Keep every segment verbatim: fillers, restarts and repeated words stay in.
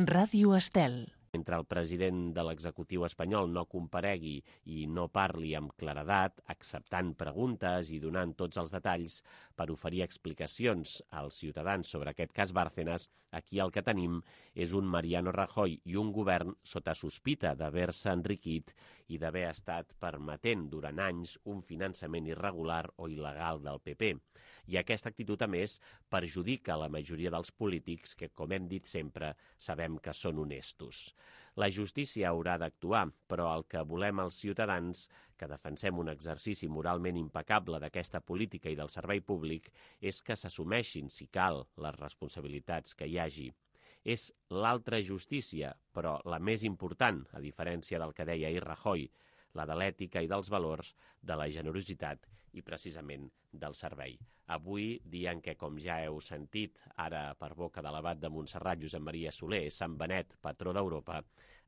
Ràdio Estel. Mentre el president de l'executiu espanyol no comparegui i no parli amb claredat, acceptant preguntes i donant tots els detalls per oferir explicacions als ciutadans sobre aquest cas Bárcenas, aquí el que tenim és un Mariano Rajoy i un govern sota sospita d'haver-se enriquit i d'haver estat permetent durant anys un finançament irregular o il·legal del P P. I aquesta actitud, a més, perjudica la majoria dels polítics que, com hem dit sempre, sabem que són honestos. La justícia haurà d'actuar, però el que volem els ciutadans, que defensem un exercici moralment impecable d'aquesta política i del servei públic, és que s'assumeixin, si cal, les responsabilitats que hi hagi. És l'altra justícia, però la més important, a diferència del que deia ahir Rajoy, la de l'ètica i dels valors, de la generositat i precisament del servei. Avui, dia en què, com ja heu sentit, ara per boca de l'abat de Montserrat, Josep Maria Soler, Sant Benet, patró d'Europa,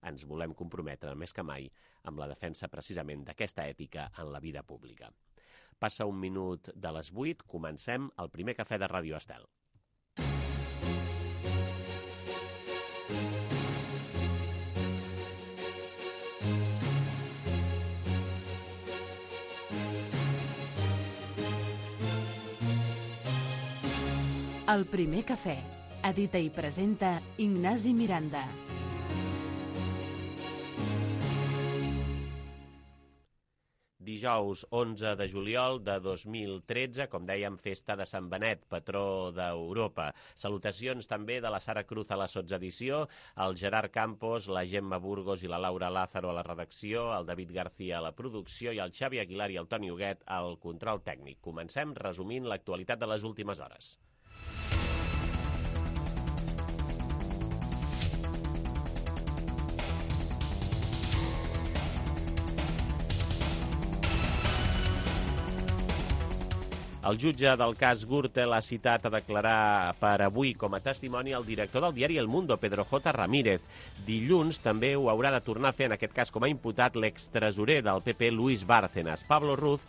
ens volem comprometre més que mai amb la defensa precisament d'aquesta ètica en la vida pública. Passa un minut de les vuit, comencem el primer cafè de Ràdio Estel. El primer cafè. Edita i presenta Ignasi Miranda. Dijous onze de juliol de dos mil tretze, com dèiem, festa de Sant Benet, patró d'Europa. Salutacions també de la Sara Cruz a la sotsedició, el Gerard Campos, la Gemma Burgos i la Laura Lázaro a la redacció, el David García a la producció i el Xavi Aguilar i el Toni Huguet al control tècnic. Comencem resumint l'actualitat de les últimes hores. El jutge del cas Gürtel ha citat a declarar per avui com a testimoni el director del diari El Mundo, Pedro J. Ramírez. Dilluns també ho haurà de tornar a fer, en aquest cas com a imputat, l'extresorer del P P, Luis Bárcenas. Pablo Ruz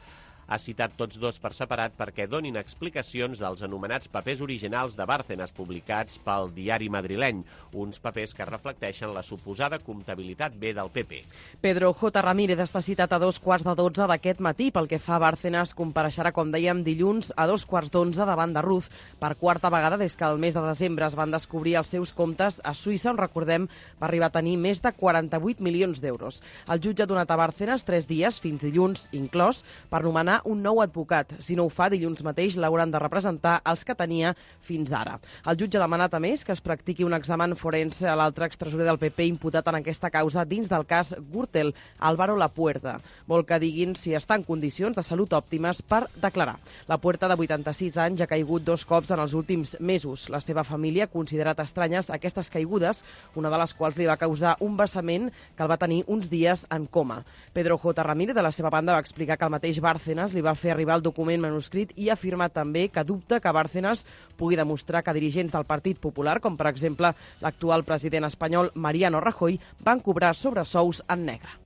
ha citat tots dos per separat perquè donin explicacions dels anomenats papers originals de Bárcenas publicats pel diari madrileny, uns papers que reflecteixen la suposada comptabilitat B del P P. Pedro J. Ramírez està citat a dos quarts de dotze d'aquest matí. Pel que fa a Bárcenas, compareixerà, com dèiem, dilluns a dos quarts d'onze davant de Ruz, per quarta vegada des que el mes de desembre es van descobrir els seus comptes a Suïssa, on, recordem, va arribar a tenir més de quaranta-vuit milions d'euros. El jutge ha donat a Bárcenas tres dies, fins dilluns inclòs, per nomenar un nou advocat. Si no ho fa, dilluns mateix l'hauran de representar els que tenia fins ara. El jutge ha demanat, a més, que es practiqui un examen forense a l'altre extresorer del P P imputat en aquesta causa dins del cas Gürtel, Álvaro Lapuerta. Vol que diguin si està en condicions de salut òptimes per declarar. Lapuerta, de vuitanta-sis anys, ha caigut dos cops en els últims mesos. La seva família ha considerat estranyes aquestes caigudes, una de les quals li va causar un vessament que el va tenir uns dies en coma. Pedro J. Ramírez, de la seva banda, va explicar que el mateix Bárcenas li va fer arribar el document manuscrit i ha afirmat també que dubta que Bárcenas pugui demostrar que dirigents del Partit Popular, com per exemple l'actual president espanyol Mariano Rajoy, van cobrar sobresous en negre.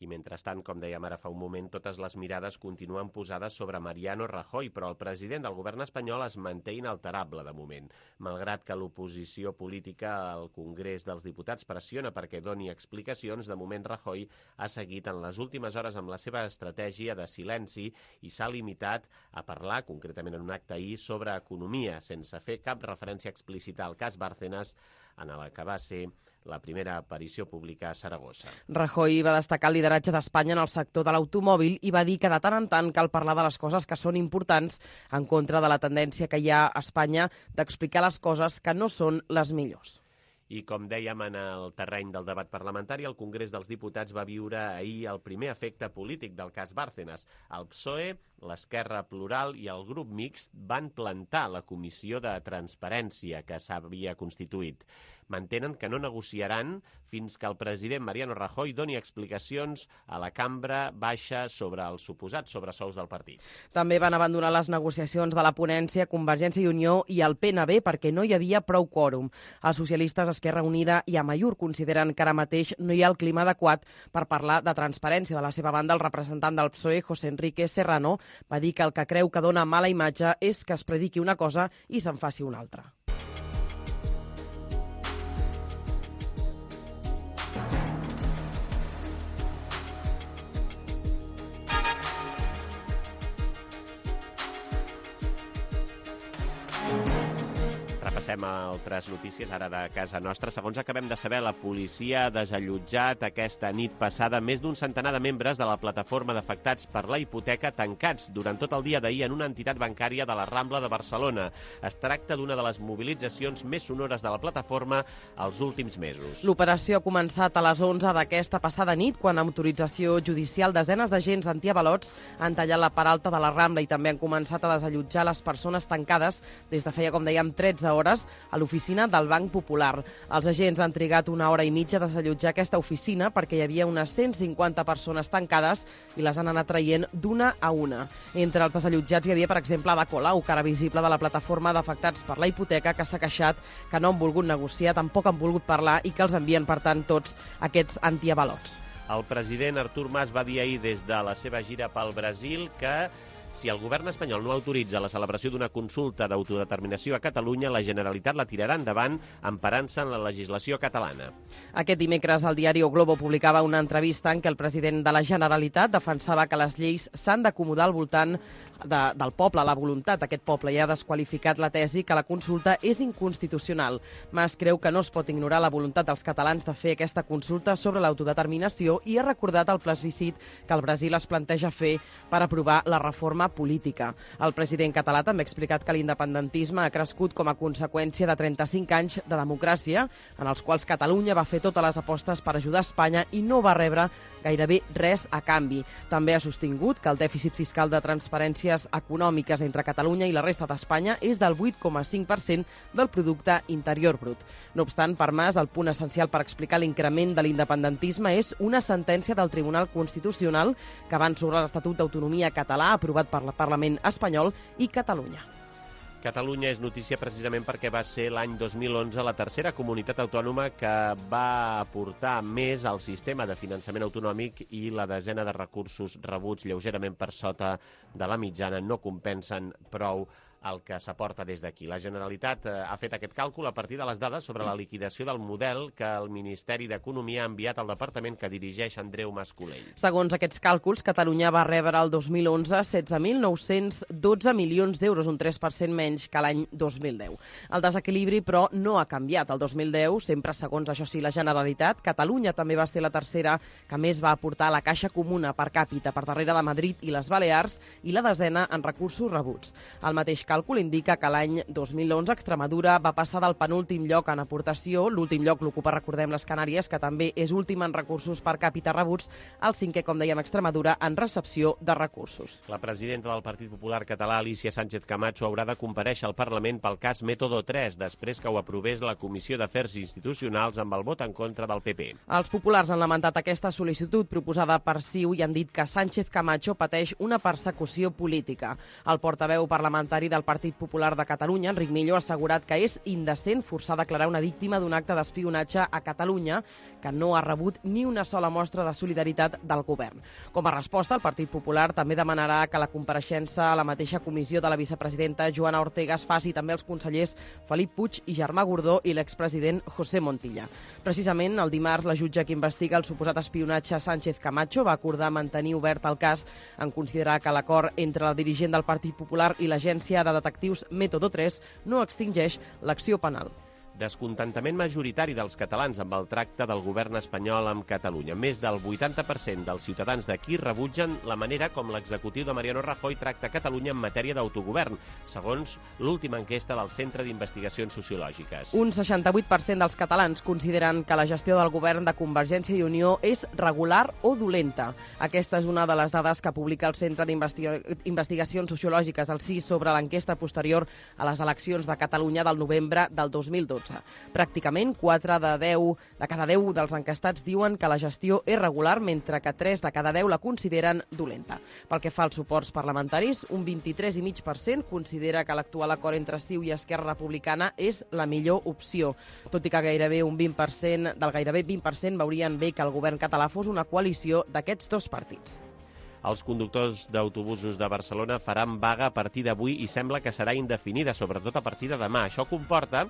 I mentrestant, com dèiem ara fa un moment, totes les mirades continuen posades sobre Mariano Rajoy, però el president del govern espanyol es manté inalterable de moment. Malgrat que l'oposició política al Congrés dels Diputats pressiona perquè doni explicacions, de moment Rajoy ha seguit en les últimes hores amb la seva estratègia de silenci i s'ha limitat a parlar, concretament en un acte ahir, sobre economia, sense fer cap referència explícita al cas Bárcenas, en el que va ser la primera aparició pública a Saragossa. Rajoy va destacar el lideratge d'Espanya en el sector de l'automòbil i va dir que de tant en tant cal parlar de les coses que són importants, en contra de la tendència que hi ha a Espanya d'explicar les coses que no són les millors. I com dèiem, en el terreny del debat parlamentari, el Congrés dels Diputats va viure ahir el primer efecte polític del cas Bárcenas. El P S O E, l'Esquerra Plural i el grup mixt van plantar la comissió de transparència que s'havia constituït. Mantenen que no negociaran fins que el president Mariano Rajoy doni explicacions a la cambra baixa sobre els suposats sobresous del partit. També van abandonar les negociacions de la ponència Convergència i Unió i el P N B perquè no hi havia prou quòrum. Els socialistes, Esquerra Unida i Amaiur consideren que ara mateix no hi ha el clima adequat per parlar de transparència. De la seva banda, el representant del P S O E, José Enrique Serrano, Va dir que el que creu que dona mala imatge és que es prediqui una cosa i se'n faci una altra. Passem a altres notícies, ara de casa nostra. Segons acabem de saber, la policia ha desallotjat aquesta nit passada més d'un centenar de membres de la plataforma d'afectats per la hipoteca tancats durant tot el dia d'ahir en una entitat bancària de la Rambla de Barcelona. Es tracta d'una de les mobilitzacions més sonores de la plataforma als últims mesos. L'operació ha començat a les onze d'aquesta passada nit, quan amb autorització judicial desenes d'agents antiavalots han tallat la part alta de la Rambla i també han començat a desallotjar les persones tancades des de feia, com dèiem, tretze hores a l'oficina del Banc Popular. Els agents han trigat una hora i mitja a desallotjar aquesta oficina perquè hi havia unes cent cinquanta persones tancades i les han anat traient d'una a una. Entre els desallotjats hi havia, per exemple, Ada Colau, cara visible de la plataforma d'afectats per la hipoteca, que s'ha queixat que no han volgut negociar, tampoc han volgut parlar i que els envien, per tant, tots aquests antiavalots. El president Artur Mas va dir ahir des de la seva gira pel Brasil que si el govern espanyol no autoritza la celebració d'una consulta d'autodeterminació a Catalunya, la Generalitat la tirarà endavant emparant-se en la legislació catalana. Aquest dimecres el diari O Globo publicava una entrevista en què el president de la Generalitat defensava que les lleis s'han d'acomodar al voltant de, del poble, la voluntat d'aquest poble, i ha desqualificat la tesi que la consulta és inconstitucional. Mas creu que no es pot ignorar la voluntat dels catalans de fer aquesta consulta sobre l'autodeterminació i ha recordat el plebiscit que el Brasil es planteja fer per aprovar la reforma política. El president català també ha explicat que l'independentisme ha crescut com a conseqüència de trenta-cinc anys de democràcia, en els quals Catalunya va fer totes les apostes per ajudar Espanya i no va rebre gairebé res a canvi. També ha sostingut que el dèficit fiscal de transferències econòmiques entre Catalunya i la resta d'Espanya és del vuit coma cinc per cent del producte interior brut. No obstant, per Mas, el punt essencial per explicar l'increment de l'independentisme és una sentència del Tribunal Constitucional que van sobre l'Estatut d'Autonomia català aprovat per el Parlament espanyol i Catalunya. Catalunya és notícia precisament perquè va ser l'any dos mil onze la tercera comunitat autònoma que va aportar més al sistema de finançament autonòmic i la desena de recursos rebuts lleugerament per sota de la mitjana no compensen prou el que s'aporta des d'aquí. La Generalitat eh, ha fet aquest càlcul a partir de les dades sobre la liquidació del model que el Ministeri d'Economia ha enviat al departament que dirigeix Andreu Mas-Colell. Segons aquests càlculs, Catalunya va rebre el dos mil onze setze mil nou-cents dotze milions d'euros, un tres per cent menys que l'any dos mil deu. El desequilibri, però, no ha canviat. El dos mil deu, sempre segons, això sí, la Generalitat, Catalunya també va ser la tercera que més va aportar a la caixa comuna per càpita, per darrere de Madrid i les Balears, i la desena en recursos rebuts. El mateix càlcul indica que l'any dos mil onze Extremadura va passar del penúltim lloc en aportació, l'últim lloc l'ocupa, recordem, les Canàries, que també és últim en recursos per càpita rebuts, el cinquè, com dèiem, Extremadura, en recepció de recursos. La presidenta del Partit Popular català, Alícia Sánchez Camacho, haurà de comparèixer al Parlament pel cas Método tres, després que ho aprovés la Comissió d'Afers Institucionals amb el vot en contra del P P. Els populars han lamentat aquesta sol·licitud proposada per C I U i han dit que Sánchez Camacho pateix una persecució política. El portaveu parlamentari del Partit Popular de Catalunya, Enric Millo, ha assegurat que és indecent forçar a declarar una víctima d'un acte d'espionatge a Catalunya que no ha rebut ni una sola mostra de solidaritat del govern. Com a resposta, el Partit Popular també demanarà que la compareixença a la mateixa comissió de la vicepresidenta Joana Ortega es faci també als consellers Felip Puig i Germà Gordó i l'expresident José Montilla. Precisament, el dimarts, la jutge que investiga el suposat espionatge a Sánchez Camacho va acordar mantenir obert el cas en considerar que l'acord entre la dirigent del Partit Popular i l'agència de detectius Método tres no extingeix l'acció penal. Descontentament majoritari dels catalans amb el tracte del govern espanyol amb Catalunya. Més del vuitanta per cent dels ciutadans d'aquí rebutgen la manera com l'executiu de Mariano Rajoy tracta Catalunya en matèria d'autogovern, segons l'última enquesta del Centre d'Investigacions Sociològiques. Un seixanta-vuit per cent dels catalans consideren que la gestió del govern de Convergència i Unió és regular o dolenta. Aquesta és una de les dades que publica el Centre d'Investigacions Sociològiques, el C I S, sobre l'enquesta posterior a les eleccions de Catalunya del novembre del dos mil dotze. Pràcticament quatre de deu de cada deu dels enquestats diuen que la gestió és regular, mentre que tres de cada deu la consideren dolenta. Pel que fa als suports parlamentaris, un vint-i-tres coma cinc per cent considera que l'actual acord entre C I U i Esquerra Republicana és la millor opció, tot i que gairebé un vint per cent del gairebé vint per cent veurien bé que el govern català fos una coalició d'aquests dos partits. Els conductors d'autobusos de Barcelona faran vaga a partir d'avui i sembla que serà indefinida, sobretot a partir de demà. Això comporta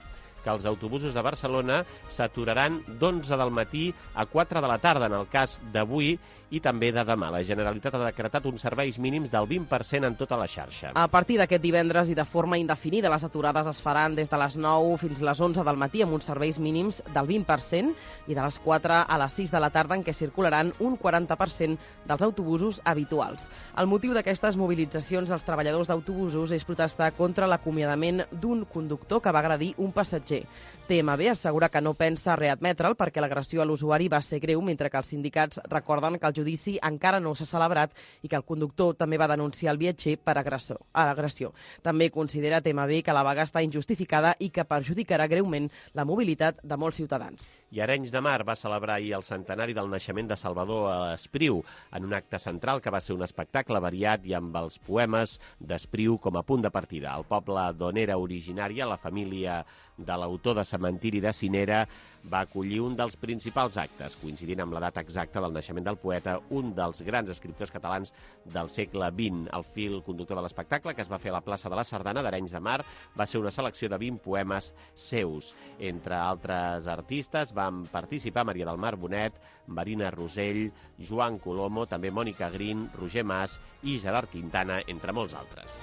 que els autobusos de Barcelona s'aturaran d'onze del matí a quatre de la tarda, en el cas d'avui i també de demà. La Generalitat ha decretat uns serveis mínims del vint per cent en tota la xarxa. A partir d'aquest divendres i de forma indefinida, les aturades es faran des de les nou fins a les onze del matí amb uns serveis mínims del vint per cent i de les quatre a les sis de la tarda en què circularan un quaranta per cent dels autobusos habituals. El motiu d'aquestes mobilitzacions dels treballadors d'autobusos és protestar contra l'acomiadament d'un conductor que va agredir un passatger. T M B assegura que no pensa readmetre'l perquè l'agressió a l'usuari va ser greu, mentre que els sindicats recorden que el judici encara no s'ha celebrat i que el conductor també va denunciar el viatger per agressió. agressió. També considera T M B que la vaga està injustificada i que perjudicarà greument la mobilitat de molts ciutadans. I Arenys de Mar va celebrar ahir el centenari del naixement de Salvador Espriu en un acte central que va ser un espectacle variat i amb els poemes d'Espriu com a punt de partida. El poble d'on era originària, la família de l'autor de Cementiri de Cinera, va acollir un dels principals actes, coincidint amb la data exacta del naixement del poeta, un dels grans escriptors catalans del segle vint. El fil conductor de l'espectacle, que es va fer a la plaça de la Sardana d'Arenys de Mar, va ser una selecció de vint poemes seus. Entre altres artistes van participar Maria del Mar Bonet, Marina Rosell, Joan Colomo, també Mònica Green, Roger Mas i Gerard Quintana, entre molts altres.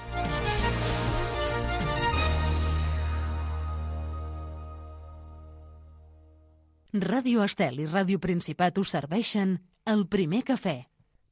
Ràdio Estel i Ràdio Principat us serveixen El Primer Cafè.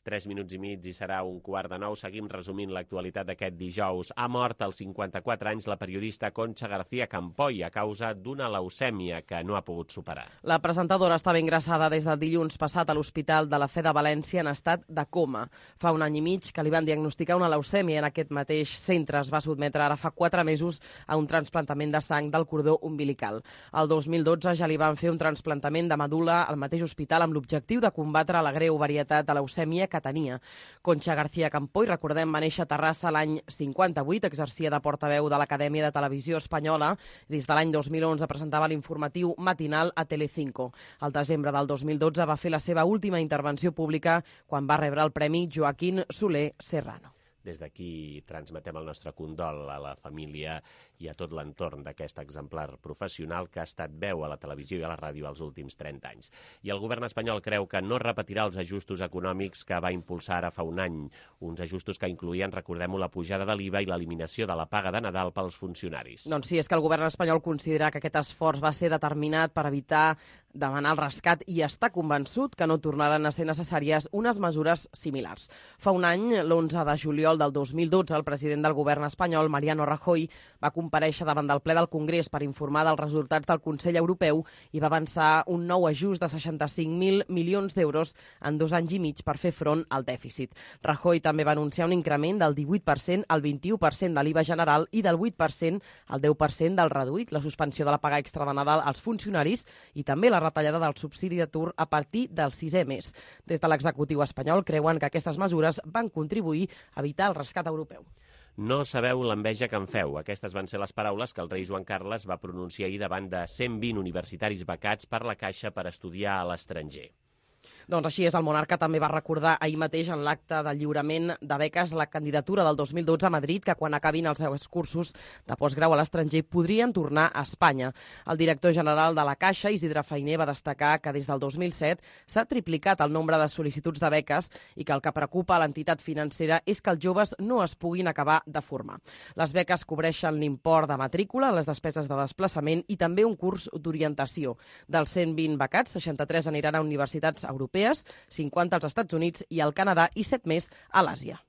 Tres minuts i mig i serà un quart de nou. Seguim resumint l'actualitat d'aquest dijous. Ha mort als cinquanta-quatre anys la periodista Concha García Campoy a causa d'una leucèmia que no ha pogut superar. La presentadora estava ingressada des del dilluns passat a l'Hospital de la Fe de València en estat de coma. Fa un any i mig que li van diagnosticar una leucèmia en aquest mateix centre. Es va sotmetre ara fa quatre mesos a un trasplantament de sang del cordó umbilical. El dos mil dotze ja li van fer un trasplantament de medul·la al mateix hospital amb l'objectiu de combatre la greu varietat de leucèmia que tenia. Concha García Campoy, recordem, va néixer a Terrassa l'any cinquanta-vuit, exercia de portaveu de l'Acadèmia de Televisió Espanyola. Des de l'any dos mil onze presentava l'informatiu matinal a Telecinco. Al desembre del dos mil dotze va fer la seva última intervenció pública quan va rebre el Premi Joaquín Soler Serrano. Des d'aquí transmetem el nostre condol a la família i a tot l'entorn d'aquest exemplar professional que ha estat veu a la televisió i a la ràdio els últims trenta anys. I el govern espanyol creu que no repetirà els ajustos econòmics que va impulsar ara fa un any. Uns ajustos que incloïen, recordem-ho, la pujada de l'I V A i l'eliminació de la paga de Nadal pels funcionaris. Doncs sí, és que el govern espanyol considera que aquest esforç va ser determinat per evitar demanar el rescat i està convençut que no tornaran a ser necessàries unes mesures similars. Fa un any, l'onze de juliol del dos mil dotze, el president del govern espanyol, Mariano Rajoy, va comparèixer davant del ple del Congrés per informar dels resultats del Consell Europeu i va avançar un nou ajust de seixanta-cinc mil milions d'euros en dos anys i mig per fer front al dèficit. Rajoy també va anunciar un increment del divuit per cent al vint-i-u per cent de l'I V A general i del vuit per cent al deu per cent del reduït, la suspensió de la paga extra de Nadal als funcionaris i també la retallada del subsidi d'atur a partir del sisè mes. Des de l'executiu espanyol creuen que aquestes mesures van contribuir a evitar el rescat europeu. No sabeu l'enveja que em feu. Aquestes van ser les paraules que el rei Joan Carles va pronunciar ahir davant de cent vint universitaris becats per la Caixa per estudiar a l'estranger. Doncs així és, el monarca també va recordar ahir mateix en l'acte de lliurament de beques la candidatura del dos mil dotze a Madrid, que quan acabin els seus cursos de postgrau a l'estranger podrien tornar a Espanya. El director general de la Caixa, Isidre Fainé, va destacar que des del dos mil set s'ha triplicat el nombre de sol·licituds de beques i que el que preocupa a l'entitat financera és que els joves no es puguin acabar de formar. Les beques cobreixen l'import de matrícula, les despeses de desplaçament i també un curs d'orientació. Dels cent vint becats, seixanta-tres aniran a universitats europees, cinquanta als Estats Units i al Canadà i set més a l'Àsia.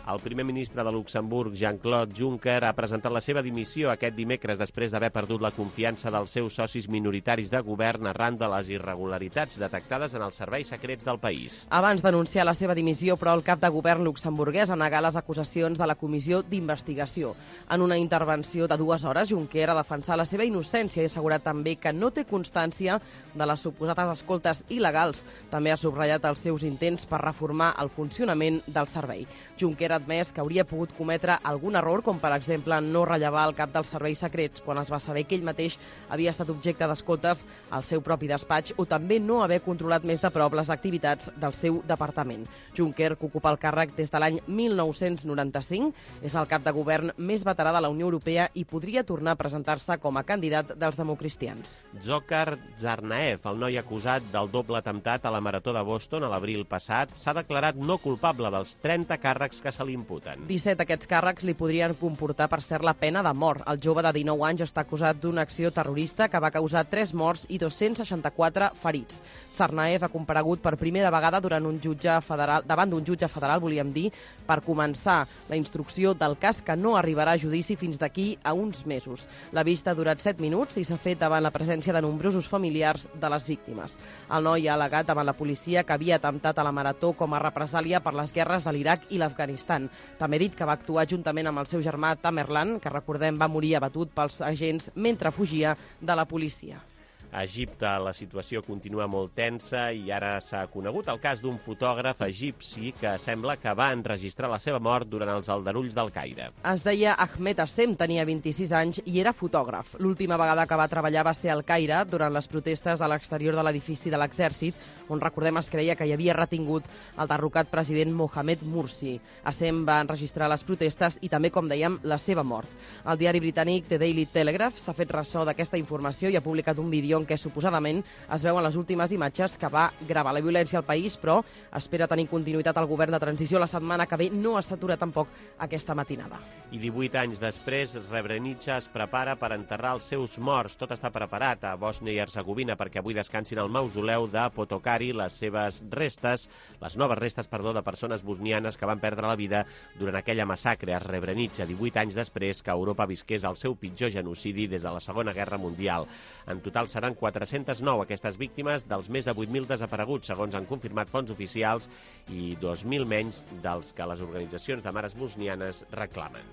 El primer ministre de Luxemburg, Jean-Claude Juncker, ha presentat la seva dimissió aquest dimecres després d'haver perdut la confiança dels seus socis minoritaris de govern arran de les irregularitats detectades en els serveis secrets del país. Abans d'anunciar la seva dimissió, però, el cap de govern luxemburguès ha negat les acusacions de la comissió d'investigació. En una intervenció de dues hores, Juncker ha defensat la seva innocència i ha assegurat també que no té constància de les suposades escoltes il·legals. També ha subratllat els seus intents per reformar el funcionament del servei. Juncker ha admès que hauria pogut cometre algun error, com per exemple no rellevar el cap dels serveis secrets quan es va saber que ell mateix havia estat objecte d'escoltes al seu propi despatx, o també no haver controlat més de prop les activitats del seu departament. Juncker, que ocupa el càrrec des de l'any mil nou-cents noranta-cinc, és el cap de govern més veterà de la Unió Europea i podria tornar a presentar-se com a candidat dels democristians. Dzhokhar Tsarnaev, el noi acusat del doble atemptat a la Marató de Boston a l'abril passat, s'ha declarat no culpable dels trenta càrrecs que se li imputen. disset d'aquests càrrecs li podrien comportar, per cert, la pena de mort. El jove de dinou anys està acusat d'una acció terrorista que va causar tres morts i dos-cents seixanta-quatre ferits. Tsarnaev ha comparegut per primera vegada durant un jutge federal, davant d'un jutge federal, volíem dir, per començar la instrucció del cas, que no arribarà a judici fins d'aquí a uns mesos. La vista ha durat set minuts i s'ha fet davant la presència de nombrosos familiars de les víctimes. El noi ha al·legat davant la policia que havia atemptat a la Marató com a represàlia per les guerres de l'Iraq i l'Afganistan. També ha dit que va actuar juntament amb el seu germà Tamerlan, que recordem va morir abatut pels agents mentre fugia de la policia. A Egipte la situació continua molt tensa i ara s'ha conegut el cas d'un fotògraf egipci que sembla que va enregistrar la seva mort durant els aldarulls del Caire. Es deia Ahmed Assem, tenia vint-i-sis anys i era fotògraf. L'última vegada que va treballar va ser al Caire durant les protestes a l'exterior de l'edifici de l'exèrcit, on recordem es creia que hi havia retingut el derrocat president Mohamed Morsi. Assem va enregistrar les protestes i també, com dèiem, la seva mort. El diari britànic The Daily Telegraph s'ha fet ressò d'aquesta informació i ha publicat un vídeo en què suposadament es veuen les últimes imatges que va gravar la violència al país, però espera tenir continuïtat al govern de transició la setmana que ve. No s'atura tampoc aquesta matinada. I divuit anys després, Srebrenica es prepara per enterrar els seus morts. Tot està preparat a Bòsnia i Hercegovina perquè avui descansin al mausoleu de Potokari les seves restes, les noves restes, perdó, de persones bosnianes que van perdre la vida durant aquella massacre a Srebrenica, divuit anys després que Europa visqués el seu pitjor genocidi des de la Segona Guerra Mundial. En total seran quatre-centes nou aquestes víctimes dels més de vuit mil desapareguts, segons han confirmat fonts oficials, i dos mil menys dels que les organitzacions de mares bosnianes reclamen.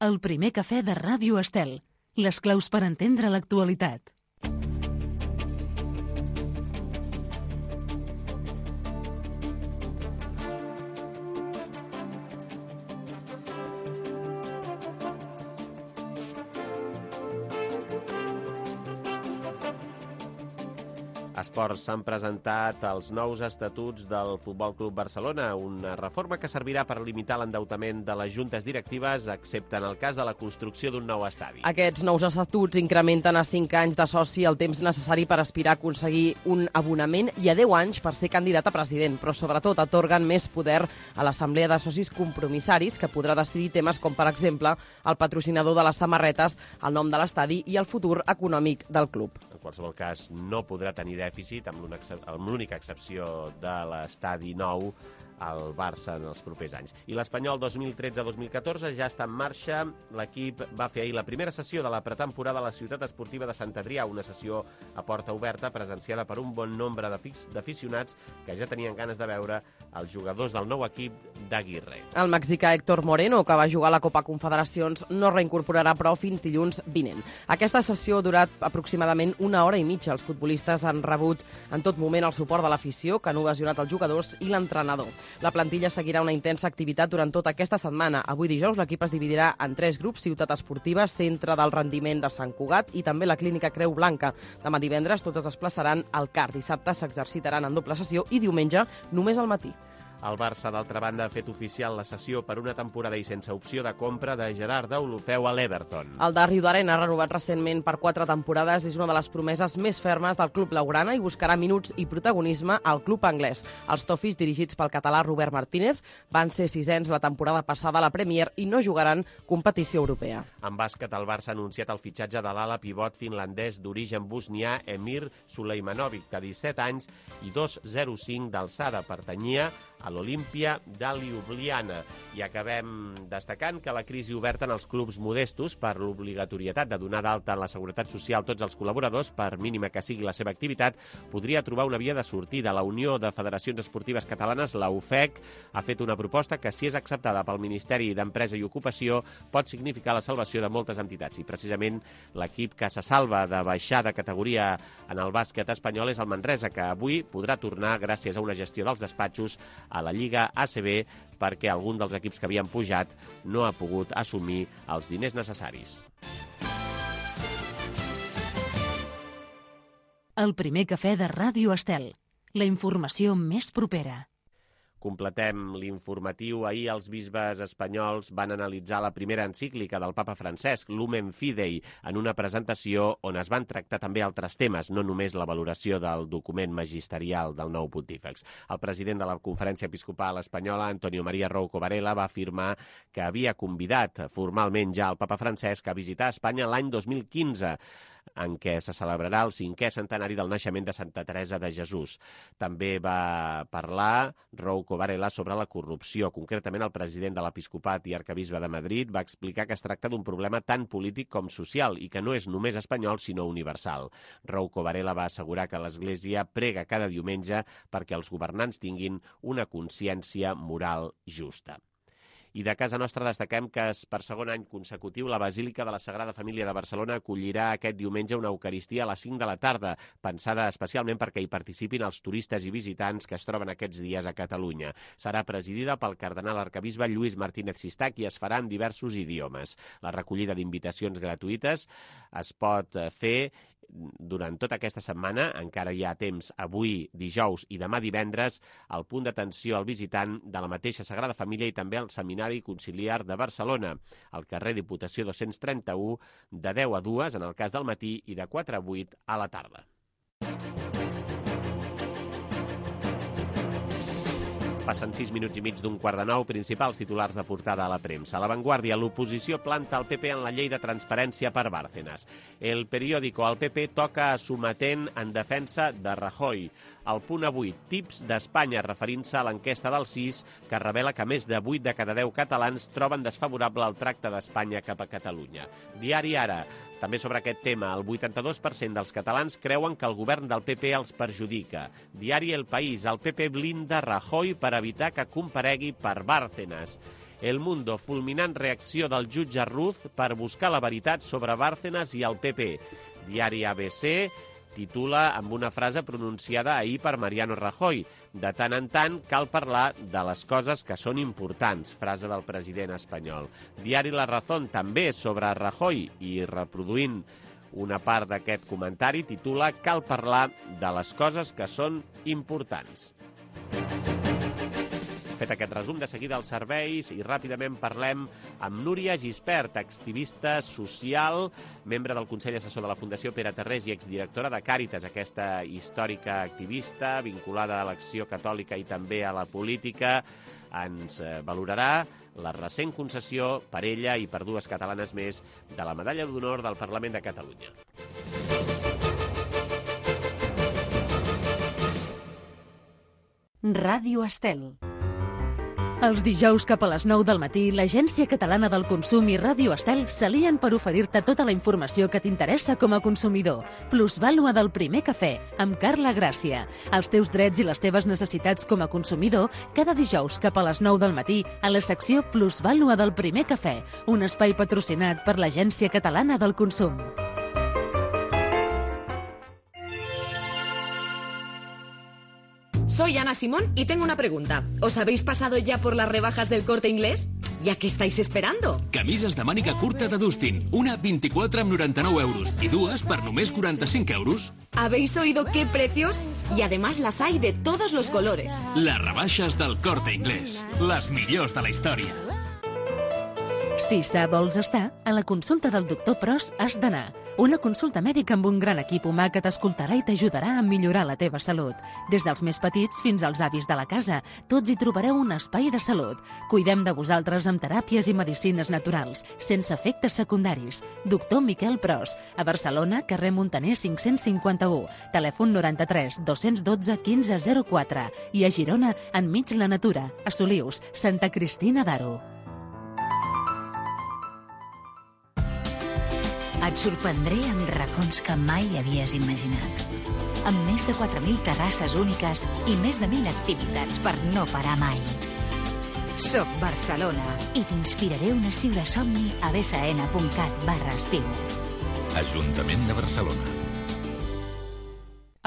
El primer cafè de Ràdio Estel. Les claus per entendre l'actualitat. Esports, s'han presentat els nous estatuts del Futbol Club Barcelona, una reforma que servirà per limitar l'endeutament de les juntes directives, excepte en el cas de la construcció d'un nou estadi. Aquests nous estatuts incrementen a cinc anys de soci el temps necessari per aspirar a aconseguir un abonament i a deu anys per ser candidat a president, però sobretot atorguen més poder a l'Assemblea de Socis Compromissaris, que podrà decidir temes com, per exemple, el patrocinador de les samarretes, el nom de l'estadi i el futur econòmic del club. En qualsevol cas, no podrà tenir dèficit, amb l'única excepció de l'estadi nou, al Barça en els propers anys. I l'Espanyol dos mil tretze dos mil catorze ja està en marxa. L'equip va fer ahir la primera sessió de la pretemporada a la ciutat esportiva de Sant Adrià, una sessió a porta oberta presenciada per un bon nombre d'aficionats que ja tenien ganes de veure els jugadors del nou equip d'Aguirre. El mexicà Héctor Moreno, que va jugar a la Copa Confederacions, no reincorporarà prou fins dilluns vinent. Aquesta sessió ha durat aproximadament una hora i mitja. Els futbolistes han rebut en tot moment el suport de l'afició, que han ovacionat els jugadors i l'entrenador. La plantilla seguirà una intensa activitat durant tota aquesta setmana. Avui dijous l'equip es dividirà en tres grups: Ciutat Esportiva, Centre del Rendiment de Sant Cugat i també la Clínica Creu Blanca. Demà divendres tots es desplaçaran al C A R. Dissabte s'exercitaran en doble sessió i diumenge només al matí. El Barça, d'altra banda, ha fet oficial la cessió per una temporada i sense opció de compra de Gerard Deulofeu a l'Everton. El de Riudarenes, renovat recentment per quatre temporades, és una de les promeses més fermes del club blaugrana i buscarà minuts i protagonisme al club anglès. Els Toffees, dirigits pel català Robert Martínez, van ser sisens la temporada passada a la Premier i no jugaran competició europea. En bàsquet, el Barça ha anunciat el fitxatge de l'ala pivot finlandès d'origen bosnià Emir Sulejmanovic, de disset anys i dos coma zero cinc d'alçada. Pertanyia a l'Olimpia de Ljubljana. I acabem destacant que la crisi oberta en els clubs modestos per l'obligatorietat de donar d'alta en la Seguretat Social tots els col·laboradors, per mínima que sigui la seva activitat, podria trobar una via de sortida. La Unió de Federacions Esportives Catalanes, la U F E C, ha fet una proposta que, si és acceptada pel Ministeri d'Empresa i Ocupació, pot significar la salvació de moltes entitats. I precisament l'equip que se salva de baixar de categoria en el bàsquet espanyol és el Manresa, que avui podrà tornar, gràcies a una gestió dels despatxos, a la Lliga A C B, perquè algun dels equips que havien pujat no ha pogut assumir els diners necessaris. El primer cafè de Ràdio Estel. La informació més propera. Completem l'informatiu. Ahir els bisbes espanyols van analitzar la primera encíclica del papa Francesc, Lumen Fidei, en una presentació on es van tractar també altres temes, no només la valoració del document magisterial del nou pontífex. El president de la Conferència Episcopal Espanyola, Antonio María Rouco Varela, va afirmar que havia convidat formalment ja el papa Francesc a visitar Espanya l'any dos mil quinze, en què se celebrarà el cinquè centenari del naixement de Santa Teresa de Jesús. També va parlar Rouco Varela sobre la corrupció. Concretament, el president de l'Episcopat i arcabisbe de Madrid va explicar que es tracta d'un problema tant polític com social i que no és només espanyol, sinó universal. Rouco Varela va assegurar que l'Església prega cada diumenge perquè els governants tinguin una consciència moral justa. I de casa nostra destaquem que per segon any consecutiu la Basílica de la Sagrada Família de Barcelona acollirà aquest diumenge una Eucaristia a les cinc de la tarda, pensada especialment perquè hi participin els turistes i visitants que es troben aquests dies a Catalunya. Serà presidida pel cardenal arcabisbe Lluís Martínez Sistach i es farà en diversos idiomes. La recollida d'invitacions gratuïtes es pot fer durant tota aquesta setmana, encara hi ha temps avui, dijous i demà divendres, al punt d'atenció al visitant de la mateixa Sagrada Família i també al Seminari Conciliar de Barcelona, al carrer Diputació dos-cents trenta-u, de deu a dues en el cas del matí i de quatre a vuit a la tarda. Passen sis minuts i mig d'un quart de nou, principals titulars de portada a la premsa. A La Vanguardia, l'oposició planta el P P en la llei de transparència per Bárcenas. El periòdico, el P P toca a sometent en defensa de Rajoy. El Punt avui, tips d'Espanya, referint-se a l'enquesta del sis, que revela que més de vuit de cada deu catalans troben desfavorable el tracte d'Espanya cap a Catalunya. Diari Ara, també sobre aquest tema, el vuitanta-dos per cent dels catalans creuen que el govern del P P els perjudica. Diari El País, el P P blinda Rajoy per evitar que comparegui per Bárcenas. El Mundo, fulminant reacció del jutge Ruz per buscar la veritat sobre Bárcenas i el P P. Diari A B C titula amb una frase pronunciada ahir per Mariano Rajoy: de tant en tant cal parlar de les coses que són importants, frase del president espanyol. Diari La Razón, també sobre Rajoy, i reproduint una part d'aquest comentari, titula cal parlar de les coses que són importants. Fet aquest resum, de seguida els serveis i ràpidament parlem amb Núria Gispert, activista social, membre del Consell Assessor de la Fundació Pere Tarrés i exdirectora de Càritas, aquesta històrica activista vinculada a l'acció catòlica i també a la política. Ens valorarà la recent concessió per ella i per dues catalanes més de la Medalla d'Honor del Parlament de Catalunya. Ràdio Estel. Els dijous cap a les nou del matí, l'Agència Catalana del Consum i Ràdio Estel s'alien per oferir-te tota la informació que t'interessa com a consumidor. Plusvàlua del primer cafè, amb Carla Gràcia. Els teus drets i les teves necessitats com a consumidor, cada dijous cap a les nou del matí, a la secció Plusvàlua del primer cafè, un espai patrocinat per l'Agència Catalana del Consum. Soy Ana Simón y tengo una pregunta. ¿Os habéis pasado ya por las rebajas del Corte Inglés? ¿Ya qué estáis esperando? Camises de màniga curta de Dustin. Una vint-i-quatre amb noranta-nou euros i dues per només quaranta-cinc euros. ¿Habéis oído qué precios? Y además las hay de todos los colores. Les rebaixes del Corte Inglés. Les millors de la història. Si sa vols estar, a la consulta del doctor Pros has d'anar. Una consulta mèdica amb un gran equip humà que t'escoltarà i t'ajudarà a millorar la teva salut. Des dels més petits fins als avis de la casa, tots hi trobareu un espai de salut. Cuidem de vosaltres amb teràpies i medicines naturals, sense efectes secundaris. Doctor Miquel Pros, a Barcelona, carrer Montaner cinc-cents cinquanta-u, telèfon noranta-tres dos-cents dotze quinze zero quatre i a Girona, enmig la natura, a Solius, Santa Cristina d'Aro. Et sorprendré amb racons que mai havies imaginat. Amb més de quatre mil terrasses úniques i més de mil activitats per no parar mai. Soc Barcelona i t'inspiraré un estiu de somni a bsn.cat barra estiu. Ajuntament de Barcelona.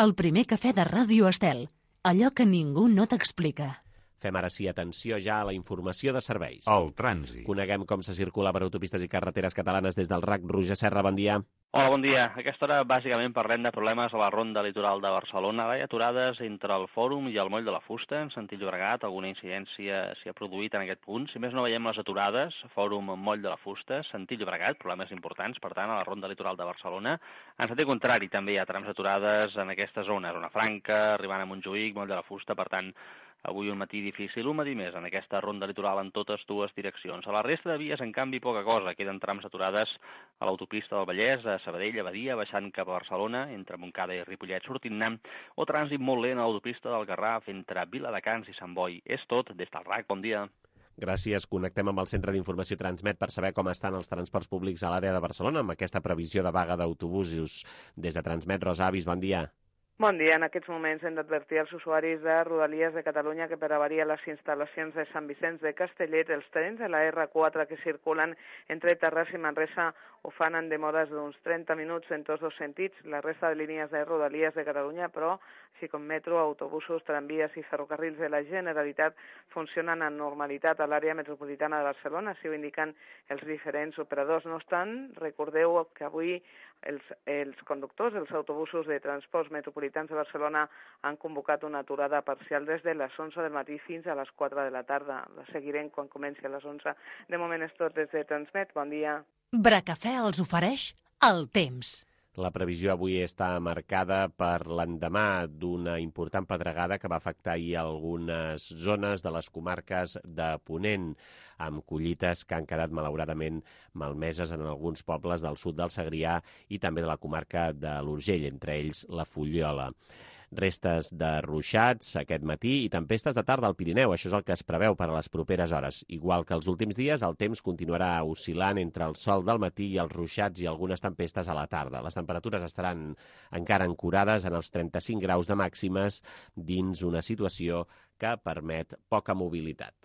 El primer cafè de Ràdio Estel. Allò que ningú no t'explica. Fem ara sí atenció ja a la informació de serveis. El trànsit. Coneguem com se circula per autopistes i carreteres catalanes des del R A C. Roger Serra, bon dia. Hola, bon dia. A aquesta hora bàsicament parlem de problemes a la ronda litoral de Barcelona. Hi ha aturades entre el Fòrum i el Moll de la Fusta, en sentit Llobregat. Alguna incidència s'hi ha produït en aquest punt. Si més no veiem les aturades, Fòrum, Moll de la Fusta, sentit Llobregat, problemes importants, per tant, a la ronda litoral de Barcelona. En sentit contrari, també hi ha trams aturades en aquesta zona, Zona Franca, arribant a Montjuïc, Moll de la Fusta, per tant, avui un matí difícil, un matí més en aquesta ronda litoral en totes dues direccions. A la resta de vies, en canvi, poca cosa. Queden trams aturades a l'autopista del Vallès, a Sabadell, a Badia, baixant cap a Barcelona, entre Montcada i Ripollet, sortint-ne, o trànsit molt lent a l'autopista del Garraf, entre Viladecans i Sant Boi. És tot des del R A C. Bon dia. Gràcies. Connectem amb el Centre d'Informació Transmet per saber com estan els transports públics a l'àrea de Barcelona amb aquesta previsió de vaga d'autobusos. Des de Transmet, Rosa Avis, bon dia. Bon dia. En aquests moments hem d'advertir als usuaris de Rodalies de Catalunya que per avaria les instal·lacions de Sant Vicenç de Castellet, els trens de la R quatre que circulen entre Terrassa i Manresa ho fan en demores d'uns trenta minuts en tots dos sentits. La resta de línies de Rodalies de Catalunya, però, així com metro, autobusos, tramvies i ferrocarrils de la Generalitat, funcionen amb normalitat a l'àrea metropolitana de Barcelona, així ho indiquen els diferents operadors. No obstant, recordeu que avui els, els conductors dels autobusos de transports metropolitans de Barcelona han convocat una aturada parcial des de les onze del matí fins a les quatre de la tarda. La seguirem quan comenci a les onze. De moment és tot des de Transmet. Bon dia. Bracafè els ofereix el temps. La previsió avui està marcada per l'endemà d'una important pedregada que va afectar ahir algunes zones de les comarques de Ponent, amb collites que han quedat malauradament malmeses en alguns pobles del sud del Segrià i també de la comarca de l'Urgell, entre ells la Fuliola. Restes de ruixats aquest matí i tempestes de tarda al Pirineu. Això és el que es preveu per a les properes hores. Igual que els últims dies, el temps continuarà oscil·lant entre el sol del matí i els ruixats i algunes tempestes a la tarda. Les temperatures estaran encara ancorades en els trenta-cinc graus de màximes dins una situació que permet poca mobilitat.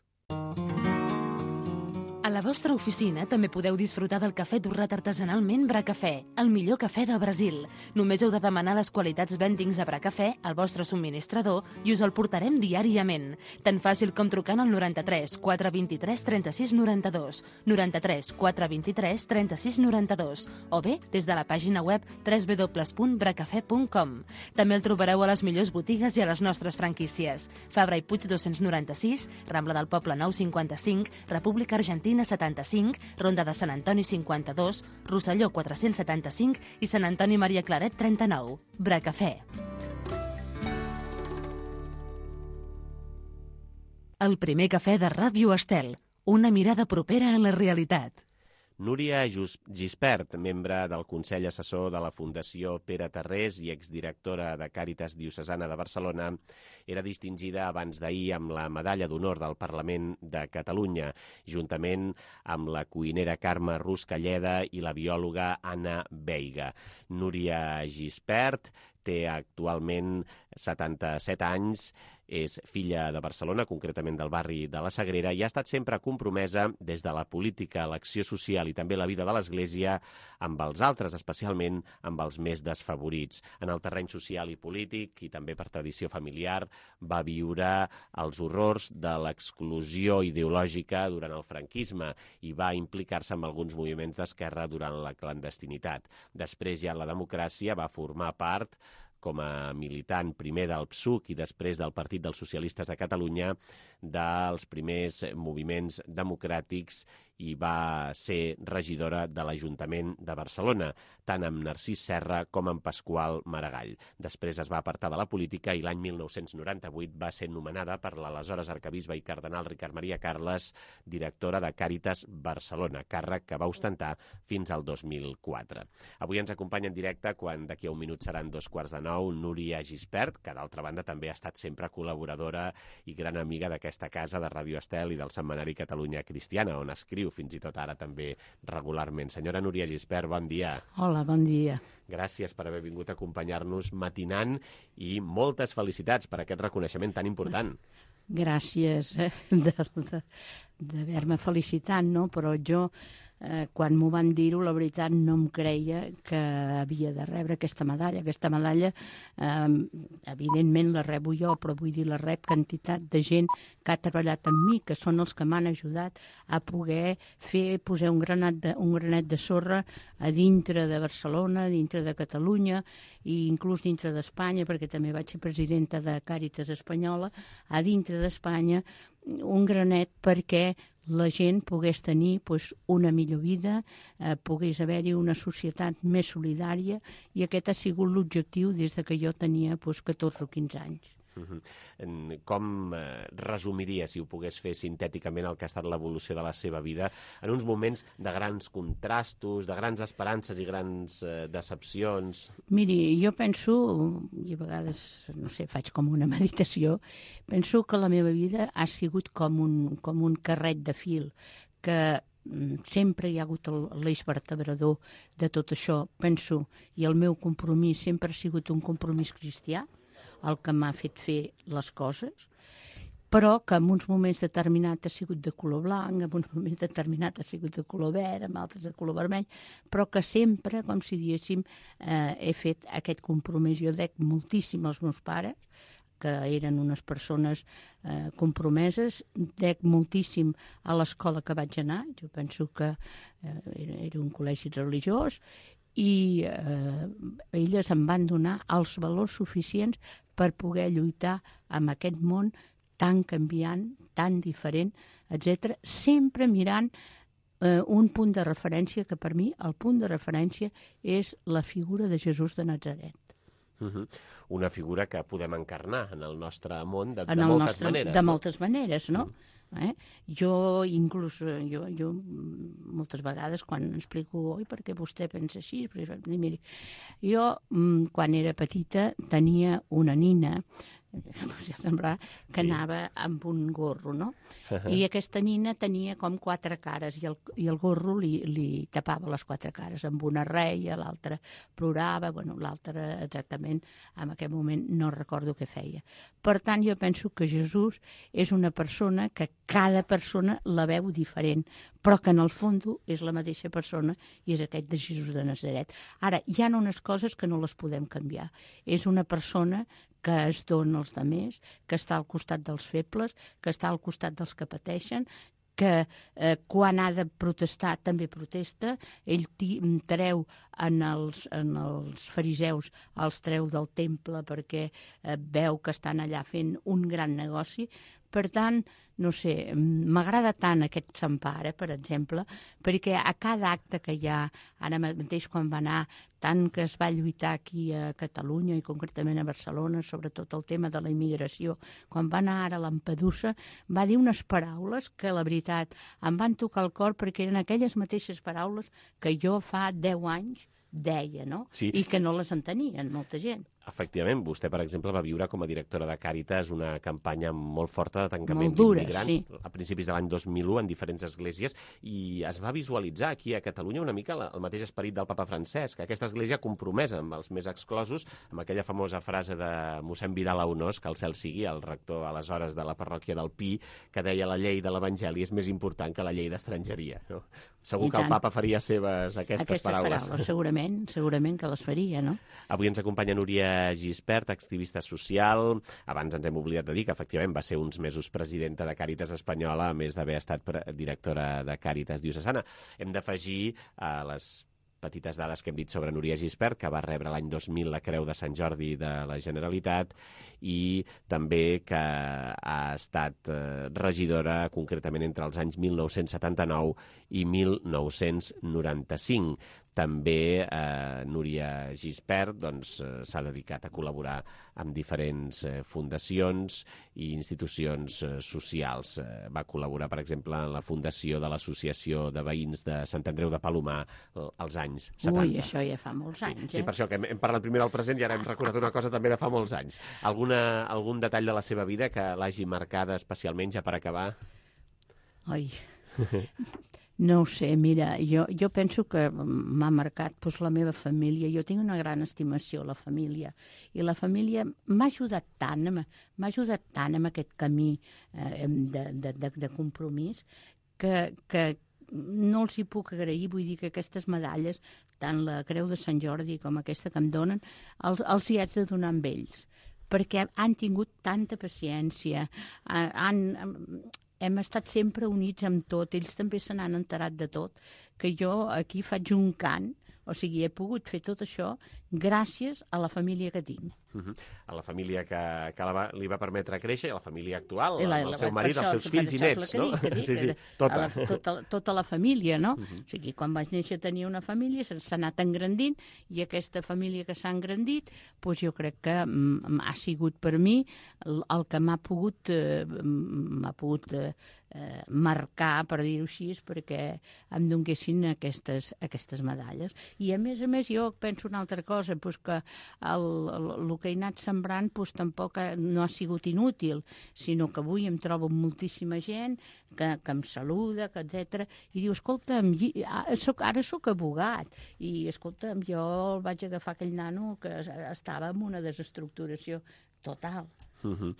A la vostra oficina també podeu disfrutar del cafè torrat artesanalment Bracafè, el millor cafè de Brasil. Només heu de demanar les qualitats vendings a Bracafè al vostre subministrador i us el portarem diàriament. Tan fàcil com trucant al noranta-tres quatre vint-i-tres trenta-sis noranta-dos, noranta-tres quatre vint-i-tres trenta-sis noranta-dos o bé des de la pàgina web w w w punt bracafè punt com. També el trobareu a les millors botigues i a les nostres franquícies. Fabra i Puig dos-cents noranta-sis, Rambla del Poble nou cinquanta-cinc, República Argentina setanta-cinc, Ronda de Sant Antoni cinquanta-dos, Rosselló quatre-cents setanta-cinc i Sant Antoni Maria Claret trenta-nou. Bracafè. El primer cafè de Ràdio Estel. Una mirada propera a la realitat. Núria Gispert, membre del Consell Assessor de la Fundació Pere Tarrés i exdirectora de Càritas Diocesana de Barcelona, era distingida abans d'ahir amb la Medalla d'Honor del Parlament de Catalunya, juntament amb la cuinera Carme Ruscalleda i la biòloga Anna Veiga. Núria Gispert té actualment setanta-set anys, és filla de Barcelona, concretament del barri de la Sagrera, i ha estat sempre compromesa des de la política, l'acció social i també la vida de l'Església amb els altres, especialment amb els més desfavorits. En el terreny social i polític, i també per tradició familiar, va viure els horrors de l'exclusió ideològica durant el franquisme i va implicar-se en alguns moviments d'esquerra durant la clandestinitat. Després, ja en la democràcia, va formar part com a militant primer del P S U C i després del Partit dels Socialistes de Catalunya, dels primers moviments democràtics i va ser regidora de l'Ajuntament de Barcelona, tant amb Narcís Serra com amb Pasqual Maragall. Després es va apartar de la política i l'any mil nou-cents noranta-vuit va ser nomenada per l'aleshores arquebisbe i cardenal Ricard Maria Carles directora de Càritas Barcelona, càrrec que va ostentar fins al dos mil quatre. Avui ens acompanya en directe, quan d'aquí a un minut seran dos quarts de nou, Núria Gispert, que d'altra banda també ha estat sempre col·laboradora i gran amiga d'aquesta casa de Ràdio Estel i del setmanari Catalunya Cristiana, on escriu fins i tot ara també regularment. Senyora Núria Gispert, bon dia. Hola, bon dia. Gràcies per haver vingut a acompanyar-nos matinant i moltes felicitats per aquest reconeixement tan important. Gràcies eh, d'haver-me felicitat, no? Però jo, eh, quan m'ho van dir-ho, la veritat no em creia que havia de rebre aquesta medalla. Aquesta medalla, eh, evidentment la rebo jo, però vull dir, la rep quantitat de gent que ha treballat amb mi, que són els que m'han ajudat a poder fer, posar un granet de, un granet de sorra a dintre de Barcelona, a dintre de Catalunya i inclús dintre d'Espanya, perquè també vaig ser presidenta de Càritas Espanyola, a dintre d'Espanya, un granet perquè la gent pogués tenir pues, una millor vida, eh, pogués haver-hi una societat més solidària, i aquest ha sigut l'objectiu des de que jo tenia pues, catorze o quinze anys. Uh-huh. Com eh, resumiria, si ho pogués fer sintèticament, el que ha estat l'evolució de la seva vida en uns moments de grans contrastos, de grans esperances i grans eh, decepcions? Miri, jo penso, i a vegades, no sé, faig com una meditació, penso que la meva vida ha sigut com un, com un carret de fil, que sempre hi ha hagut l'eix vertebrador de tot això, penso, i el meu compromís sempre ha sigut un compromís cristià, el que m'ha fet fer les coses, però que en uns moments determinats ha sigut de color blanc, en uns moments determinats ha sigut de color verd, en altres de color vermell, però que sempre, com si diguéssim, eh, he fet aquest compromís. Jo dec moltíssim als meus pares, que eren unes persones eh, compromeses, dec moltíssim a l'escola que vaig anar, jo penso que eh, era, era un col·legi religiós, i eh, elles em van donar els valors suficients per poder lluitar amb aquest món tan canviant, tan diferent, etcètera, sempre mirant eh, un punt de referència, que per mi el punt de referència és la figura de Jesús de Natzaret. Uh-huh. Una figura que podem encarnar en el nostre món de, en de moltes nostre, maneres. De no? moltes maneres, no? Uh-huh. Eh? Jo, inclús, jo, jo moltes vegades quan explico, oi, perquè vostè pensa així, miri, jo, quan era petita, tenia una nina, semblar que sí. Anava amb un gorro, no? Uh-huh. I aquesta nina tenia com quatre cares i el, i el gorro li, li tapava les quatre cares. Amb una reia, l'altra plorava, bueno, l'altra exactament en aquell moment no recordo què feia. Per tant, jo penso que Jesús és una persona que cada persona la veu diferent, però que en el fons és la mateixa persona i és aquest de Jesús de Natzaret. Ara, hi ha unes coses que no les podem canviar. És una persona que es dona als altres, que està al costat dels febles, que està al costat dels que pateixen, que eh, quan ha de protestar també protesta. Ell treu en els, en els fariseus, els treu del temple perquè eh, veu que estan allà fent un gran negoci. Per tant, no sé, m'agrada tant aquest Sant Pare, per exemple, perquè a cada acte que hi ha, ara mateix quan va anar, tant que es va lluitar aquí a Catalunya i concretament a Barcelona, sobretot el tema de la immigració, quan va anar ara a Lampedusa, va dir unes paraules que, la veritat, em van tocar el cor perquè eren aquelles mateixes paraules que jo fa deu anys deia, no? Sí. I que no les entenien molta gent. Efectivament, vostè, per exemple, va viure com a directora de Càritas una campanya molt forta de tancament dura, d'immigrants sí. a principis de l'any dos mil u en diferents esglésies, i es va visualitzar aquí a Catalunya una mica el mateix esperit del papa Francesc, aquesta església compromesa amb els més exclosos, amb aquella famosa frase de mossèn Vidal Aunós, que el cel sigui, el rector aleshores de la parròquia del Pi, que deia la llei de l'Evangeli és més important que la llei d'estrangeria. No? Segur I que tant. El papa faria seves aquestes, aquestes paraules. paraules. Segurament, segurament que les faria, no? Avui ens acompanya Núria Gispert, activista social. Abans ens hem oblidat de dir que efectivament va ser uns mesos presidenta de Càritas Espanyola, a més d'haver estat directora de Càritas Diocesana. Hem d'afegir a les petites dades que hem dit sobre Núria Gispert, que va rebre l'any dos mil la Creu de Sant Jordi de la Generalitat, i també que ha estat eh, regidora concretament entre els anys mil nou-cents setanta-nou i mil nou-cents noranta-cinc. També eh, Núria Gispert doncs, eh, s'ha dedicat a col·laborar amb diferents eh, fundacions i institucions eh, socials. Eh, va col·laborar, per exemple, en la fundació de l'Associació de Veïns de Sant Andreu de Palomar eh, als anys setanta. Ui, això ja fa molts sí, anys, eh? Sí, per això que hem, hem parlat primer del present i ara hem recordat una cosa també de fa molts anys. Alguna, algun detall de la seva vida que l'hagi marcada especialment, ja per acabar? Ai... No ho sé, mira, jo, jo penso que m'ha marcat doncs, la meva família. Jo tinc una gran estimació a la família. I la família m'ha ajudat tant, m'ha ajudat tant en aquest camí eh, de, de, de, de compromís que, que no els hi puc agrair. Vull dir que aquestes medalles, tant la Creu de Sant Jordi com aquesta que em donen, els, els hi haig de donar amb ells, perquè han tingut tanta paciència, han... Hem estat sempre units amb tot, ells també se n'han enterat de tot, que jo aquí faig un cant, o sigui, he pogut fer tot això gràcies a la família que tinc. Uh-huh. A la família que, que la va, li va permetre créixer, i a la família actual, la, el la, seu marit, els seus fills i nets, no? Dic, dic, sí, sí, tota. La, tota, tota la família, no? Uh-huh. O sigui, quan vaig néixer tenia una família, s'ha anat engrandint, i aquesta família que s'ha engrandit, doncs jo crec que ha sigut per mi el, el que m'ha pogut, eh, m'ha pogut eh, eh, marcar, per dir-ho així, perquè em donguessin aquestes, aquestes medalles. I a més a més jo penso una altra cosa, doncs que el, el, el que he anat sembrant doncs, tampoc no ha sigut inútil, sinó que avui em trobo amb moltíssima gent que, que em saluda, que etcètera, i diu, escolta'm, soc, ara sóc abogat, i escolta'm, jo el vaig agafar aquell nano que estava en una desestructuració total. Uh-huh.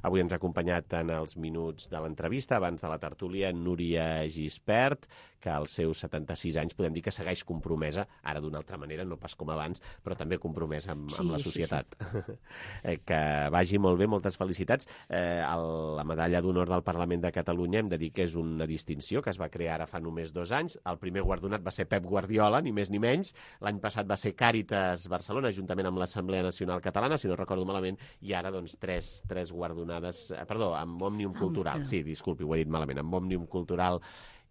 Avui ens ha acompanyat en els minuts de l'entrevista, abans de la tertúlia, Núria Gispert, que als seus setanta-sis anys podem dir que segueix compromesa, ara d'una altra manera, no pas com abans, però també compromesa amb, sí, amb la societat. Sí, sí. Que vagi molt bé, moltes felicitats. Eh, el, la medalla d'honor del Parlament de Catalunya hem de dir que és una distinció que es va crear ara fa només dos anys. El primer guardonat va ser Pep Guardiola, ni més ni menys. L'any passat va ser Càritas Barcelona, juntament amb l'Assemblea Nacional Catalana, si no recordo malament, i ara doncs tres, tres guardonades, eh, perdó, amb Òmnium Cultural, sí, disculpi, ho he dit malament, amb Òmnium Cultural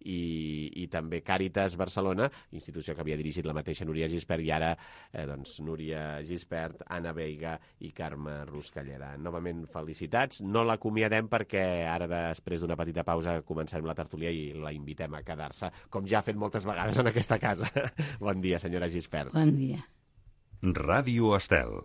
I, i també Càritas Barcelona, institució que havia dirigit la mateixa Núria Gispert, i ara eh, doncs, Núria Gispert, Anna Veiga i Carme Ruscalleda. Novament felicitats. No l'acomiadem perquè ara, després d'una petita pausa, començarem la tertúlia i la invitem a quedar-se, com ja ha fet moltes vegades en aquesta casa. Bon dia, senyora Gispert. Bon dia. Ràdio Estel.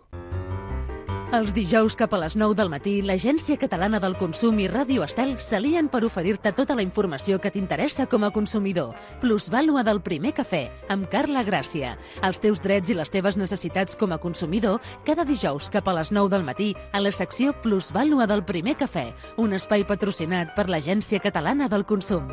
Els dijous cap a les nou del matí, l'Agència Catalana del Consum i Ràdio Estel s'alien per oferir-te tota la informació que t'interessa com a consumidor. Plusvàlua del primer cafè, amb Carla Gràcia. Els teus drets i les teves necessitats com a consumidor, cada dijous cap a les nou del matí, a la secció Plusvàlua del primer cafè, un espai patrocinat per l'Agència Catalana del Consum.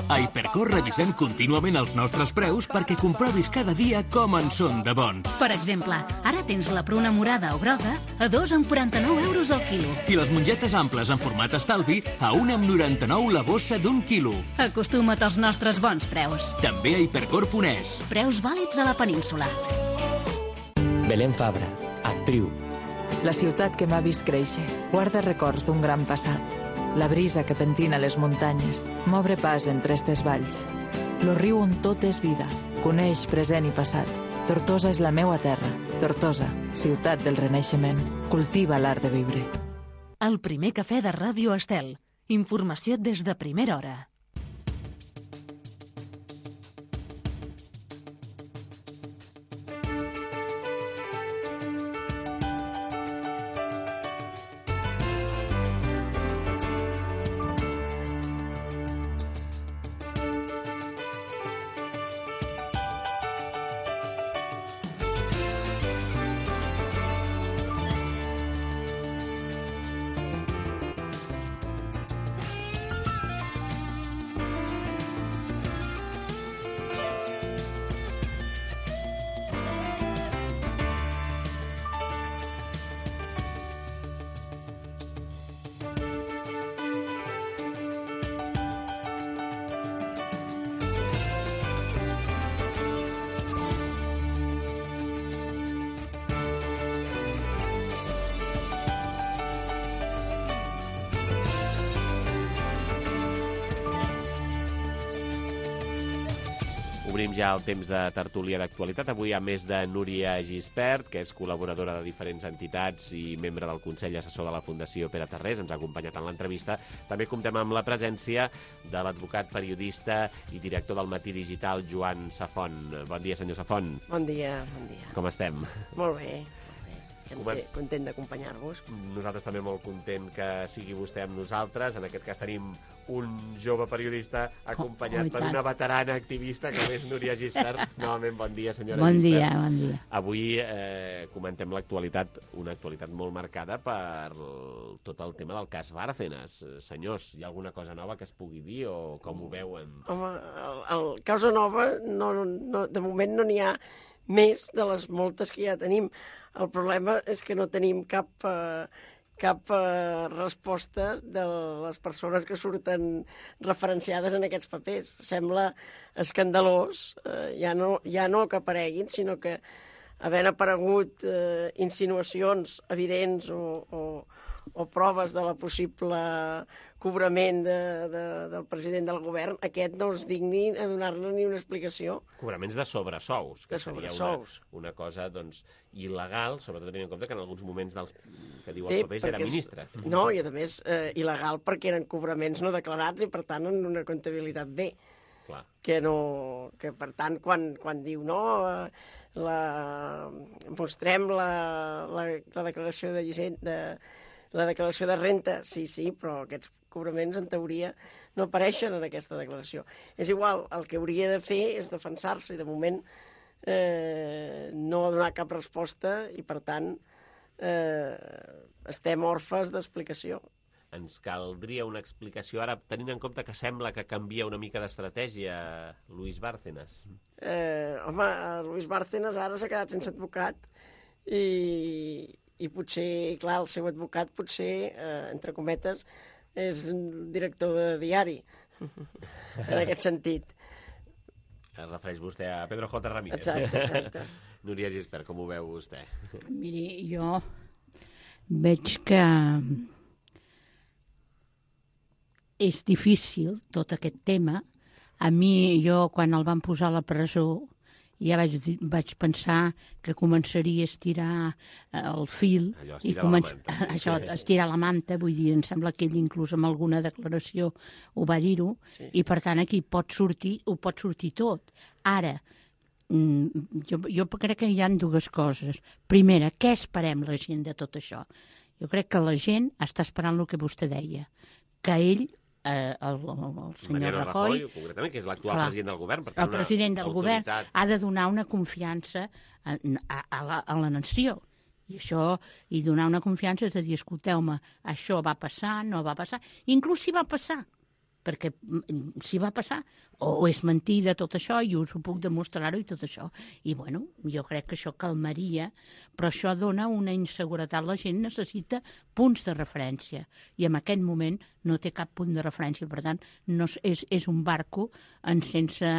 A Hipercor revisem contínuament els nostres preus perquè comprovis cada dia com en són de bons. Per exemple, ara tens la pruna morada o groga a dos amb quaranta-nou euros al quilo. I les mongetes amples en format estalvi a un amb noranta-nou la bossa d'un quilo. Acostuma't als nostres bons preus. També a hipercor punt es. Preus vàlids a la península. Belén Fabra, actriu. La ciutat que m'ha vist créixer guarda records d'un gran passat. La brisa que pentina les muntanyes m'obre pas entre estes valls. Lo riu on tot és vida, coneix present i passat. Tortosa és la meua terra. Tortosa, ciutat del renaixement, cultiva l'art de viure. El primer cafè de Ràdio Estel. Informació des de primera hora. Obrim ja el temps de tertúlia d'actualitat. Avui, a més de Núria Gispert, que és col·laboradora de diferents entitats i membre del Consell Assessor de la Fundació Pere Tarrés, ens ha acompanyat en l'entrevista. També comptem amb la presència de l'advocat, periodista i director del Matí Digital, Joan Safont. Bon dia, senyor Safont. Bon dia, bon dia. Com estem? Molt bé. Començ... Content d'acompanyar-vos. Nosaltres també molt content que sigui vostè amb nosaltres. En aquest cas tenim un jove periodista acompanyat oh, oh, per una veterana activista com és Núria Gispert. Novament, bon dia, senyora bon Gispert. Dia, bon dia. Avui eh, comentem l'actualitat, una actualitat molt marcada per tot el tema del cas Bárcenas. Senyors, hi ha alguna cosa nova que es pugui dir o com ho veuen? Home, el, el causa nova, no, no, de moment no n'hi ha més de les moltes que ja tenim. El problema és que no tenim cap, eh, cap eh, resposta de les persones que surten referenciades en aquests papers. Sembla escandalós, eh, ja, no, ja no que apareguin, sinó que havent aparegut eh, insinuacions evidents o, o, o proves de la possible cobrament de, de, del president del govern, aquest no es digni a donar-ne ni una explicació. Cobraments de sobresous, que de seria sobresous. Una, una cosa doncs, il·legal, sobretot tenint en compte que en alguns moments dels, que diu els papers era ministre. És, no, i a més eh, il·legal perquè eren cobraments no declarats i per tant en una comptabilitat B. Clar. Que, no, que per tant quan, quan diu no, eh, la, mostrem la, la, la declaració de llicent, de, la declaració de renta, sí, sí, però aquests cobraments, en teoria, no apareixen en aquesta declaració. És igual, el que hauria de fer és defensar-se i, de moment, eh, no donar cap resposta i, per tant, eh, estem orfes d'explicació. Ens caldria una explicació ara, tenint en compte que sembla que canvia una mica d'estratègia Luis Bárcenas. Eh, home, Luis Bárcenas ara s'ha quedat sense advocat i, i potser, clar, el seu advocat potser, eh, entre cometes, és un director de diari, en aquest sentit. Es refereix vostè a Pedro J. Ramírez. Exacte, exacte. Núria Gispert, com ho veu vostè? Miri, jo veig que és difícil tot aquest tema. A mi, jo, quan el van posar a la presó, ja vaig, vaig pensar que començaria a estirar el fil. Allò, i començ... la manta. Això, estirar la manta, vull dir, em sembla que ell inclús amb alguna declaració ho va dir-ho, sí. I per tant aquí pot sortir, ho pot sortir tot. Ara, jo, jo crec que hi ha dues coses. Primera, què esperem la gent de tot això? Jo crec que la gent està esperant el que vostè deia, que ell Eh, el, el senyor Rajoy, Rajoy, concretament, que és l'actual president del govern. Per tant, el president del autoritat... govern ha de donar una confiança a, a, a, la, a la nació. I això, i donar una confiança és de dir, escolteu-me, això va passar, no va passar, inclús si va passar, perquè si va passar, o és mentida tot això, i us ho puc demostrar-ho i tot això. I, bueno, jo crec que això calmaria, però això dona una inseguretat. La gent necessita punts de referència, i en aquest moment no té cap punt de referència. Per tant, no és, és un barco en sense,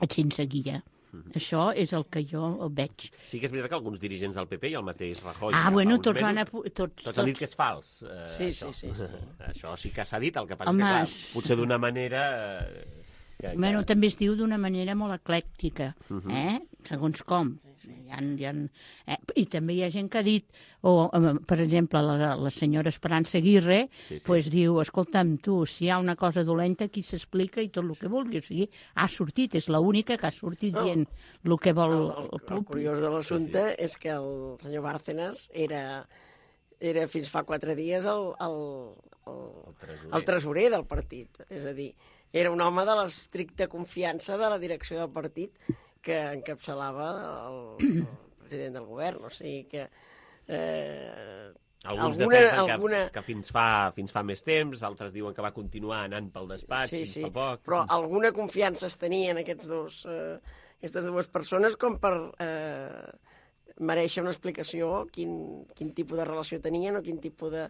sense guia. Mm-hmm. Això és el que jo veig. Sí que és veritat que alguns dirigents del P P i el mateix Rajoy... Ah, bueno, tots, mesos, han, tots, tots, tots han dit que és fals. Eh, sí, sí, sí, sí. Això sí que s'ha dit, el que passa Home, que, clar, potser d'una manera... Eh, que, bueno, que... també es diu d'una manera molt eclèctica, uh-huh. eh? Segons com. Sí, sí. Hi ha, hi ha, eh? I també hi ha gent que ha dit, o, per exemple, la, la senyora Esperança Aguirre, sí, sí. Pues diu, escolta'm, tu, si hi ha una cosa dolenta, aquí s'explica i tot el que vulgui. O sigui, ha sortit, és l'única que ha sortit no. dient el que vol el, el, el públic. El curiós de l'assumpte sí, sí. és que el senyor Bárcenas era, era fins fa quatre dies el, el, el, el, tresorer. el tresorer del partit. És a dir, era un home de l'estricta confiança de la direcció del partit que encapçalava el, el president del govern. O sigui que... Eh, Alguns alguna, defensen alguna... que, que fins, fa, fins fa més temps, altres diuen que va continuar anant pel despatx sí, fins sí. fa poc. Però alguna confiança es tenia en aquests dos, eh, aquestes dues persones com per eh, mereixer una explicació quin, quin tipus de relació tenien o quin tipus de,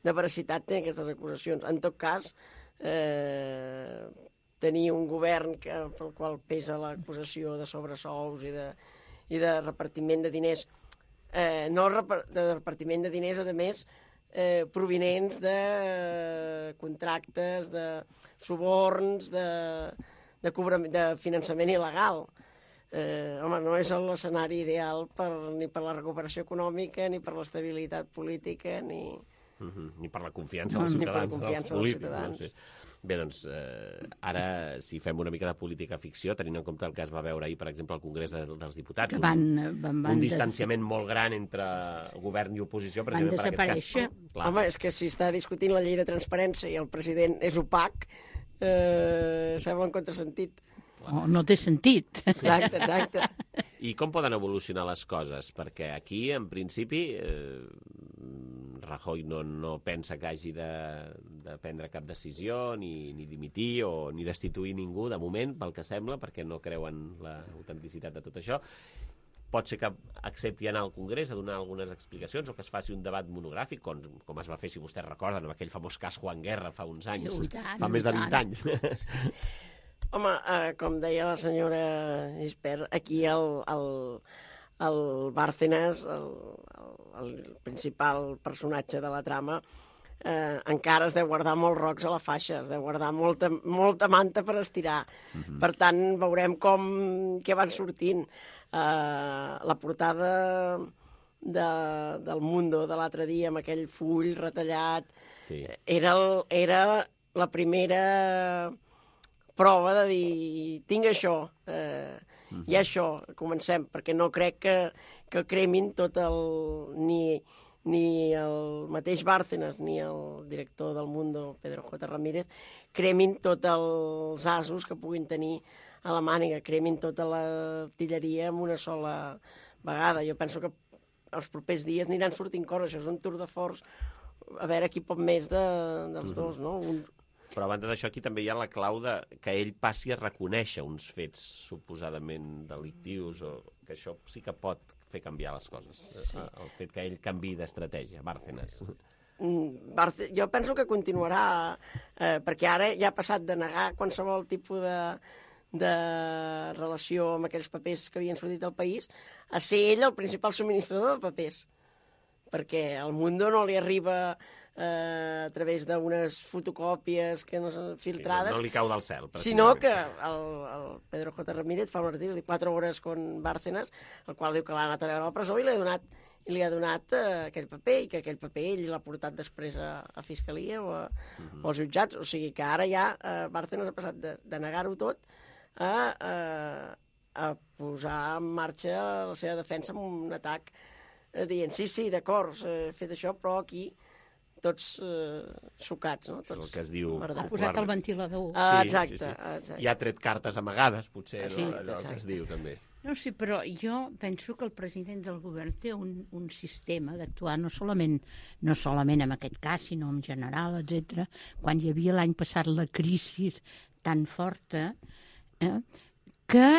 de veracitat tenen aquestes acusacions. En tot cas, eh, tenir un govern que, pel qual pesa l'acusació de sobresous i de, i de repartiment de diners, eh, no de repartiment de diners, a més, eh, provinents de contractes, de suborns, de, de, cobrament, de finançament il·legal. Eh, home, no és l'escenari ideal per, ni per la recuperació econòmica, ni per l'estabilitat política, ni... Uh-huh. Ni per la confiança dels ciutadans. Ni per la confiança dels ciutadans. No sé. Bé, doncs, eh, ara, si fem una mica de política ficció, tenint en compte el que es va veure ahir, per exemple, al Congrés de, dels Diputats, van, un, van, van un distanciament molt gran entre sí, sí. govern i oposició, van desaparèixer. Cas, home, és que si està discutint la llei de transparència i el president és opac, eh, sembla un contrasentit. Oh, no té sentit. Exacte, exacte. I com poden evolucionar les coses? Perquè aquí, en principi, eh, Rajoy no, no pensa que hagi de, de prendre cap decisió, ni, ni dimitir o ni destituir ningú, de moment, pel que sembla, perquè no creuen l'autenticitat de tot això. Pot ser que accepti anar al Congrés a donar algunes explicacions o que es faci un debat monogràfic, com, com es va fer, si vostès recorden, amb aquell famós cas Juan Guerra fa uns anys, sí, tant, fa més de vint tant. anys. Home, eh, com deia la senyora Gispert, aquí el, el, el Bárcenas, el, el, el principal personatge de la trama, eh, encara es deu guardar molts rocs a la faixa, es deu guardar molta, molta manta per estirar. Uh-huh. Per tant, veurem com què van sortint. Eh, la portada de, del Mundo de l'altre dia, amb aquell full retallat, sí. era, el, era la primera prova de dir, tinc això, eh, uh-huh. i això, comencem, perquè no crec que, que cremin tot el... Ni, ni el mateix Bárcenas ni el director del Mundo, Pedro J. Ramírez, cremin tots els asos que puguin tenir a la màniga, cremin tota l'artilleria en una sola vegada. Jo penso que els propers dies aniran sortint coses, això és un tour de force, a veure qui pot més de, dels uh-huh. dos, no? Un... Però a banda d'això, aquí també hi ha la clau de que ell passi a reconèixer uns fets suposadament delictius, o que això sí que pot fer canviar les coses. Sí. El fet que ell canviï d'estratègia, Bárcenas. Barce... Jo penso que continuarà, eh, perquè ara ja ha passat de negar qualsevol tipus de, de relació amb aquells papers que havien sortit del país, a ser ell el principal subministrador de papers. Perquè al Mundo no li arriba... Eh, a través d'unes fotocòpies que no són filtrades. Sí, no li cau del cel. Sinó que el, el Pedro J. Ramírez fa un article de quatre hores con Bárcenas, el qual diu que l'ha anat a veure a la presó i li ha donat, i li ha donat eh, aquell paper, i que aquell paper ell l'ha portat després a, a Fiscalia o, a, uh-huh. o als jutjats. O sigui que ara ja eh, Bárcenas ha passat de, de negar-ho tot a, a, a posar en marxa la seva defensa amb un atac eh, dient sí, sí, d'acord, he fet això, però aquí tots eh, xocats, no? Tots el que es diu... Ha posat el ventilador. Ah, exacte, sí, sí, sí. exacte. I ha tret cartes amagades, potser, sí, no? Allò exacte. que es diu, també. No, sí, però jo penso que el president del govern té un, un sistema d'actuar no solament, no solament en aquest cas, sinó en general, etcètera. Quan hi havia l'any passat la crisi tan forta, eh, que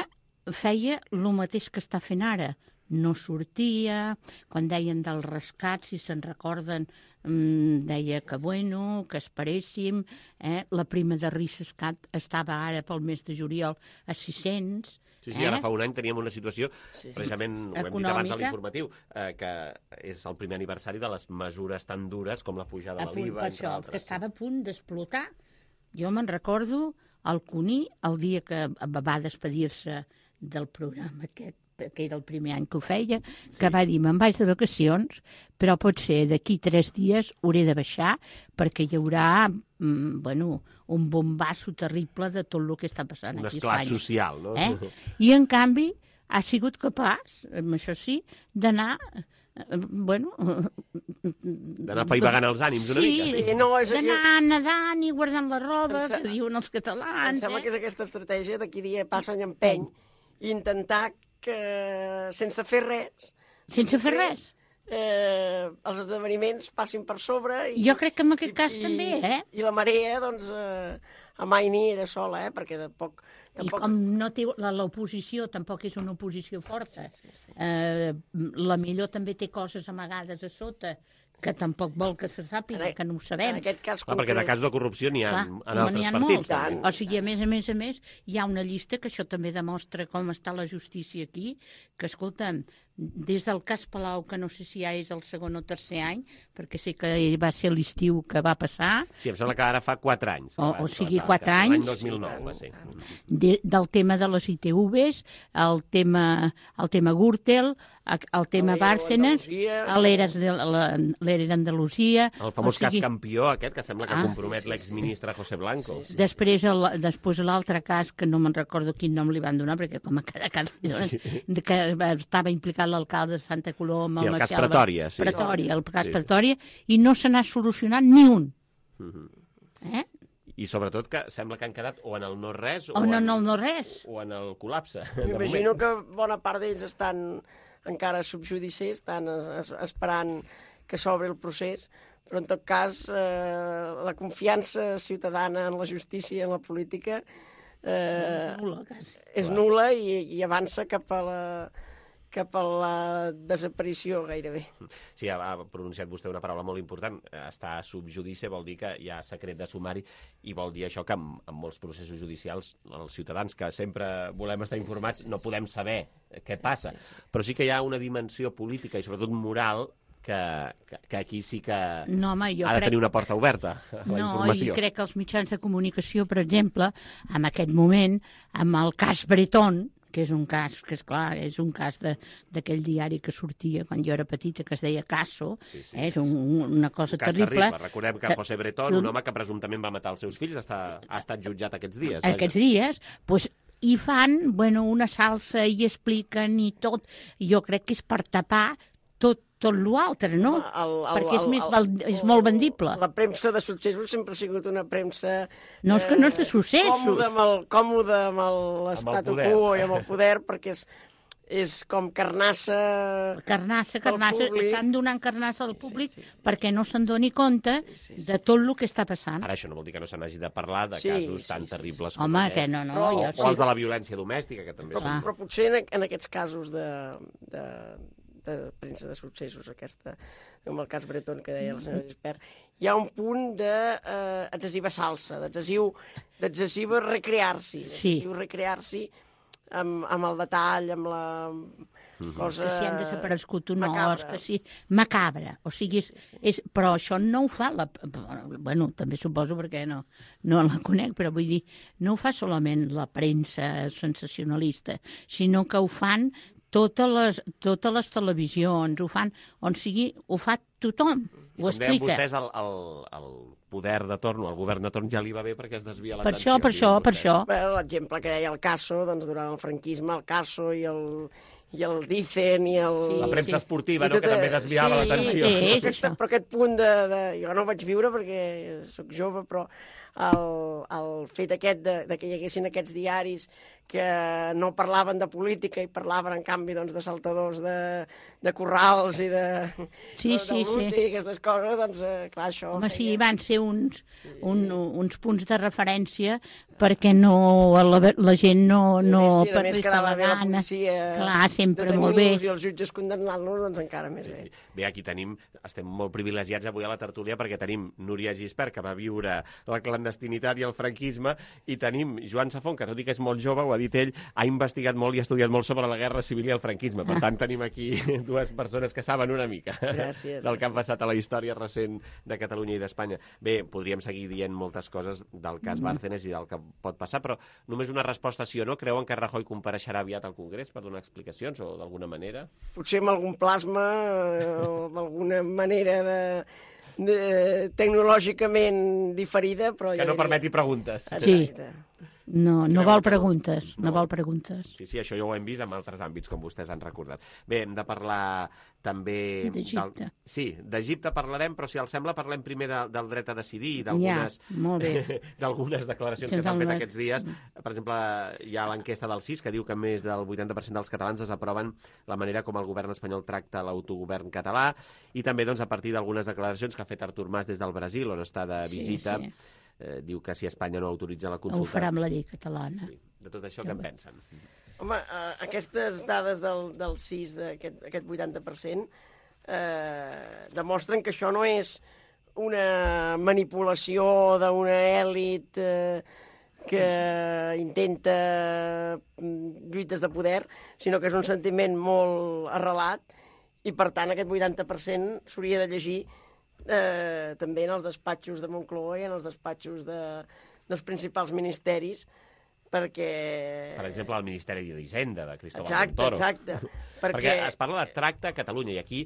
feia el mateix que està fent ara. No sortia, quan deien del rescat, si se'n recorden, deia que bueno, que esperéssim, eh? La prima de Riscat estava ara pel mes de juliol a sis-cents. Sí, sí, eh? Ara fa un any teníem una situació, sí, precisament, ho hem dit abans de l'informatiu, eh, que és el primer aniversari de les mesures tan dures com la pujada de l'I V A, entre això, altres. Que estava a punt d'explotar. Jo me'n recordo el Cuní, el dia que va despedir-se del programa aquest, que era el primer any que ho feia, sí. que va dir, me'n vaig de vacacions, però pot ser d'aquí tres dies hauré de baixar perquè hi haurà mm, bueno, un bombasso terrible de tot el que està passant un aquí a esclat Espanya. social, no? Eh? I en canvi ha sigut capaç, amb això sí, d'anar bueno... d'anar paivagant els ànims una sí, mica. Sí, no, és... d'anar nedant i guardant la roba, que diuen els catalans. Em sembla eh? que és aquesta estratègia d'aquí dia passa any empeny i intentar que sense fer res... Sense fer res? Eh, els esdeveniments passin per sobre... I, jo crec que en aquest cas i, també, eh? I la marea, doncs, eh, amaini ella sola, eh? Perquè de poc... I com no té l'oposició, tampoc és una oposició forta. Sí, sí, sí. Eh, la millor també té coses amagades a sota, que tampoc vol que se sàpiga, que no ho sabem. En aquest cas concret... Perquè de cas de corrupció n'hi ha Clar, en altres ha partits. Molt. O sigui, a més a més a més, hi ha una llista que això també demostra com està la justícia aquí, que, escolta'm, des del cas Palau, que no sé si ja és el segon o tercer any, perquè sé que va ser l'estiu que va passar. Sí, em sembla que ara fa quatre anys. O, o sigui, quatre anys. L'any dos mil nou va ser. De, del tema de les I T Vs, el tema, el tema Gürtel, el tema Bárcenas, l'Era d'Andalusia... El famós cas campió aquest, que sembla que compromet l'exministre José Blanco. Després l'altre cas, que no me'n recordo quin nom li van donar, perquè com a cada cas que estava implicat l'alcalde de Santa Coloma... Sí, el cas Pretòria. Pretòria, el cas Pretòria, i no se n'ha solucionat ni un. Eh? I sobretot que sembla que han quedat o en el no-res o, o en el no-res. O en el col·lapse. M'imagino que bona part d'ells estan encara subjudici, estan es, es, esperant que s'obri el procés, però en tot cas eh, la confiança ciutadana en la justícia i en la política eh, és nula, quasi. És nula i, i avança cap a la... cap a la desaparició, gairebé. Sí, ha pronunciat vostè una paraula molt important. Està a subjudici vol dir que hi ha secret de sumari i vol dir això que en, en molts processos judicials els ciutadans que sempre volem estar informats no podem saber què passa. Però sí que hi ha una dimensió política i sobretot moral que, que, que aquí sí que no, home, jo ha de crec... tenir una porta oberta a la no, informació. No, i crec que els mitjans de comunicació, per exemple, en aquest moment, amb el cas Bretón, que és un cas, que és clar, és un cas d'aquell diari que sortia quan jo era petita, que es deia Caso, sí, sí, eh, és un, una cosa un cas terrible. terrible. Recordem que José Bretón, un home que presumptament va matar els seus fills, està, ha estat jutjat aquests dies. Aquests dies, doncs, i fan, bueno, una salsa i expliquen i tot. Jo crec que és per tapar tot tot l'altre, no? El, el, Perquè és, més, el, el, és molt vendible. La premsa de successos sempre ha sigut una premsa... No, és que no és de successos. Còmode amb el, còmode amb l'estatu quo i amb el poder, perquè és, és com carnassa... Carnassa, carnassa. Estan donant carnassa al públic sí, sí, sí. perquè no se'n doni compte sí, sí, sí. de tot el que està passant. Ara això no vol dir que no se n'hagi de parlar de sí, casos sí, tan sí, terribles sí. com Home, aquest. Que no, no. O, jo, o sí. els de la violència domèstica, que també però, són... Però potser en, en aquests casos de... de de premsa de successos, aquesta, com el cas Bretón que deia el senyor Gispert, hi ha un punt d'excessiva de, salsa, d'excessiva recrear-s'hi, sí. d'excessiu recrear-s'hi amb, amb el detall, amb la cosa... Que si han desaparegut un os, que si... Macabra. O sigui, és, és... però això no ho fa la... Bueno, també suposo perquè no, no la conec, però vull dir, no ho fa solament la premsa sensacionalista, sinó que ho fan totes les, totes les televisions, ho fan, on sigui, ho fa tothom, ho explica. Com deien vostès, el, el, el poder de torn, el govern de torn ja li va bé perquè es desvia l'atenció. Per això, per això, per això. L'exemple que deia el Caso, doncs durant el franquisme, el Caso i el... i el Dicen i el... Sí, la premsa esportiva, no?, que també desviava sí, l'atenció. Sí, sí, aquesta, però aquest punt de, de... Jo no ho vaig viure perquè sóc jove, però el, el fet aquest de, de que hi haguessin aquests diaris que no parlaven de política i parlaven, en canvi, doncs, de saltadors de, de corrals i de... Sí, de, sí, de sí. I aquestes coses, doncs, eh, clar, això... Home, feia... sí, van ser uns, un, uns punts de referència perquè no, la, la gent no... no sí, a més quedava bé la policia... Clar, sempre molt bé. I els jutges condemnant-los, doncs encara més sí, bé. Sí. Bé, aquí tenim, estem molt privilegiats avui a la tertúlia perquè tenim Núria Gispert, que va viure la clandestinitat i el franquisme, i tenim Joan Safont, que tot i que és molt jove, ho ha dit ell, ha investigat molt i ha estudiat molt sobre la guerra civil i el franquisme. Per tant, tenim aquí dues persones que saben una mica gràcies, del que ha passat a la història recent de Catalunya i d'Espanya. Bé, podríem seguir dient moltes coses del cas Bárcenas i del que pot passar, però només una resposta sí o no. Creuen que Rajoy compareixerà aviat al Congrés per donar explicacions o d'alguna manera? Potser amb algun plasma o d'alguna manera de... de... tecnològicament diferida, però... Que no permeti preguntes. Sí. No, no vol preguntes, no vol preguntes. Sí, sí, això ja ho hem vist en altres àmbits, com vostès han recordat. Bé, hem de parlar també... D'Egipte. Del... Sí, d'Egipte parlarem, però si els sembla parlem primer de, del dret a decidir i d'algunes ja, d'algunes declaracions que s'han fet aquests dies. Per exemple, hi ha l'enquesta del C I S que diu que més del vuitanta per cent dels catalans desaproven la manera com el govern espanyol tracta l'autogovern català, i també doncs, a partir d'algunes declaracions que ha fet Artur Mas des del Brasil, on està de visita, sí, sí. Eh, diu que si Espanya no autoritza la consulta... Ho farà amb la llei catalana. Sí. De tot això, què en pensen? Home, eh, aquestes dades del, del C I S, d'aquest aquest vuitanta per cent, eh, demostren que això no és una manipulació d'una èlit eh, que intenta lluites de poder, sinó que és un sentiment molt arrelat, i per tant aquest vuitanta per cent s'hauria de llegir eh, també en els despatxos de Moncloa i en els despatxos de, dels principals ministeris, perquè... Per exemple, el Ministeri d'Hisenda, de Cristóbal exacte, Montoro. Exacte, perquè... perquè es parla de tracte a Catalunya, i aquí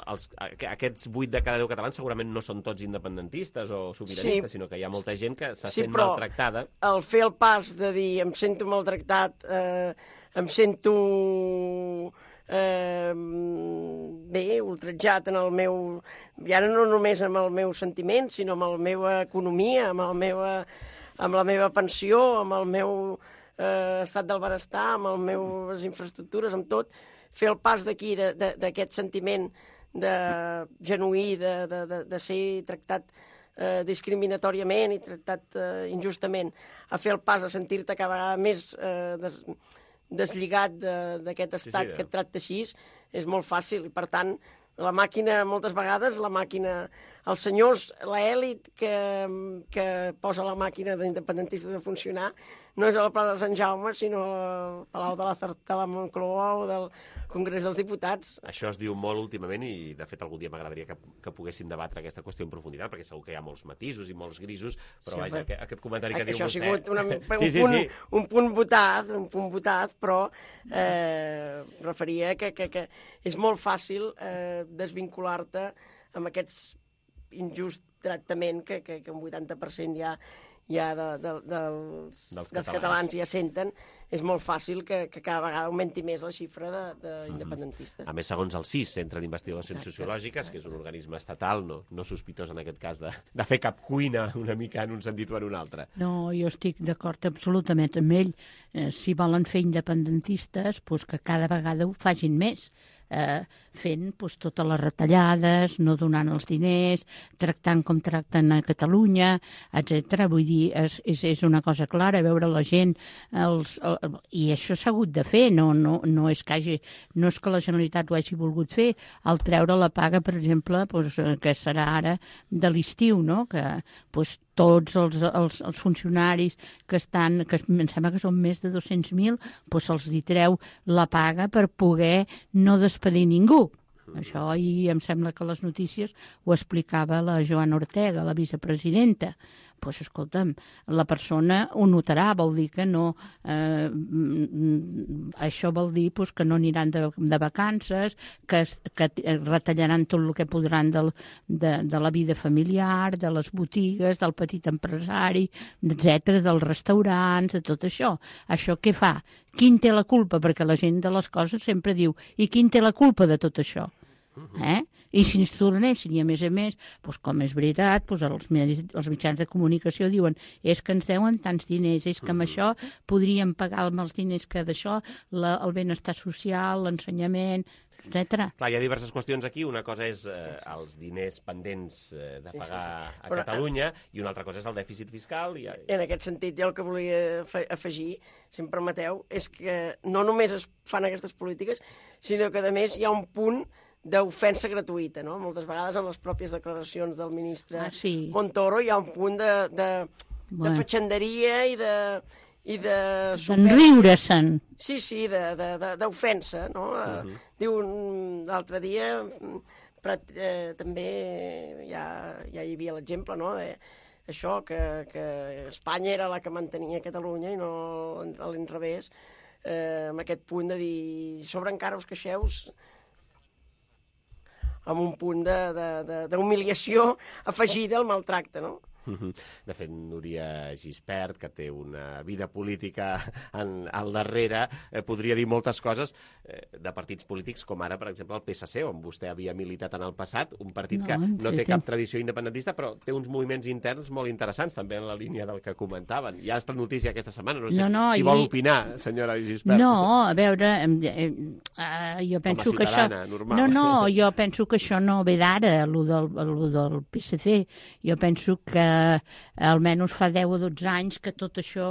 els, aquests vuit de cada deu catalans segurament no són tots independentistes o sobiranistes, sí, sinó que hi ha molta gent que se sí, sent maltractada. El fer el pas de dir em sento maltractat, eh, em sento eh, bé, ultratjat en el meu... I ara no només amb el meu sentiment, sinó amb la meva economia, amb el meu... amb la meva pensió, amb el meu eh, estat del benestar, amb les meves infraestructures, amb tot, fer el pas d'aquí, d'aquest sentiment de genuí, de, de, de, de ser tractat eh, discriminatoriament i tractat eh, injustament, a fer el pas a sentir-te cada vegada més eh, des, deslligat d'aquest estat sí, sí, que et tracta així, és molt fàcil. I, per tant, la màquina, moltes vegades, la màquina... Els senyors, l'elit que, que posa la màquina d'independentistes a funcionar no és a la plaça de Sant Jaume, sinó al Palau de la, de la Moncloa o del Congrés dels Diputats. Això es diu molt últimament i, de fet, algun dia m'agradaria que, que poguéssim debatre aquesta qüestió en profunditat, perquè segur que hi ha molts matisos i molts grisos, però sí, vaja, que, aquest comentari que diu això vostè... Això ha sigut una, un, sí, sí, punt, sí. un punt votat, un punt votat, però eh, referia que, que, que és molt fàcil eh, desvincular-te amb aquests injust tractament que, que, que un vuitanta per cent ja, ja de, de, dels, dels, dels catalans ja senten, és molt fàcil que, que cada vegada augmenti més la xifra d'independentistes. Mm. A més, segons el C I S, Centre d'Investigacions exacte, Sociològiques, exacte. Que és un organisme estatal, no, no sospitós en aquest cas de, de fer cap cuina una mica en un sentit o en un altre. No, jo estic d'acord absolutament amb ell. Eh, si volen fer independentistes, doncs que cada vegada ho facin més. Eh, fent doncs, totes les retallades, no donant els diners, tractant com tracten a Catalunya, etcètera. Vull dir, és, és, és una cosa clara, veure la gent, els, el, i això s'ha hagut de fer, no, no, no, és que hagi, no és que la Generalitat ho hagi volgut fer, al treure la paga, per exemple, doncs, que serà ara de l'estiu, no? Que doncs, tots els, els, els funcionaris que estan, que em sembla que són més de dos-cents mil, doncs se'ls hi treu la paga per poder no despedir ningú. Això, i em sembla que les notícies ho explicava la Joana Ortega, la vicepresidenta. Doncs, pues, escolta'm, la persona ho notarà, vol dir que no... Eh, això vol dir pues, que no aniran de, de vacances, que, que retallaran tot el que podran del, de, de la vida familiar, de les botigues, del petit empresari, etcètera, dels restaurants, de tot això. Això què fa? Quin té la culpa? Perquè la gent de les coses sempre diu i quin té la culpa de tot això? Eh? I si ens tornessin, i a més a més, doncs com és veritat, doncs els, els mitjans de comunicació diuen és que ens deuen tants diners, és que amb això podríem pagar amb els diners que d'això, el benestar social, l'ensenyament, etcètera. Clar, hi ha diverses qüestions aquí. Una cosa és eh, els diners pendents eh, de pagar sí, sí, sí. a Però, Catalunya i una altra cosa és el dèficit fiscal. I... En aquest sentit, jo el que volia afegir, si em permeteu, és que no només es fan aquestes polítiques, sinó que a més hi ha un punt d'ofensa gratuïta, no? Moltes vegades en les pròpies declaracions del ministre ah, sí. Montoro hi ha un punt de, de, bueno. de fatxenderia i de... i de... d'enriure-se'n. Sí, sí, d'ofensa, no? Uh-huh. Diu, l'altre dia però, eh, també ja, ja hi havia l'exemple, no?, de això, que, que Espanya era la que mantenia Catalunya i no a l'inrevés, eh, amb aquest punt de dir sobre encara us queixeu, amb un punt d'humiliació afegida al maltracte, no? De fet, Núria Gispert, que té una vida política en, al darrere, eh, podria dir moltes coses eh, de partits polítics, com ara, per exemple, el P S C, on vostè havia militat en el passat, un partit no, que no té cap tradició independentista, però té uns moviments interns molt interessants, també en la línia del que comentaven. Hi ha estat notícia aquesta setmana, no sé no, no, si vol i... opinar, senyora Gispert. No, a veure, eh, eh, jo penso que això... Normal. No, no, jo penso que això no ve d'ara, allò del, allò del P S C. Jo penso que almenys fa deu o dotze anys que tot això,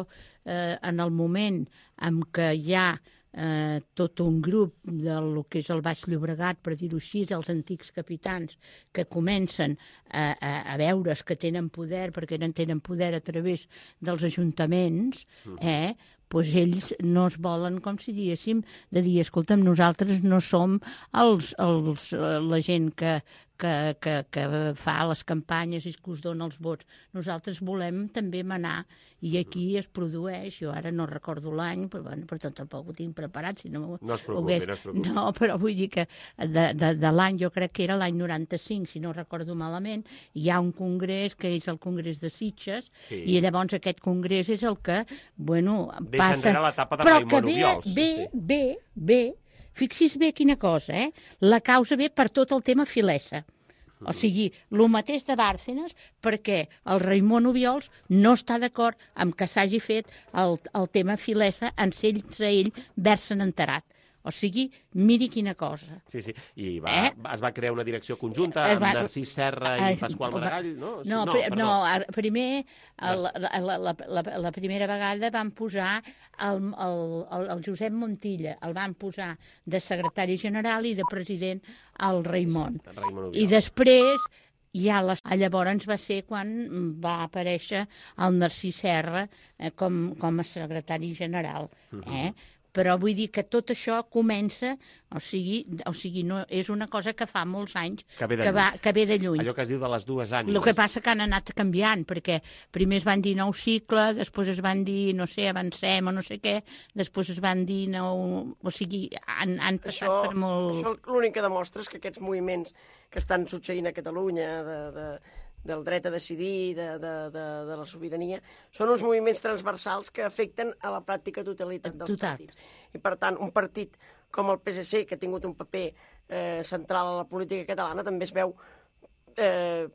eh, en el moment en què hi ha eh, tot un grup del que és el Baix Llobregat, per dir-ho així, els antics capitans, que comencen a, a, a veure's que tenen poder, perquè tenen poder a través dels ajuntaments, eh, doncs ells no es volen, com si diguéssim, de dir, escolta'm, nosaltres no som els, els, la gent que, que, que, que fa les campanyes i que us dona els vots. Nosaltres volem també manar, i aquí es produeix, jo ara no recordo l'any, però bueno, per tant tampoc ho tinc preparat, si no, no es preocupi, hagués... no es preocupi. No, però vull dir que de, de, de l'any, jo crec que era l'any noranta-cinc, si no recordo malament, hi ha un congrés que és el Congrés de Sitges, sí. I llavors aquest congrés és el que, bueno, deixa passa... enrere l'etapa de però Raimon Obiols. Bé, sí. bé, bé, fixi's bé quina cosa, eh? La causa ve per tot el tema Filesa. O sigui, el mateix de Bárcenas, perquè el Raimon Obiols no està d'acord amb que s'hagi fet el, el tema Filesa en sense ell haver-se'n enterat. O sigui, miri quina cosa. Sí, sí, i va, eh? es va crear una direcció conjunta es va... amb Narcís Serra i Pasqual Maragall, no? No, no, pr no primer, el, la, la, la, la, la primera vegada van posar el, el, el, el Josep Montilla, el van posar de secretari general i de president al Raimon. Sí, sí, Raimon I després... Ja les... Llavors va ser quan va aparèixer el Narcís Serra eh, com, com a secretari general. Eh? Uh-huh. Però vull dir que tot això comença, o sigui, o sigui no, és una cosa que fa molts anys que ve de, que va, que ve de lluny. Allò que es diu de les dues ànimes. El que passa que han anat canviant, perquè primer es van dir nou cicle, després es van dir, no sé, avancem o no sé què, després es van dir nou... O sigui, han, han passat això, per molt... Això l'únic que demostra és que aquests moviments que estan succeint a Catalunya, de, de, del dret a decidir, de, de, de, de la sobirania, són uns moviments transversals que afecten a la pràctica totalitat dels Total. partits. I, per tant, un partit com el P S C, que ha tingut un paper eh, central a la política catalana, també es veu eh,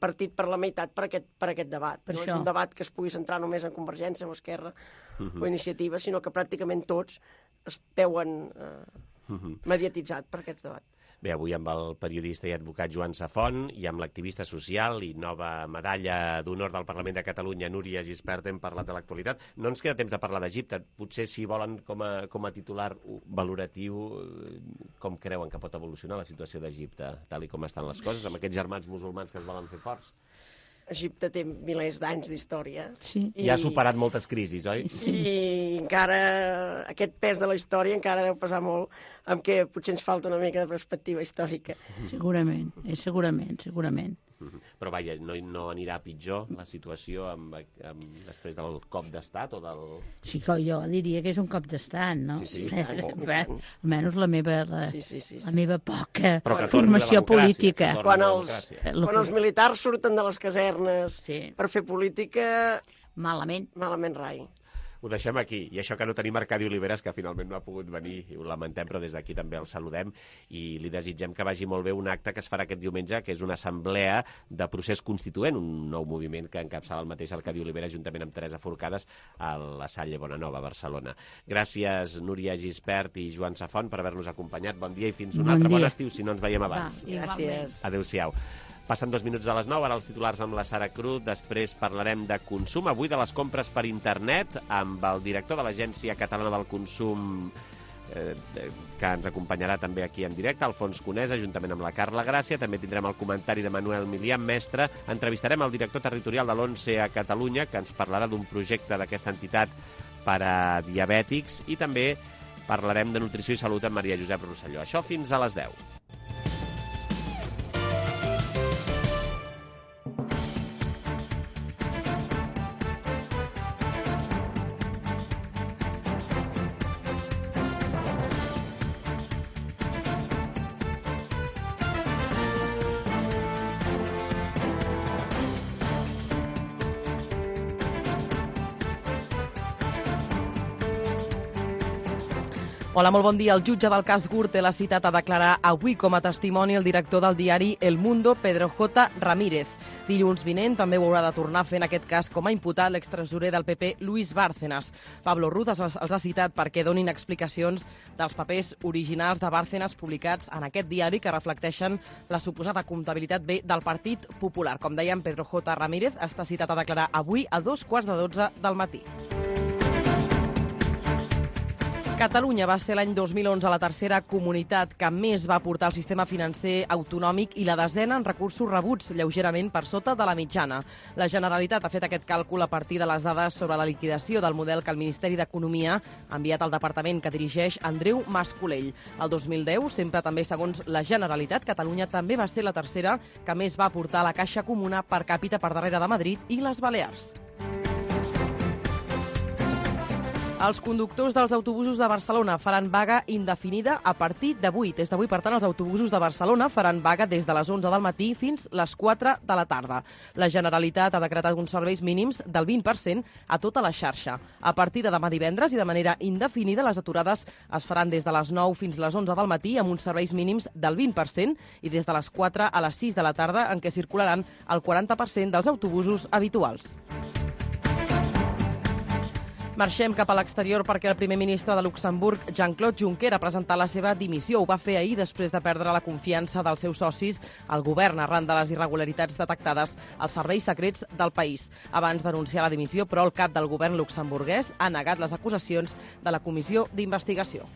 partit per la meitat per aquest, per aquest debat. Per no això. és un debat que es pugui centrar només en Convergència o Esquerra uh-huh. o Iniciativa, sinó que pràcticament tots es veuen eh, uh-huh. mediatitzats per aquest debat. Bé, avui amb el periodista i advocat Joan Safont i amb l'activista social i nova medalla d'honor del Parlament de Catalunya, Núria Gispert, hem parlat de l'actualitat. No ens queda temps de parlar d'Egipte. Potser, si volen, com a, com a titular valoratiu, com creuen que pot evolucionar la situació d'Egipte, tal i com estan les coses, amb aquests germans musulmans que es volen fer forts? Egipte té milers d'anys d'història. Sí. I ha superat moltes crisis, oi? I encara aquest pes de la història encara deu pesar molt, amb què potser ens falta una mica de perspectiva històrica. Segurament, eh, segurament, segurament. Però vaja, no, no anirà pitjor la situació amb, amb, després del cop d'estat o del... Sí, jo diria que és un cop d'estat, no? Sí, sí. Almenys la meva, la, sí, sí, sí, sí. la meva poca Però formació política. Quan els, quan els militars surten de les casernes sí. per fer política... Malament. Malament rai. Ho deixem aquí. I això que no tenim Arcadi Oliveres, que finalment no ha pogut venir, i ho lamentem, però des d'aquí també el saludem i li desitgem que vagi molt bé un acte que es farà aquest diumenge, que és una assemblea de procés constituent, un nou moviment que encapçala el mateix Arcadi Oliveres juntament amb Teresa Forcades a la Salle Bonanova, a Barcelona. Gràcies, Núria Gispert i Joan Safont, per haver-nos acompanyat. Bon dia i fins un bon altre. Dia. Bon estiu, si no ens veiem abans. Va, gràcies. Adéu-siau. Passen dos minuts a les nou, ara els titulars amb la Sara Cruz, després parlarem de consum, avui de les compres per internet, amb el director de l'Agència Catalana del Consum, eh, que ens acompanyarà també aquí en directe, Alfons Conesa, juntament amb la Carla Gràcia. També tindrem el comentari de Manuel Milian Mestre. Entrevistarem el director territorial de l'ONCE a Catalunya, que ens parlarà d'un projecte d'aquesta entitat per a diabètics, i també parlarem de nutrició i salut amb Maria Josep Rosselló. Això fins a les deu. Hola, molt bon dia. El jutge del cas Gürtel l'ha citat a declarar avui com a testimoni el director del diari El Mundo, Pedro J. Ramírez. Dilluns vinent també ho haurà de tornar a fer en aquest cas com a imputat l'extresorer del P P, Luis Bárcenas. Pablo Ruz els, els ha citat perquè donin explicacions dels papers originals de Bárcenas publicats en aquest diari que reflecteixen la suposada comptabilitat B del Partit Popular. Com dèiem, Pedro J. Ramírez està citat a declarar avui a dos quarts de dotze del matí. Catalunya va ser l'any dos mil onze la tercera comunitat que més va aportar al sistema financer autonòmic i la desena en recursos rebuts, lleugerament per sota de la mitjana. La Generalitat ha fet aquest càlcul a partir de les dades sobre la liquidació del model que el Ministeri d'Economia ha enviat al departament que dirigeix Andreu Mas-Colell. El dos mil deu, sempre també segons la Generalitat, Catalunya també va ser la tercera que més va aportar a la caixa comuna per càpita per darrere de Madrid i les Balears. Els conductors dels autobusos de Barcelona faran vaga indefinida a partir d'avui. Des d'avui, per tant, els autobusos de Barcelona faran vaga des de les onze del matí fins les quatre de la tarda. La Generalitat ha decretat uns serveis mínims del vint per cent a tota la xarxa. A partir de demà divendres i de manera indefinida, les aturades es faran des de les nou fins les onze del matí amb uns serveis mínims del vint per cent i des de les quatre a les sis de la tarda, en què circularan el quaranta per cent dels autobusos habituals. Marxem cap a l'exterior perquè el primer ministre de Luxemburg, Jean-Claude Juncker, ha presentat la seva dimissió. Ho va fer ahir després de perdre la confiança dels seus socis al govern arran de les irregularitats detectades als serveis secrets del país. Abans d'anunciar la dimissió, però, el cap del govern luxemburguès ha negat les acusacions de la comissió d'investigació.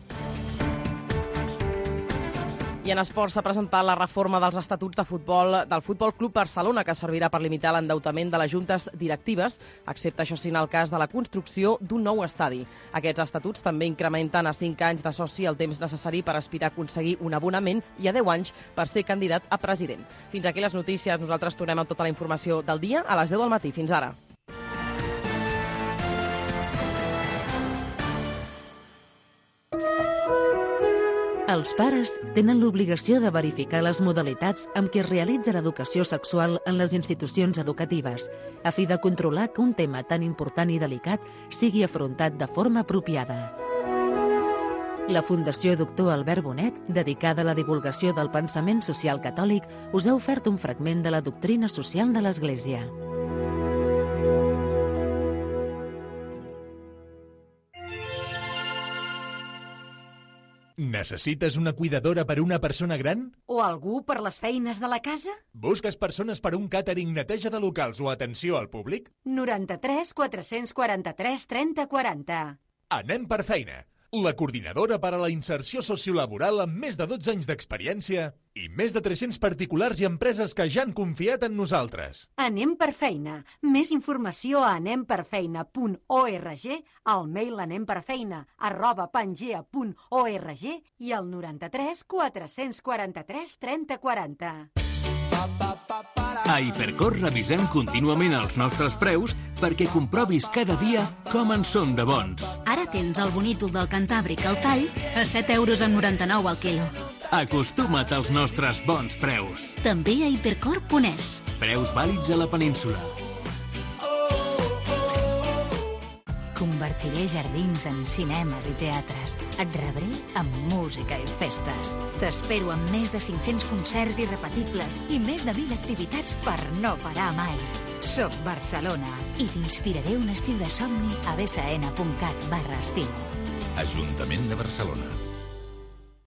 I en esports s'ha presentat la reforma dels estatuts de futbol del Futbol Club Barcelona, que servirà per limitar l'endeutament de les juntes directives, excepte, això sí, en el cas de la construcció d'un nou estadi. Aquests estatuts també incrementen a cinc anys de soci el temps necessari per aspirar a aconseguir un abonament i a deu anys per ser candidat a president. Fins aquí les notícies. Nosaltres tornem amb tota la informació del dia a les deu del matí. Fins ara. Els pares tenen l'obligació de verificar les modalitats amb què es realitza l'educació sexual en les institucions educatives, a fi de controlar que un tema tan important i delicat sigui afrontat de forma apropiada. La Fundació Doctor Albert Bonet, dedicada a la divulgació del pensament social catòlic, us ha ofert un fragment de la doctrina social de l'Església. Necessites una cuidadora per a una persona gran? O algú per les feines de la casa? Busques persones per a un càtering, neteja de locals o atenció al públic? noranta-tres quatre-cents quaranta-tres trenta quaranta. Anem per feina. La coordinadora per a la inserció sociolaboral amb més de dotze anys d'experiència i més de tres-cents particulars i empreses que ja han confiat en nosaltres. Anem per feina. Més informació a anem per feina punt org, al mail anemperfeina arroba pangea punt org i al noranta-tres quatre-cents quaranta-tres trenta quaranta. A Hipercor revisem contínuament els nostres preus perquè comprovis cada dia com en són de bons. Ara tens el bonítol del Cantàbric al tall a set euros amb noranta-nou al quilo. Acostuma't als nostres bons preus. També a hipercor punt es. Preus vàlids a la península. Convertiré jardins en cinemes i teatres. Et rebré amb música i festes. T'espero amb més de cinc-cents concerts irrepetibles i més de mil activitats per no parar mai. Soc Barcelona i t'inspiraré un estil de somni a bsn punt cat barra estiu. Ajuntament de Barcelona.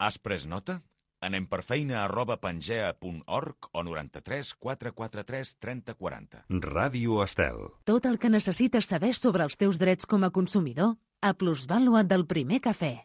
Has pres nota? Anem per feina arroba pangea punt org o noranta-tres quatre quaranta-tres trenta quaranta. Ràdio Estel. Tot el que necessites saber sobre els teus drets com a consumidor a Plusvàlua del Primer Cafè.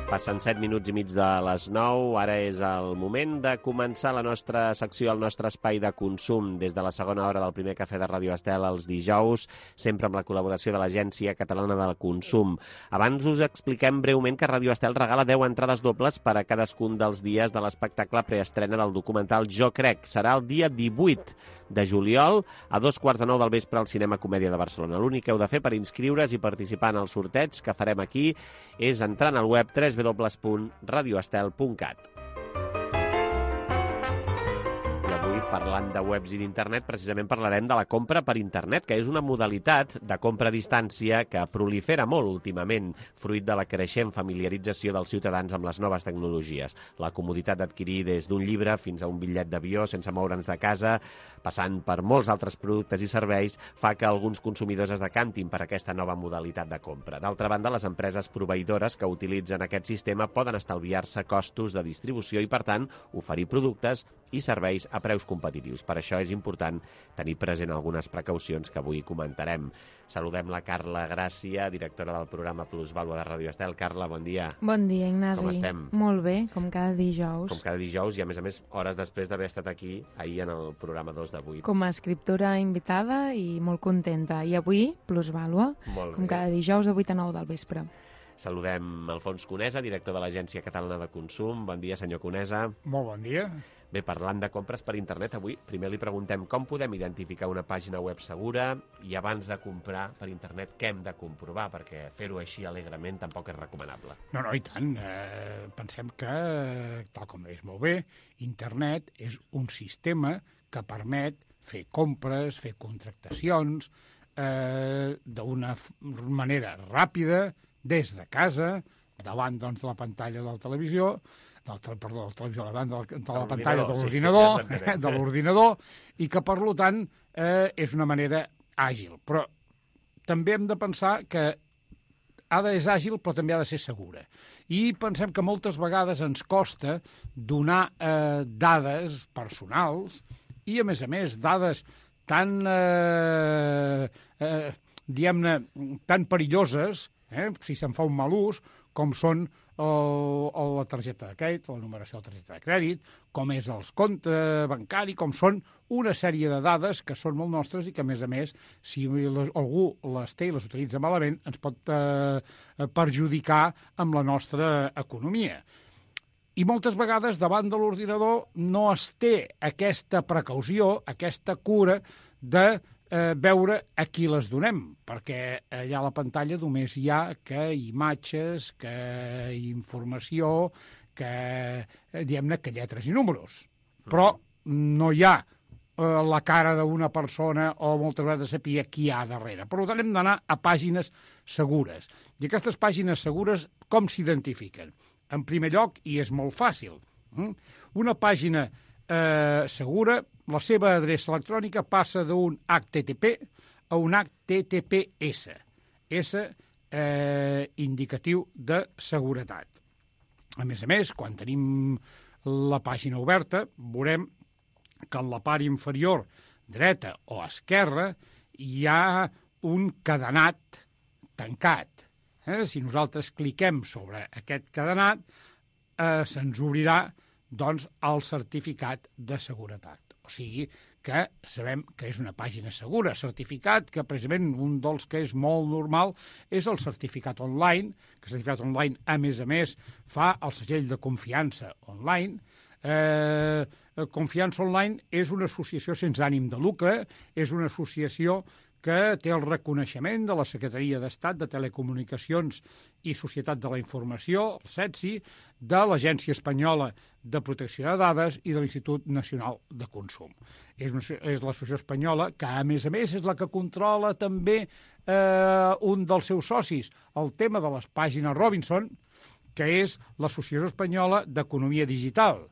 Passen set minuts i mig de les nou, ara és el moment de començar la nostra secció, el nostre espai de consum, des de la segona hora del Primer Cafè de Ràdio Estel els dijous, sempre amb la col·laboració de l'Agència Catalana del Consum. Abans us expliquem breument que Ràdio Estel regala deu entrades dobles per a cadascun dels dies de l'espectacle preestrena del documental Jo Crec. Serà el dia divuit de juliol, a dos quarts de nou del vespre al Cinema Comèdia de Barcelona. L'únic que heu de fer per inscriure's i participar en el sorteig que farem aquí és entrant al web w w w punt radioestel punt cat. I avui parlant de webs i d'internet, precisament parlarem de la compra per internet, que és una modalitat de compra a distància que prolifera molt últimament, fruit de la creixent familiarització dels ciutadans amb les noves tecnologies. La comoditat d'adquirir des d'un llibre fins a un bitllet d'avió sense moure'ns de casa, passant per molts altres productes i serveis, fa que alguns consumidors es decantin per aquesta nova modalitat de compra. D'altra banda, les empreses proveïdores que utilitzen aquest sistema poden estalviar-se costos de distribució i, per tant, oferir productes i serveis a preus competitius. Per això és important tenir present algunes precaucions que avui comentarem. Saludem la Carla Gràcia, directora del programa Plusvàlua de Ràdio Estel. Carla, bon dia. Bon dia, Ignasi. Com estem? Molt bé, com cada dijous. Com cada dijous i, a més a més, hores després d'haver estat aquí ahir en el programa dos de vuit. Com a escriptora invitada i molt contenta. I avui, Plusvàlua, com cada dijous de vuit a nou del vespre. Saludem Alfons Conesa, director de l'Agència Catalana de Consum. Bon dia, senyor Conesa. Molt bon dia. Bé, parlant de compres per internet, avui primer li preguntem com podem identificar una pàgina web segura i abans de comprar per internet què hem de comprovar, perquè fer-ho així alegrement tampoc és recomanable. No, no, i tant. Eh, pensem que, tal com és molt bé, internet és un sistema que permet fer compres, fer contractacions eh, d'una manera ràpida, des de casa, davant doncs, de la pantalla de la televisió, del, perdó, de la televisió, davant de la, de la pantalla de l'ordinador, sí, ja de l'ordinador, i que, per tant, eh, és una manera àgil. Però també hem de pensar que ha de ser àgil, però també ha de ser segura. I pensem que moltes vegades ens costa donar eh, dades personals i, a més a més, dades tan, eh, eh, diguem-ne, tan perilloses, eh, si se'n fa un mal ús, com són el, el, la targeta de crèdit, la numeració de la targeta de crèdit, com és els comptes bancari, com són una sèrie de dades que són molt nostres i que, a més a més, si les, algú les té i les utilitza malament, ens pot eh, perjudicar amb la nostra economia. I moltes vegades, davant de l'ordinador, no es té aquesta precaució, aquesta cura de eh, veure a qui les donem, perquè allà a la pantalla només hi ha que imatges, que informació, que, eh, diguem-ne, que lletres i números. Però no hi ha eh, la cara d'una persona o moltes vegades saber qui hi ha darrere. Per tant, hem d'anar a pàgines segures. I aquestes pàgines segures, com s'identifiquen? En primer lloc, i és molt fàcil, una pàgina eh, segura, la seva adreça electrònica passa d'un H T T P a un H T T P S, S eh, indicatiu de seguretat. A més a més, quan tenim la pàgina oberta, veurem que en la part inferior dreta o esquerra hi ha un cadenat tancat. Eh? Si nosaltres cliquem sobre aquest cadenat, eh, se'ns obrirà doncs, el certificat de seguretat. O sigui que sabem que és una pàgina segura. Certificat que, precisament, un dels que és molt normal és el certificat online, que el certificat online, a més a més, fa el segell de confiança online. Eh, Confiança Online és una associació sense ànim de lucre, és una associació que té el reconeixement de la Secretaria d'Estat de Telecomunicacions i Societat de la Informació, el S E T S I, de l'Agència Espanyola de Protecció de Dades i de l'Institut Nacional de Consum. És, una, és l'associació espanyola que, a més a més, és la que controla també eh, un dels seus socis, el tema de les pàgines Robinson, que és l'Associació Espanyola d'Economia Digital.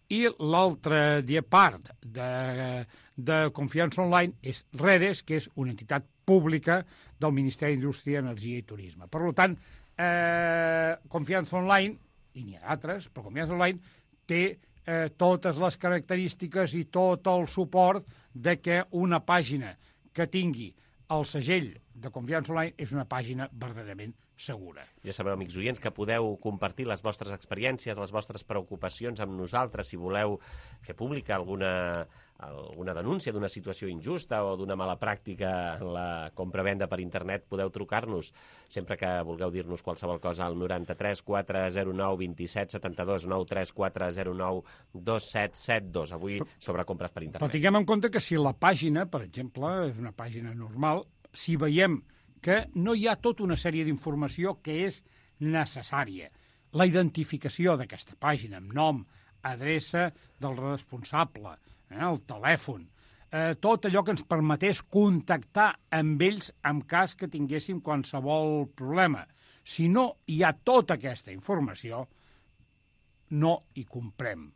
I l'altra part de, de Confiança Online és Redes, que és una entitat pública del Ministeri d'Indústria, Energia i Turisme. Per tant, eh, Confiança Online, i n'hi ha d'altres, però Confiança Online té eh, totes les característiques i tot el suport de que una pàgina que tingui el segell de Confiança Online és una pàgina verdaderament segura. Ja sabeu, amics oients, que podeu compartir les vostres experiències, les vostres preocupacions amb nosaltres. Si voleu fer pública alguna, alguna denúncia d'una situació injusta o d'una mala pràctica en la compra-venda per internet, podeu trucar-nos sempre que vulgueu dir-nos qualsevol cosa al noranta-tres quatre zero nou vint set setanta-dos, noranta-tres quatre zero nou dos set set dos. Avui sobre compres per internet. Però tinguem en compte que si la pàgina, per exemple, és una pàgina normal, si veiem que no hi ha tota una sèrie d'informació que és necessària. La identificació d'aquesta pàgina amb nom, adreça del responsable, eh, el telèfon, eh, tot allò que ens permetés contactar amb ells en cas que tinguéssim qualsevol problema. Si no hi ha tota aquesta informació, no hi comprem.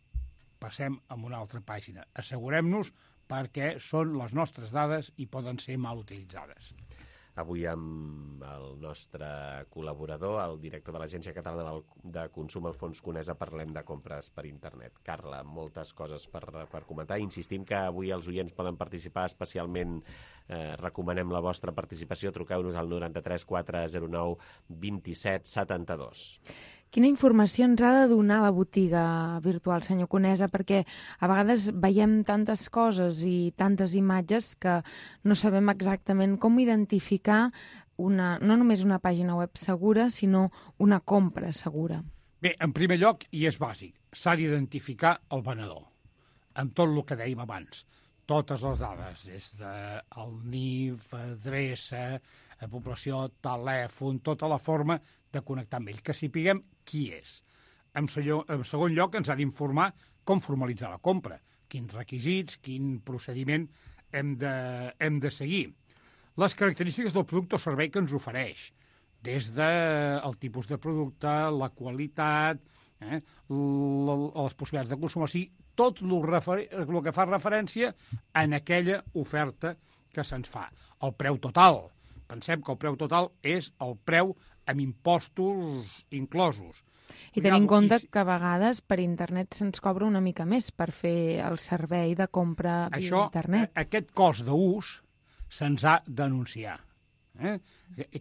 Passem a una altra pàgina. Assegurem-nos perquè són les nostres dades i poden ser mal utilitzades. Avui amb el nostre col·laborador, el director de l'Agència Catalana del, de Consum, Alfons Conesa, parlem de compres per internet. Carla, moltes coses per, per comentar. Insistim que avui els oients poden participar, especialment eh, recomanem la vostra participació. Truqueu-nos al noranta-tres quatre zero nou vint-i-set setanta-dos. Quina informació ens ha de donar la botiga virtual, senyor Conesa? Perquè a vegades veiem tantes coses i tantes imatges que no sabem exactament com identificar una, no només una pàgina web segura, sinó una compra segura. Bé, en primer lloc, i és bàsic, s'ha d'identificar el venedor, amb tot el que dèiem abans. Totes les dades, des del N I F, adreça, població, telèfon, tota la forma de connectar amb ell, que sapiguem qui és. En segon lloc, ens ha d'informar com formalitzar la compra, quins requisits, quin procediment hem de, hem de seguir. Les característiques del producte o servei que ens ofereix, des del tipus de producte, la qualitat, eh, les possibilitats de consum, o sigui, tot el que fa referència en aquella oferta que se'ns fa. El preu total. Pensem que el preu total és el preu amb impostos inclosos. I tenim en compte que a vegades per internet se'ns cobra una mica més per fer el servei de compra via Això, internet. Aquest cost d'ús se'ns ha d'anunciar. Eh?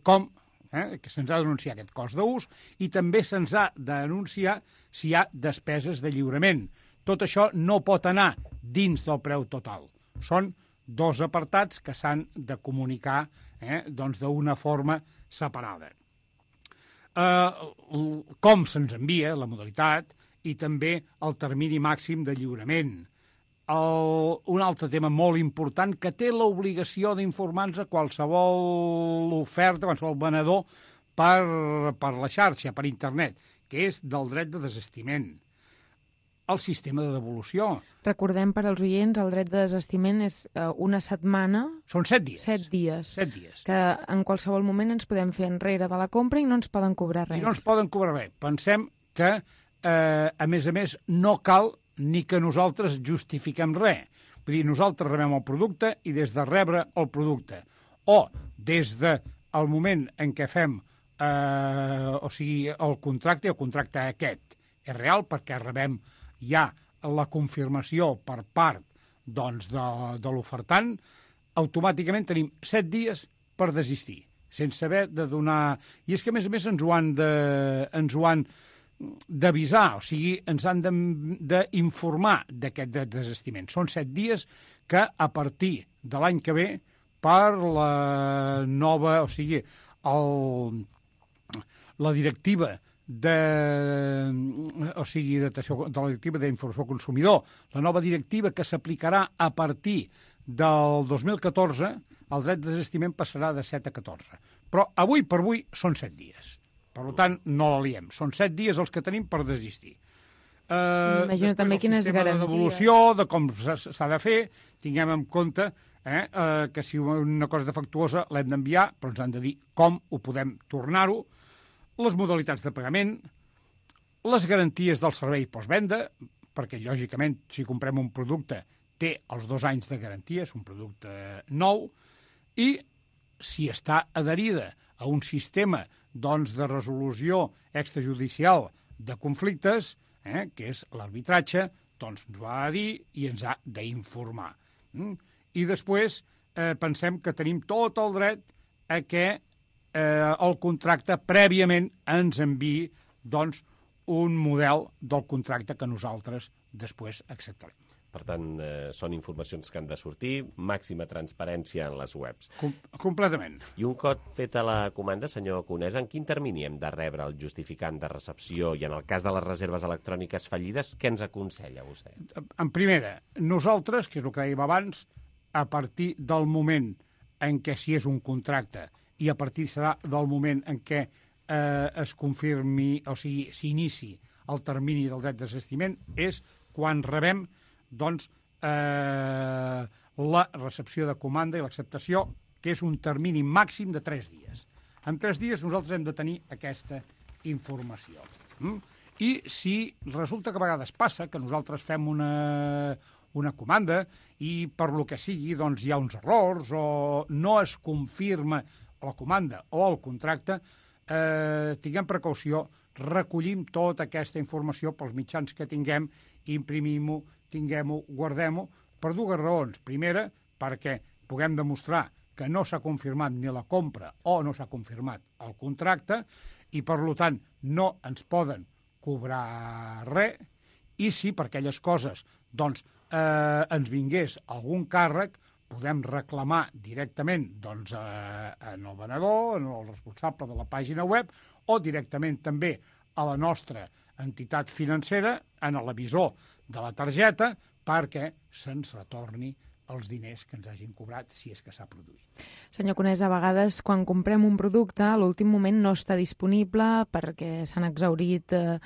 Com? Eh? Que se'ns ha d'anunciar aquest cost d'ús i també se'ns ha d'anunciar si hi ha despeses de lliurament. Tot això no pot anar dins del preu total. Són dos apartats que s'han de comunicar eh, doncs d'una forma separada. Eh, com se'ns envia, la modalitat, i també el termini màxim de lliurament. El, un altre tema molt important que té l'obligació d'informar-nos a qualsevol oferta, qualsevol venedor per, per la xarxa, per internet, que és del dret de desistiment. El sistema de devolució. Recordem per als oients, el dret de desistiment és uh, una setmana... Són set dies. Set dies. Set dies. Que en qualsevol moment ens podem fer enrere de la compra i no ens poden cobrar res. I no ens poden cobrar res. Pensem que, eh, a més a més, no cal ni que nosaltres justifiquem res. Vull dir, nosaltres rebem el producte i des de rebre el producte o des del moment en què fem eh, o sigui, el contracte, el contracte aquest és real perquè rebem ja la confirmació per part doncs, de, de l'ofertant, automàticament tenim set dies per desistir, sense haver de donar... I és que, a més a més, ens ho han de, ens ho han d'avisar, o sigui, ens han d'informar d'aquest desistiment. Són set dies que, a partir de l'any que ve, per la nova, o sigui, el, la directiva de, o sigui, de, de la directiva d'informació al consumidor, la nova directiva que s'aplicarà a partir del dos mil catorze, el dret de desistiment passarà de set a catorze. Però avui per avui són set dies. Per tant, no la liem. Són set dies els que tenim per desistir. Eh, Imagino també quines garanties. De devolució, de com s'ha de fer, tinguem en compte eh, eh, que si una cosa defectuosa l'hem d'enviar, però ens han de dir com ho podem tornar-ho, les modalitats de pagament, les garanties del servei postvenda, perquè, lògicament, si comprem un producte, té els dos anys de garantia, és un producte nou, i si està adherida a un sistema doncs, de resolució extrajudicial de conflictes, eh, que és l'arbitratge, doncs ens ho ha de dir i ens ha d'informar. Mm? I després eh, pensem que tenim tot el dret a que eh, el contracte prèviament ens enviï doncs, un model del contracte que nosaltres després acceptarem. Per tant, eh, són informacions que han de sortir, màxima transparència en les webs. Com completament. I un cop feta la comanda, senyor Conesa, en quin termini hem de rebre el justificant de recepció i en el cas de les reserves electròniques fallides, què ens aconsella vostè? En primera, nosaltres, que és el que dèiem abans, a partir del moment en què si és un contracte i a partir serà del moment en què eh, es confirmi, o sigui, s'inici el termini del dret de desistiment, és quan rebem doncs, eh, la recepció de comanda i l'acceptació, que és un termini màxim de tres dies. En tres dies nosaltres hem de tenir aquesta informació. Mm? I si resulta que a vegades passa que nosaltres fem una, una comanda i per lo que sigui doncs hi ha uns errors o no es confirma la comanda o el contracte, eh, tinguem precaució, recollim tota aquesta informació pels mitjans que tinguem, imprimim-ho, tinguem-ho, guardem-ho, per dues raons. Primera, perquè puguem demostrar que no s'ha confirmat ni la compra o no s'ha confirmat el contracte i, per tant, no ens poden cobrar res, i si per aquelles coses doncs, eh, ens vingués algun càrrec, podem reclamar directament doncs, eh, en el venedor, en el responsable de la pàgina web, o directament també a la nostra entitat financera, en l'emisor de la targeta, perquè se'ns retorni els diners que ens hagin cobrat, si és que s'ha produït. Senyor Conés, a vegades quan comprem un producte a l'últim moment no està disponible perquè s'han exhaurit eh,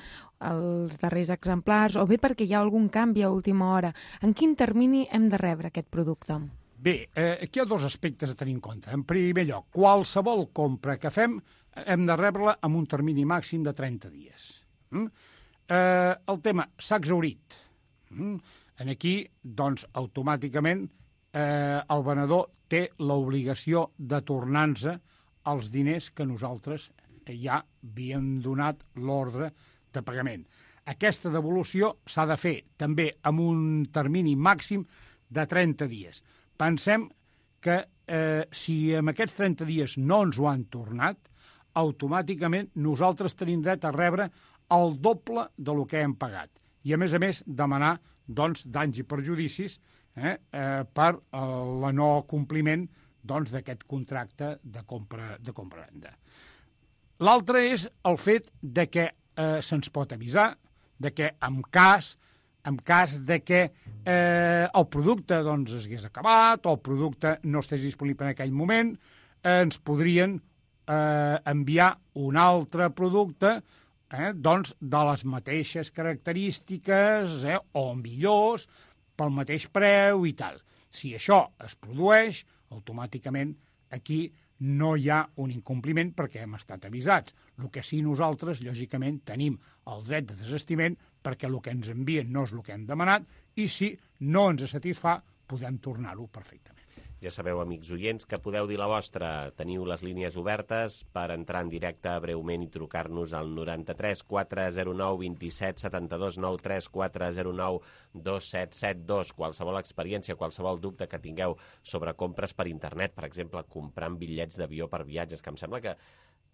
els darrers exemplars o bé perquè hi ha algun canvi a última hora. En quin termini hem de rebre aquest producte? Bé, eh, aquí hi ha dos aspectes a tenir en compte. En primer lloc, qualsevol compra que fem hem de rebre-la amb un termini màxim de trenta dies. Mm? Eh, el tema s'ha exhaurit. Mm? En aquí, doncs, automàticament, eh, el venedor té l'obligació de tornar-nos els diners que nosaltres ja havíem donat l'ordre de pagament. Aquesta devolució s'ha de fer també amb un termini màxim de trenta dies. Pensem que eh, si en aquests trenta dies no ens ho han tornat, automàticament nosaltres tenim dret a rebre el doble de lo que hem pagat. I, a més a més, demanar doncs, danys i perjudicis eh, eh, per el no compliment doncs, d'aquest contracte de compra de compra-venda. L'altre és el fet de que eh, se'ns pot avisar de que en cas, en cas de que eh, el producte doncs, es hagués acabat o el producte no estigués disponible en aquell moment, eh, ens podrien eh, enviar un altre producte Eh, doncs de les mateixes característiques eh, o millors, pel mateix preu i tal. Si això es produeix, automàticament aquí no hi ha un incompliment perquè hem estat avisats. El que sí nosaltres, lògicament, tenim el dret de desestiment perquè el que ens envien no és el que hem demanat i si no ens satisfà podem tornar-ho perfectament. Ja sabeu, amics oients, que podeu dir la vostra. Teniu les línies obertes per entrar en directe breument i trucar-nos al noranta-tres quatre zero nou vint-i-set setanta-dos noranta-tres quatre zero nou dos set set dos. Qualsevol experiència, qualsevol dubte que tingueu sobre compres per internet, per exemple, comprant bitllets d'avió per viatges, que em sembla que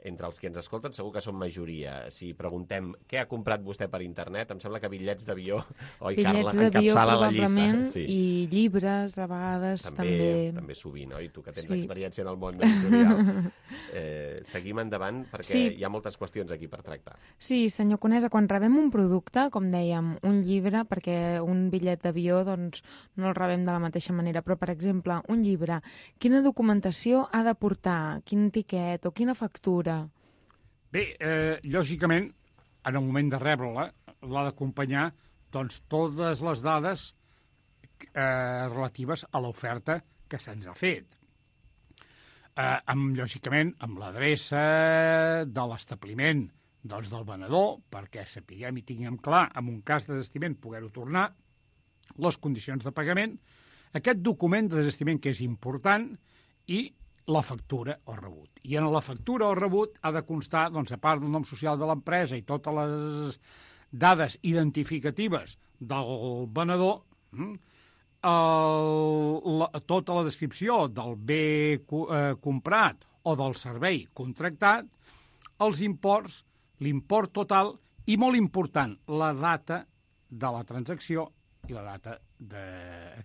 entre els que ens escolten segur que són majoria. Si preguntem què ha comprat vostè per internet, em sembla que bitllets d'avió, oi, Carla, encapçala la llista. Sí. I llibres, a vegades, també... També, també sovint, oi? Tu que tens sí. experiència en el món editorial. eh, seguim endavant, perquè sí. hi ha moltes qüestions aquí per tractar. Sí, senyor Conesa, quan rebem un producte, com dèiem, un llibre, perquè un bitllet d'avió doncs, no el rebem de la mateixa manera, però, per exemple, un llibre, quina documentació ha de portar? Quin tiquet o quina factura? Bé, eh, lògicament, en el moment de rebre-la, l'ha d'acompanyar doncs, totes les dades eh, relatives a l'oferta que se'ns ha fet. Eh, amb, lògicament, amb l'adreça de l'establiment doncs, del venedor, perquè sapiguem i tinguem clar, en un cas de desistiment, poder-ho tornar, les condicions de pagament, aquest document de desistiment que és important i la factura o rebut. I en la factura o rebut ha de constar, doncs, a part del nom social de l'empresa i totes les dades identificatives del venedor, el, la, tota la descripció del bé eh, comprat o del servei contractat, els imports, l'import total i, molt important, la data de la transacció i la data de,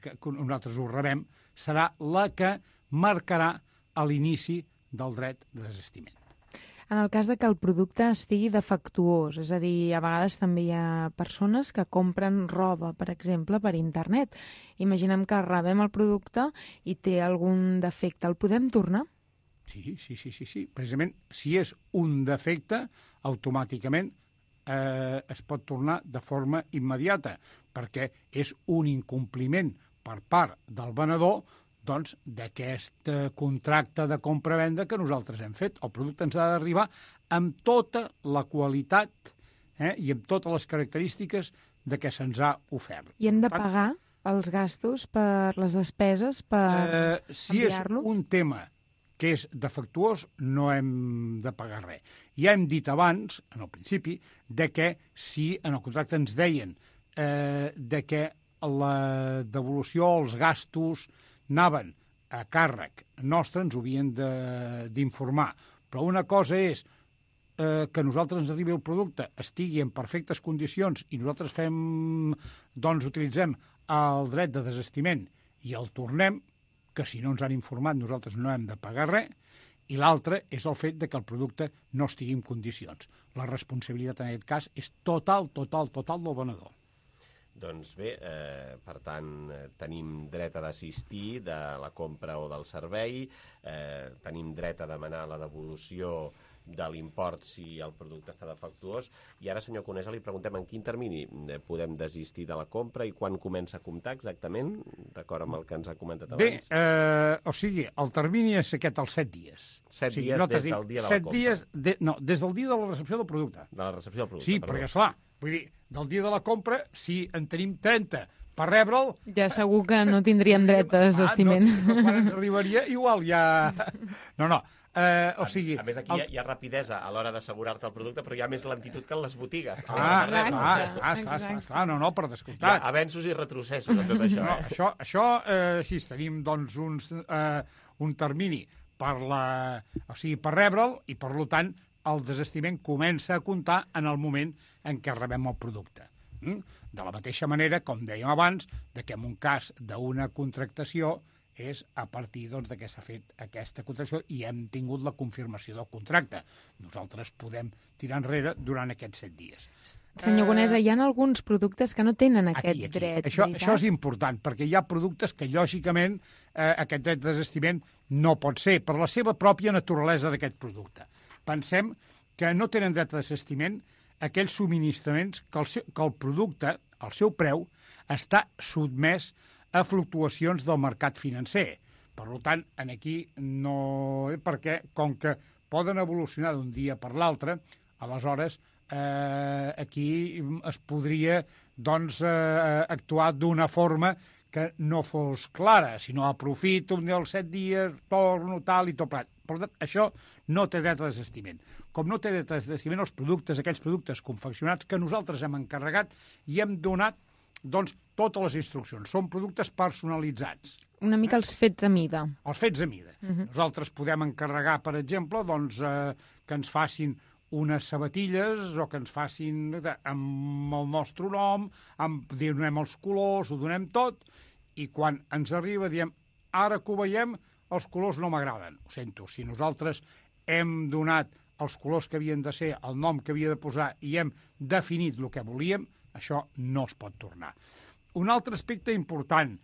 que nosaltres ho rebem serà la que marcarà a l'inici del dret de desistiment. En el cas de que el producte estigui defectuós, és a dir, a vegades també hi ha persones que compren roba, per exemple, per internet. Imaginem que rebem el producte i té algun defecte. El podem tornar? Sí, sí, sí, sí, sí. Precisament, si és un defecte, automàticament eh, es pot tornar de forma immediata. perquè és un incompliment per part del venedor doncs, d'aquest contracte de compra-venda que nosaltres hem fet. El producte ens ha d'arribar amb tota la qualitat eh, i amb totes les característiques de què se'ns ha ofert. I hem de pagar els gastos per les despeses per eh, si enviar-lo? Si és un tema que és defectuós, no hem de pagar res. Ja hem dit abans, en el principi, de que si en el contracte ens deien eh, de que la devolució, els gastos, anaven a càrrec nostre, ens ho havien d'informar. Però una cosa és eh, que nosaltres ens arribi el producte, estigui en perfectes condicions i nosaltres fem, doncs utilitzem el dret de desestiment i el tornem, que si no ens han informat nosaltres no hem de pagar res, i l'altre és el fet de que el producte no estigui en condicions. La responsabilitat en aquest cas és total, total, total del venedor. Doncs bé, eh, per tant, eh, tenim dret a desistir de la compra o del servei, eh, tenim dret a demanar la devolució de l'import si el producte està defectuós. I ara, senyor Conesa, li preguntem en quin termini podem desistir de la compra i quan comença a comptar exactament, d'acord amb el que ens ha comentat abans? Bé, eh, o sigui, el termini és aquest, els set dies. Set o sigui, dies no des del dia de la set compra. Dies de, no, des del dia de la recepció del producte. De la recepció del producte, Sí, perdó. perquè, esclar, vull dir, del dia de la compra, si en tenim trenta per rebre'l... Ja segur que no tindríem dret a desestiment. Ah, no, quan ens arribaria, igual ja... No, no, eh, o sigui... A, a més, aquí el... hi, ha, hi ha rapidesa a l'hora d'assegurar-te el producte, però hi ha més lentitud que en les botigues. Ah, clar, clar, clar, clar, no, no, per descomptat. Hi ha avenços i retrocessos en tot això. No, eh? això, això eh, sí, tenim doncs uns, eh, un termini per, la, o sigui, per rebre'l i, per tant, el desestiment comença a comptar en el moment en què rebem el producte. De la mateixa manera, com dèiem abans, de que en un cas d'una contractació és a partir doncs, de que s'ha fet aquesta contractació i hem tingut la confirmació del contracte. Nosaltres podem tirar enrere durant aquests set dies. Senyor Conesa, hi ha alguns productes que no tenen aquest aquí, aquí. dret, això, veritat? això és important, perquè hi ha productes que, lògicament, eh, aquest dret de desestiment no pot ser, per la seva pròpia naturalesa d'aquest producte. Pensem que no tenen dret de desestiment aquells subministraments que el, seu, que el producte, el seu preu, està sotmès a fluctuacions del mercat financer. Per tant, en aquí no... Perquè, com que poden evolucionar d'un dia per l'altre, aleshores eh, aquí es podria doncs, eh, actuar d'una forma que no fos clara, sinó aprofito un dels set dies, torno, tal i tot plat. Per tant, això no té dret a desestiment. Com no té dret a desestiment els productes, aquells productes confeccionats que nosaltres hem encarregat i hem donat doncs, totes les instruccions. Són productes personalitzats. Una mica els fets a mida. Els fets a mida. Uh-huh. Nosaltres podem encarregar, per exemple, doncs, eh, que ens facin unes sabatilles o que ens facin amb el nostre nom, amb, donem els colors, ho donem tot, i quan ens arriba diem, ara que ho veiem, els colors no m'agraden. Ho sento, si nosaltres hem donat els colors que havien de ser, el nom que havia de posar i hem definit el que volíem, això no es pot tornar. Un altre aspecte important,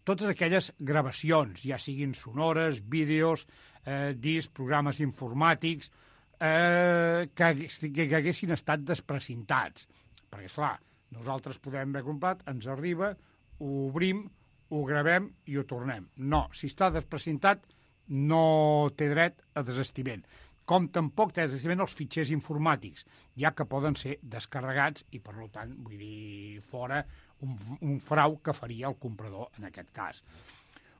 totes aquelles gravacions, ja siguin sonores, vídeos, eh, discs, programes informàtics, eh, que, que, que haguessin estat desprecintats. Perquè, esclar, nosaltres podem haver comprat, ens arriba, ho obrim, ho gravem i ho tornem. No, si està desprecintat, no té dret a desestiment. Com tampoc té desestiment els fitxers informàtics, ja que poden ser descarregats i, per tant, vull dir, fora un, un frau que faria el comprador en aquest cas.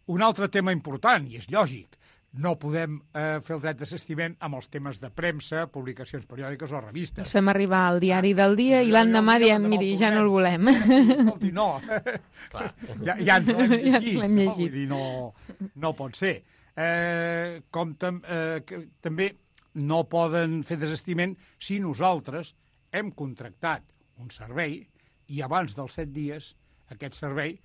Un altre tema important, i és lògic, no podem eh, fer el dret de desestiment amb els temes de premsa, publicacions periòdiques o revistes. Ens fem arribar al diari del dia i l'endemà diem, miri, ja no el volem. Escolti, no. Clar. Ja, ja ens l'hem llegit. Ja ens l'hem llegit. No? Vull dir, no, no pot ser. Eh, com tam, eh, que, també no poden fer desestiment si nosaltres hem contractat un servei i abans dels set dies aquest servei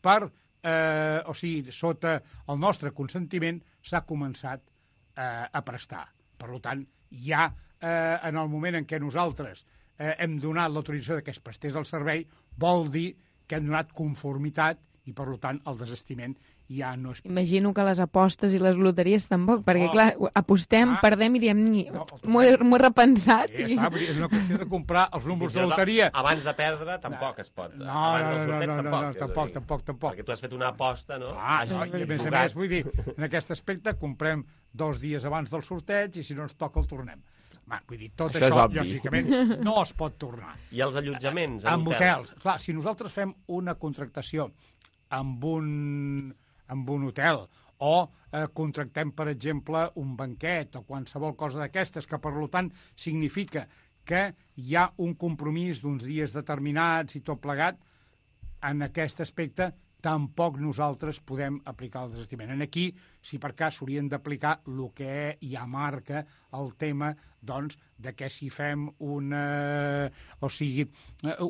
per Eh, o sigui, sota el nostre consentiment s'ha començat eh, a prestar. Per tant, ja eh, en el moment en què nosaltres eh, hem donat l'autorització que es prestés el servei, vol dir que hem donat conformitat i, per tant, el desestiment ja no és... Imagino que les apostes i les loteries tampoc, perquè, No. clar, apostem, Ah. perdem i diem, ni, No, m'ho he, m'ho he repensat. Ja i- sap, és una qüestió de comprar els números Fins i de tot loteria. Abans de perdre, tampoc es pot. No, abans no, dels no, sorteig, no, no, tampoc. no, és a tampoc, dir, tampoc, tampoc. Perquè tu has fet una aposta, no? Ah, Has no, i a més a jugat. més, vull dir, en aquest aspecte comprem dos dies abans del sorteig i si no ens toca el tornem. Va, vull dir, tot Això això, és obvi. lògicament, no es pot tornar. I els allotjaments, en Amb hotels? hotels. Clar, si nosaltres fem una contractació amb un, amb un hotel o eh, contractem, per exemple, un banquet o qualsevol cosa d'aquestes, que per tant significa que hi ha un compromís d'uns dies determinats i tot plegat, en aquest aspecte tampoc nosaltres podem aplicar el desestiment. En aquí, si per cas s'haurien d'aplicar el que ja marca el tema, doncs, de que si fem una, o sigui,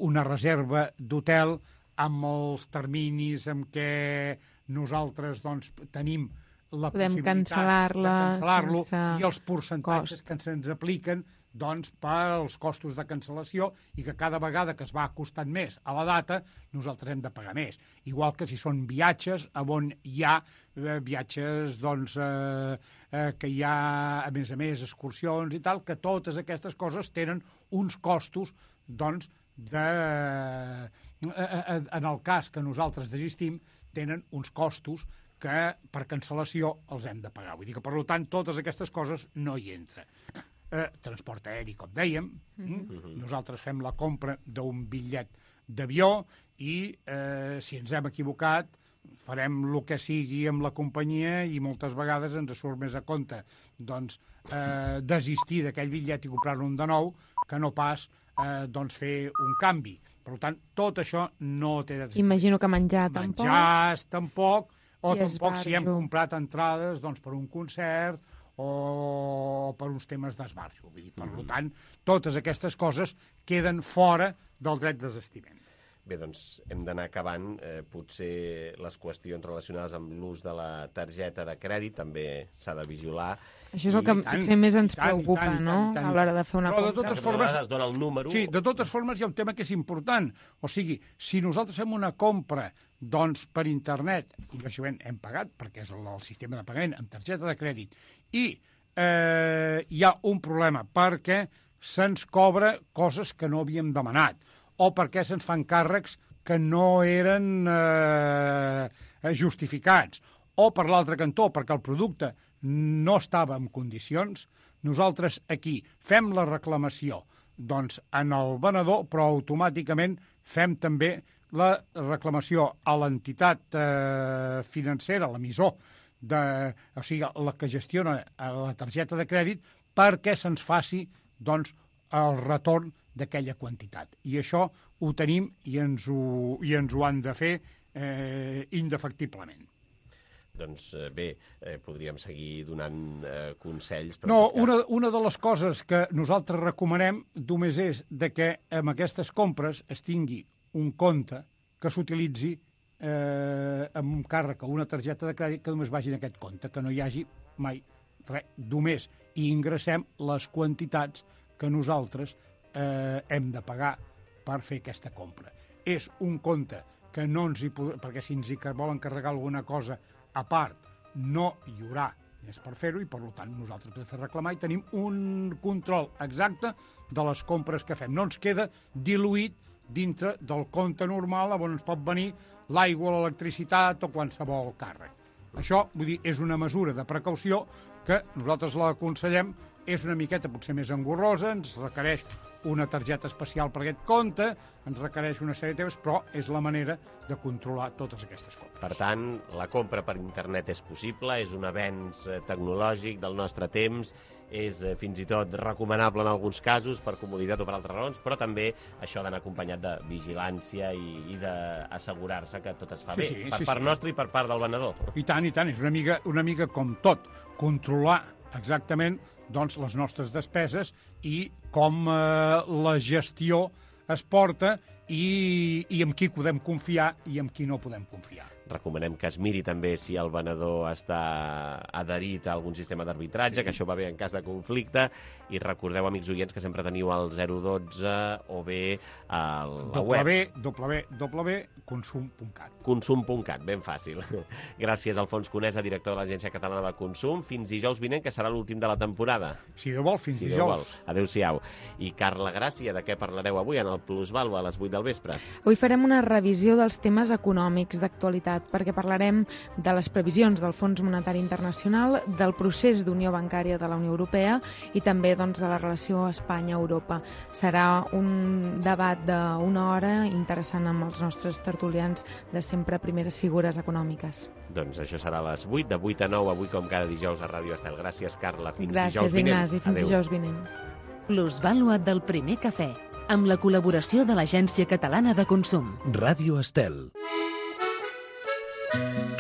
una reserva d'hotel amb els terminis en què nosaltres doncs, tenim la Podem possibilitat cancel·lar-la de cancel·lar-lo sense i els percentatges cost. que se'ns apliquen doncs, pels costos de cancel·lació i que cada vegada que es va acostant més a la data, nosaltres hem de pagar més. Igual que si són viatges on hi ha eh, viatges doncs, eh, eh, que hi ha, a més a més, excursions i tal, que totes aquestes coses tenen uns costos doncs, de, eh, eh, en el cas que nosaltres desistim, tenen uns costos que per cancel·lació els hem de pagar. Vull dir que, per tant, totes aquestes coses no hi entren. Eh, transport aeri, com dèiem, mm-hmm. nosaltres fem la compra d'un bitllet d'avió i eh, si ens hem equivocat farem el que sigui amb la companyia i moltes vegades ens surt més a compte doncs, eh, desistir d'aquell bitllet i comprar-ne un de nou que no pas eh, doncs, fer un canvi. Per tant, tot això no té... Imagino que menjar tampoc. Menjars tampoc, o I tampoc si hem esbarjo. comprat comprat entrades doncs, per un concert o per uns temes d'esbarjo. Vull dir, per mm. tant, totes aquestes coses queden fora del dret de desestiment. Bé, doncs hem d'anar acabant. Eh, potser les qüestions relacionades amb l'ús de la targeta de crèdit també s'ha de vigilar. Això és el que potser més ens preocupa, no?, a l'hora de fer una Però de compra. totes formes, es dona el número. Sí, de totes formes hi ha un tema que és important. O sigui, si nosaltres fem una compra doncs, per internet, i lògicament hem pagat, perquè és el, el sistema de pagament amb targeta de crèdit, i eh, hi ha un problema perquè se'ns cobra coses que no havíem demanat, o perquè se'ns fan càrrecs que no eren eh, justificats, o per l'altre cantó, perquè el producte no estava en condicions, nosaltres aquí fem la reclamació doncs, en el venedor, però automàticament fem també la reclamació a l'entitat eh, financera, l'emissor, de, o sigui, la que gestiona la targeta de crèdit, perquè se'ns faci doncs, el retorn d'aquella quantitat. I això ho tenim i ens ho, i ens ho han de fer eh, indefectiblement. Doncs eh, bé, eh, podríem seguir donant eh, consells. Però No, en tot cas... una, una de les coses que nosaltres recomanem només és de que amb aquestes compres es tingui un compte que s'utilitzi eh, amb un càrrec o una targeta de crèdit que només vagi en aquest compte, que no hi hagi mai res, només i ingressem les quantitats que nosaltres eh, hem de pagar per fer aquesta compra. És un compte que no ens hi podrà, perquè si ens hi volen carregar alguna cosa a part, no hi haurà més per fer-ho i, per tant, nosaltres podem fer reclamar i tenim un control exacte de les compres que fem. No ens queda diluït dintre del compte normal on ens pot venir l'aigua, l'electricitat o qualsevol càrrec. Això, vull dir, és una mesura de precaució que nosaltres l'aconsellem, és una miqueta potser més engorrosa, ens requereix una targeta especial per aquest compte, ens requereix una sèrie de temes, però és la manera de controlar totes aquestes compres. Per tant, la compra per internet és possible, és un avenç tecnològic del nostre temps, és eh, fins i tot recomanable en alguns casos per comoditat o per altres raons, però també això d'anar acompanyat de vigilància i, i d'assegurar-se que tot es fa Sí, bé, sí, per sí, part sí. nostra i per part del venedor. I tant, i tant, és una mica, una mica com tot, controlar exactament doncs, les nostres despeses i com eh, la gestió es porta i, i amb qui podem confiar i amb qui no podem confiar. Recomanem que es miri també si el venedor està adherit a algun sistema d'arbitratge, sí. que això va bé en cas de conflicte, i recordeu, amics oients, que sempre teniu el zero dotze o bé a la web. w w w punt consum punt cat. consum punt cat, ben fàcil. Gràcies, Alfons Conesa, director de l'Agència Catalana de Consum. Fins dijous vinent, que serà l'últim de la temporada. Si Déu vol, fins si dijous. Adéu-siau. I Carla Gràcia, de què parlareu avui en el Plusvàlua a les vuit del vespre? Avui farem una revisió dels temes econòmics d'actualitat, perquè parlarem de les previsions del Fons Monetari Internacional, del procés d'unió bancària de la Unió Europea i també doncs, de la relació Espanya-Europa. Serà un debat d'una hora interessant amb els nostres tertulians de sempre primeres figures econòmiques. Doncs això serà a les vuit, de vuit a nou, avui com cada dijous a Ràdio Estel. Gràcies, Carla. Fins Gràcies, dijous vinent. Ignasi. Fins Adéu. dijous vinent. Plusvàlua del primer cafè, amb la col·laboració de l'Agència Catalana de Consum. Ràdio Estel.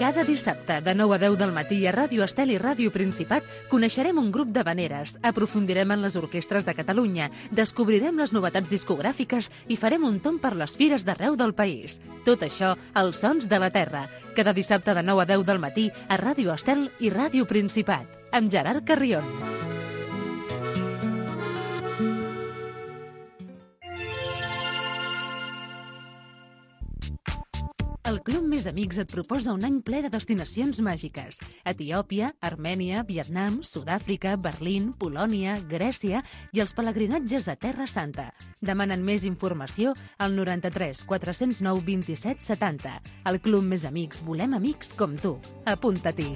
Cada dissabte, de nou a deu del matí, a Ràdio Estel i Ràdio Principat, coneixerem un grup d'havaneres, aprofundirem en les orquestres de Catalunya, descobrirem les novetats discogràfiques i farem un tomb per les fires d'arreu del país. Tot això, als sons de la terra. Cada dissabte de nou a deu del matí, a Ràdio Estel i Ràdio Principat, amb Gerard Carrion. El Club Més Amics et proposa un any ple de destinacions màgiques. Etiòpia, Armènia, Vietnam, Sud-àfrica, Berlín, Polònia, Grècia i els pelegrinatges a Terra Santa. Demanen més informació al noranta-tres quatre-cents nou vint-i-set setanta. Al Club Més Amics volem amics com tu. Apunta-t'hi.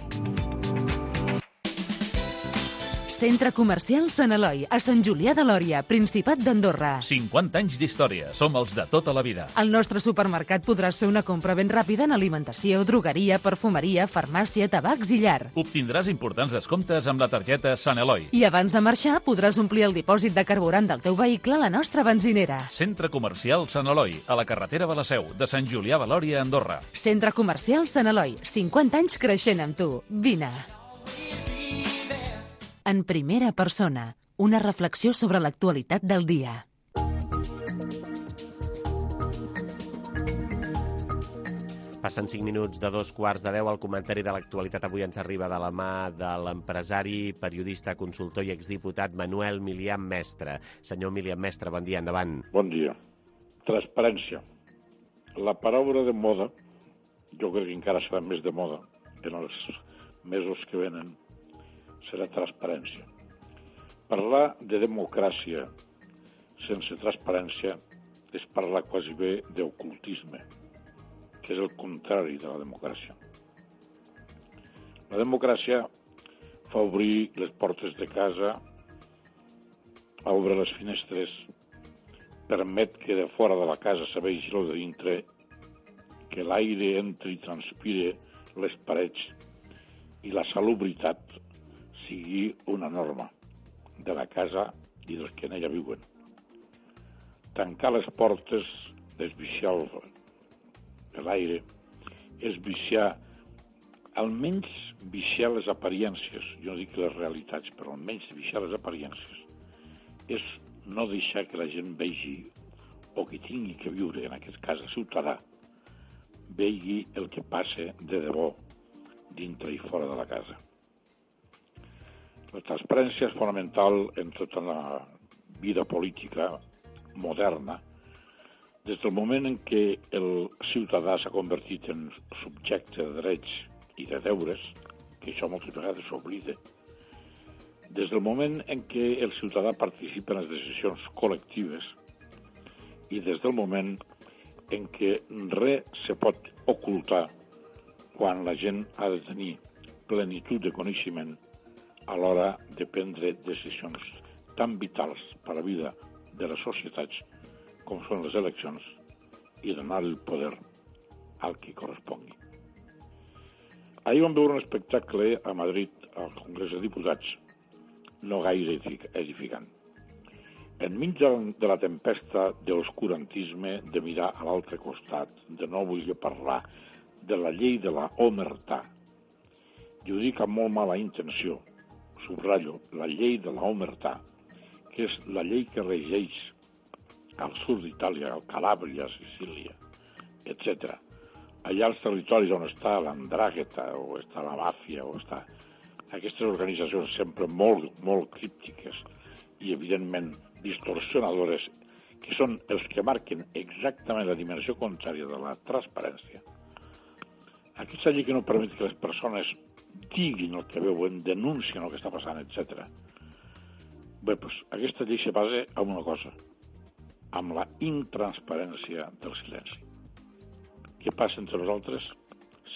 Centre Comercial Sant Eloi, a Sant Julià de Lòria, Principat d'Andorra. cinquanta anys d'història, som els de tota la vida. Al nostre supermercat podràs fer una compra ben ràpida en alimentació, drogueria, perfumeria, farmàcia, tabacs i llar. Obtindràs importants descomptes amb la targeta Sant Eloi. I abans de marxar podràs omplir el dipòsit de carburant del teu vehicle a la nostra benzinera. Centre Comercial Sant Eloi, a la carretera de la Seu, de Sant Julià de Lòria, Andorra. Centre Comercial Sant Eloi, cinquanta anys creixent amb tu. Vine. En primera persona, una reflexió sobre l'actualitat del dia. Passen cinc minuts de dos quarts de deu. El comentari de l'actualitat avui ens arriba de la mà de l'empresari, periodista, consultor i exdiputat Manuel Milian Mestre. Senyor Milian Mestre, bon dia, endavant. Bon dia. Transparència. La paraula de moda, jo crec que encara serà més de moda en els mesos que venen, serà transparència. Parlar de democràcia sense transparència és parlar quasi bé d'ocultisme, que és el contrari de la democràcia. La democràcia fa obrir les portes de casa, obre les finestres, permet que de fora de la casa se vegi el de dintre, que l'aire entri i transpire les parets i la salubritat sigui una norma de la casa i dels que en ella viuen. Tancar les portes és viciar l'aire, és viciar, almenys viciar les apariències, jo no dic les realitats, però almenys viciar les apariències, és no deixar que la gent vegi, o que tingui que viure, en aquest cas el ciutadà, vegi el que passa de debò dintre i fora de la casa. La transparència és fonamental en tota la vida política moderna. Des del moment en què el ciutadà s'ha convertit en subjecte de drets i de deures, que això moltes vegades s'oblida, des del moment en què el ciutadà participa en les decisions col·lectives i des del moment en què res se pot ocultar quan la gent ha de tenir plenitud de coneixement a l'hora de prendre decisions tan vitals per a la vida de les societats com són les eleccions i donar el poder al que correspongui. Ahir vam veure un espectacle a Madrid, al Congrés de Diputats, no gaire edificant. Enmig de la tempesta de l'oscurantisme, de mirar a l'altre costat, de no voler parlar de la llei de la omertà, i ho dic amb molt mala intenció, subratllo, la llei de la omertà, que és la llei que regeix al sud d'Itàlia, al Calàbria, Sicília, etcètera. Allà als territoris on està l'Andràgheta, o està la Bàfia, o està... Aquestes organitzacions sempre molt, molt críptiques i, evidentment, distorsionadores, que són els que marquen exactament la dimensió contrària de la transparència. Aquesta llei que no permet que les persones diguin el que veuen, denuncien el que està passant, etcètera. Bé, doncs, aquesta llei se basa en una cosa, amb la intransparència del silenci. Què passa entre nosaltres?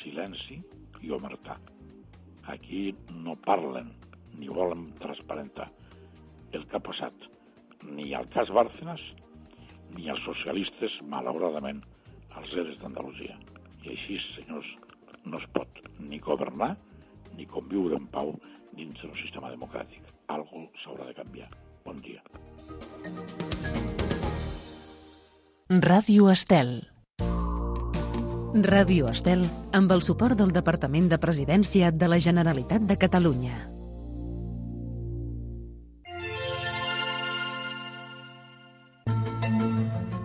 Silenci i omertà. Aquí no parlen ni volen transparentar el que ha passat ni al cas Bárcenas ni als socialistes, malauradament, als eres d'Andalusia. I així, senyors, no es pot ni governar ni conviure en pau dins d'un sistema democràtic. Algo s'haurà de canviar. Bon dia. Ràdio Estel. Ràdio Estel, amb el suport del Departament de Presidència de la Generalitat de Catalunya.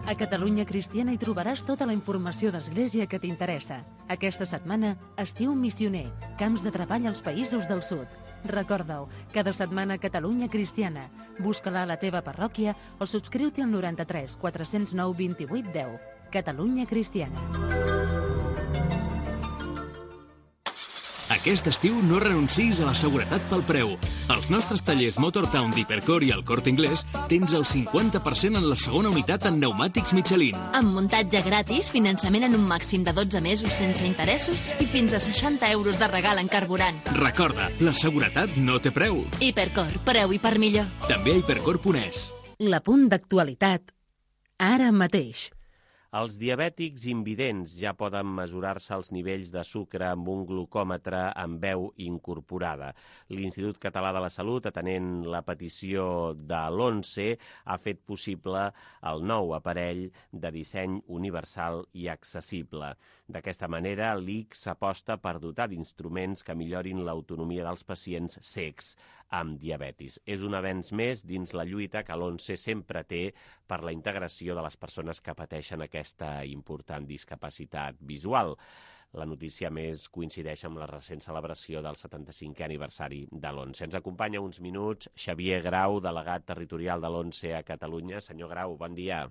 A Catalunya Cristiana hi trobaràs tota la informació d'Església que t'interessa. Aquesta setmana, Estiu Missioner, camps de treball als països del sud. Recorda-ho, cada setmana Catalunya Cristiana. Busca-la a la teva parròquia o subscriu-t'hi al noranta-tres quatre cents nou vint-i-vuit deu. Catalunya Cristiana. Aquest estiu no renuncis a la seguretat pel preu. Als nostres tallers Motortown d'Hipercor i el Corte Inglés tens el cinquanta per cent en la segona unitat en pneumàtics Michelin. Amb muntatge gratis, finançament en un màxim de dotze mesos sense interessos i fins a seixanta euros de regal en carburant. Recorda, la seguretat no té preu. Hipercor, preu i per millor. També a hipercor punt es. L'apunt d'actualitat, ara mateix. Els diabètics invidents ja poden mesurar-se els nivells de sucre amb un glucòmetre amb veu incorporada. L'Institut Català de la Salut, atenent la petició de l'ONCE, ha fet possible el nou aparell de disseny universal i accessible. D'aquesta manera, l'I C S aposta per dotar d'instruments que millorin l'autonomia dels pacients cecs amb diabetis. És un avenç més dins la lluita que l'ONCE sempre té per la integració de les persones que pateixen aquesta important discapacitat visual. La notícia més coincideix amb la recent celebració del setanta-cinquè aniversari de l'ONCE. Ens acompanya uns minuts Xavier Grau, delegat territorial de l'ONCE a Catalunya. Senyor Grau, bon dia.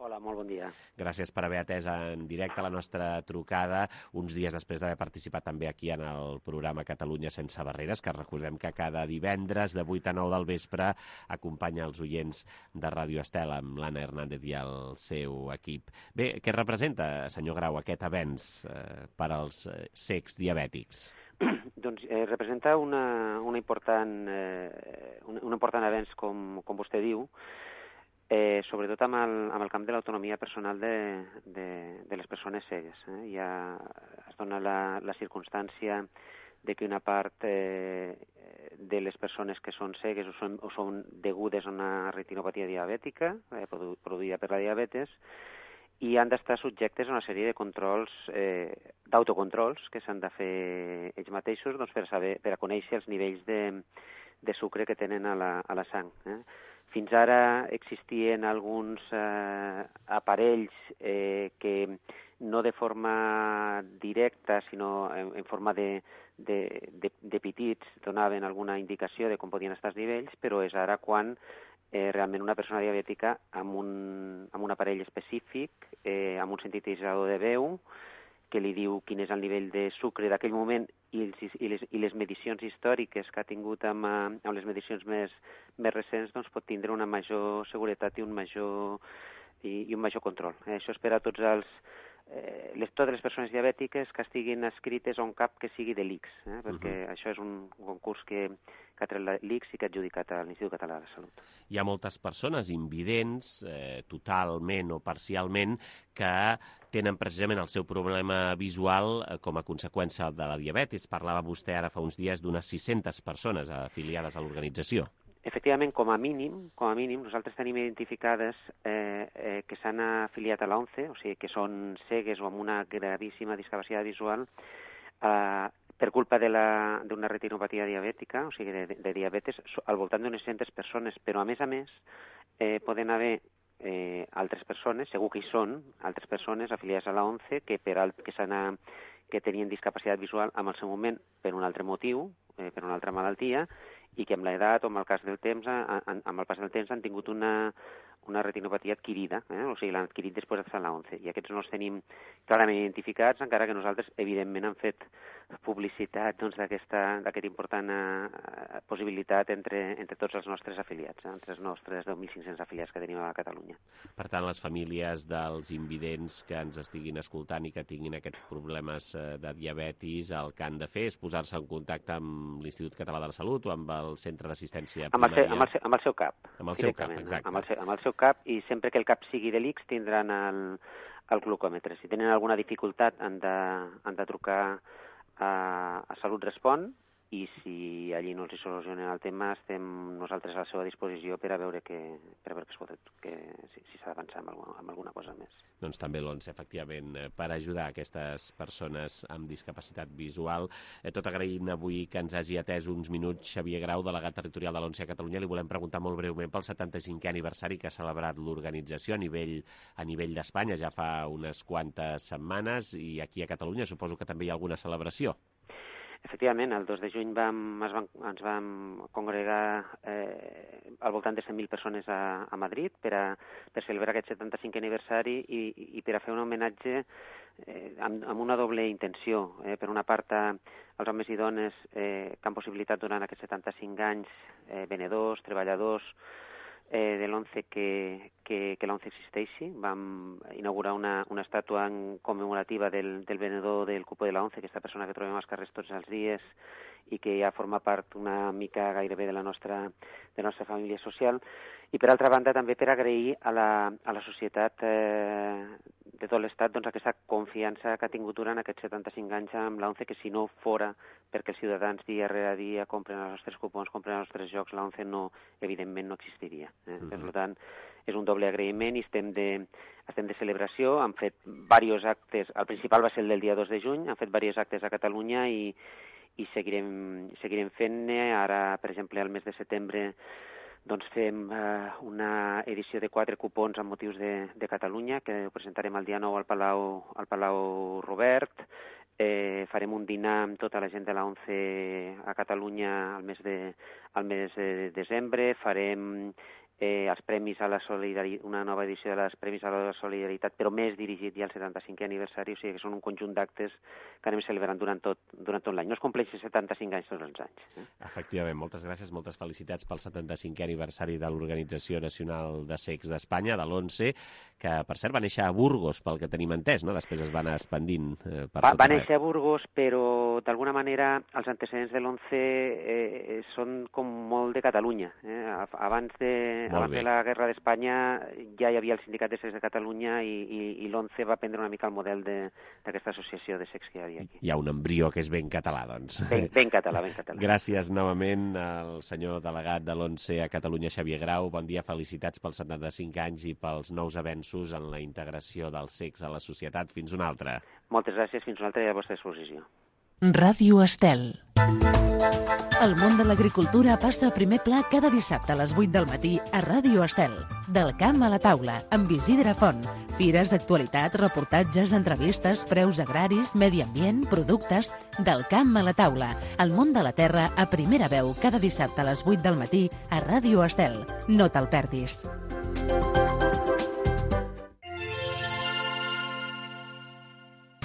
Hola, molt bon dia. Gràcies per haver atès en directe la nostra trucada, uns dies després d'haver participat també aquí en el programa Catalunya sense barreres, que recordem que cada divendres de vuit a nou del vespre acompanya els oients de Ràdio Estel amb l'Anna Hernández i el seu equip. Bé, què representa, senyor Grau, aquest avenç eh, per als eh, cecs diabètics? Doncs eh, representa una, una important, eh, un, un important avenç, com, com vostè diu, Eh, sobretot amb el, amb el camp de l'autonomia personal de, de, de les persones cegues. Eh? Ja es dona la, la circumstància de que una part eh, de les persones que són cegues o són, o són degudes a una retinopatia diabètica, eh, produ, produïda per la diabetes, i han d'estar subjectes a una sèrie de controls, eh, d'autocontrols, que s'han de fer ells mateixos doncs, per, saber, per a conèixer els nivells de, de sucre que tenen a la, a la sang. Eh? Fins ara existien alguns eh, aparells eh, que no de forma directa, sinó en, en forma de, de, de, de petits, donaven alguna indicació de com podien estar els nivells, però és ara quan eh, realment una persona diabètica amb un, amb un aparell específic, eh, amb un sintetitzador de veu, que li diu quin és el nivell de sucre d'aquell moment i, els, i, les, i les medicions històriques que ha tingut amb, amb les medicions més, més recents, doncs pot tindre una major seguretat i un major, i, i un major control. Eh, això és per a tots els, eh, les, totes les persones diabètiques que estiguin escrites a un cap que sigui de l'I C S, eh, perquè uh-huh. això és un concurs que, que ha tret l'I C S i que ha adjudicat a l'Institut Català de la Salut. Hi ha moltes persones invidents, eh, totalment o parcialment, que tenen precisament el seu problema visual eh, com a conseqüència de la diabetis. Parlava vostè ara fa uns dies d'unes sis-centes persones afiliades a l'organització. Efectivament, com a mínim, com a mínim, nosaltres tenim identificades eh, eh, que s'han afiliat a l'ONCE, o sigui, que són cegues o amb una gravíssima discapacitat visual, eh, per culpa d'una retinopatia diabètica, o sigui, de, de diabetes, al voltant d'unes centes persones, però a més a més eh, poden haver eh, altres persones, segur que hi són, altres persones afiliades a la ONCE que, per alt, que, que tenien discapacitat visual en el seu moment per un altre motiu, eh, per una altra malaltia, i que amb l'edat o amb el cas del temps, amb el pas del temps han tingut una, una retinopatia adquirida, eh? O sigui, l'han adquirit després d'estar a la ONCE. I aquests no els tenim clarament identificats, encara que nosaltres, evidentment, hem fet publicitat doncs, d'aquesta important eh, possibilitat entre, entre tots els nostres afiliats, eh? entre els nostres deu mil cinc-cents afiliats que tenim a Catalunya. Per tant, les famílies dels invidents que ens estiguin escoltant i que tinguin aquests problemes de diabetis, el que han de fer és posar-se en contacte amb l'Institut Català de la Salut o amb el Centre d'Assistència Primària. Amb el, seu, amb el seu cap. Amb el seu cap, exacte. Amb el seu, amb el seu cap, i sempre que el cap sigui de l'I X tindran el, el glucòmetre. Si tenen alguna dificultat han de, han de trucar a, a Salut Respon, i si allí no els hi solucionen el tema, estem nosaltres a la seva disposició per a veure, que, per a veure que es pot, que, si, si s'ha d'avançar amb, alguna, amb alguna cosa més. Doncs també l'ONCE, efectivament, per ajudar aquestes persones amb discapacitat visual. Eh, tot agraint avui que ens hagi atès uns minuts Xavier Grau, delegat territorial de l'ONCE a Catalunya. Li volem preguntar molt breument pel setanta-cinquè aniversari que ha celebrat l'organització a nivell, a nivell d'Espanya ja fa unes quantes setmanes, i aquí a Catalunya suposo que també hi ha alguna celebració. Efectivament, el dos de juny vam, es van, ens vam congregar eh, al voltant de cent mil persones a, a Madrid per, a, per celebrar aquest setanta-cinquè aniversari i, i per a fer un homenatge eh, amb, amb una doble intenció. Eh, per una part, als homes i dones eh, que han possibilitat durant aquests setanta-cinc anys, eh, venedors, treballadors, Eh, de l'ONCE que, que, que l'ONCE existeixi. Vam inaugurar una, una estàtua en commemorativa del, del venedor del cupo de l'ONCE, aquesta persona que trobem als carrers tots els dies i que ja forma part una mica gairebé de la nostra, de la nostra família social. I per altra banda també per agrair a la, a la societat eh, de tot l'Estat doncs, aquesta confiança que ha tingut durant aquests setanta-cinc anys amb l'ONCE, que si no fora perquè els ciutadans dia rere dia compren els nostres cupons, compren els nostres jocs, l'ONCE no, evidentment no existiria. Eh? Mm-hmm. Per tant, és un doble agraïment i estem de, estem de celebració. Han fet diversos actes, el principal va ser el del dia dos de juny, han fet diversos actes a Catalunya i, i seguirem, seguirem fent-ne. Ara, per exemple, al mes de setembre doncs fem eh, una edició de quatre cupons amb motius de, de Catalunya, que ho presentarem el dia nou al Palau, al Palau Robert. Eh, farem un dinar amb tota la gent de la ONCE a Catalunya al mes de, al mes de desembre. Farem eh, els premis a la solidaritat, una nova edició dels Premis a la Solidaritat, però més dirigit ja al setanta-cinquè aniversari, o sigui que són un conjunt d'actes que anem celebrant durant tot, durant tot l'any. No es compleixen setanta-cinc anys tots els anys. Eh? Efectivament, moltes gràcies, moltes felicitats pel setanta-cinquè aniversari de l'Organització Nacional de Cecs d'Espanya, de l'ONCE, que per cert va néixer a Burgos, pel que tenim entès, no? Després es va anar expandint eh, per va, tot va néixer a Burgos, però d'alguna manera els antecedents de l'ONCE eh, són com molt de Catalunya. Eh? Abans de Abans de la Guerra d'Espanya ja hi havia el Sindicat de Cecs de Catalunya i, i, i l'ONCE va prendre una mica el model d'aquesta associació de cecs que hi havia aquí. Hi ha un embrió que és ben català, doncs. Ben, ben català, ben català. Gràcies novament al senyor delegat de l'ONCE a Catalunya, Xavier Grau. Bon dia, felicitats pels setanta-cinc anys i pels nous avenços en la integració dels cecs a la societat. Fins una altra. Moltes gràcies, fins una altra i a la vostra disposició. Ràdio Estel. El món de l'agricultura passa a primer pla cada dissabte a les vuit del matí a Ràdio Estel. Del camp a la taula, amb Isidre Font. Fires, actualitat, reportatges, entrevistes, preus agraris, medi ambient, productes... Del camp a la taula. El món de la terra a primera veu cada dissabte a les vuit del matí a Ràdio Estel. No te'l perdis.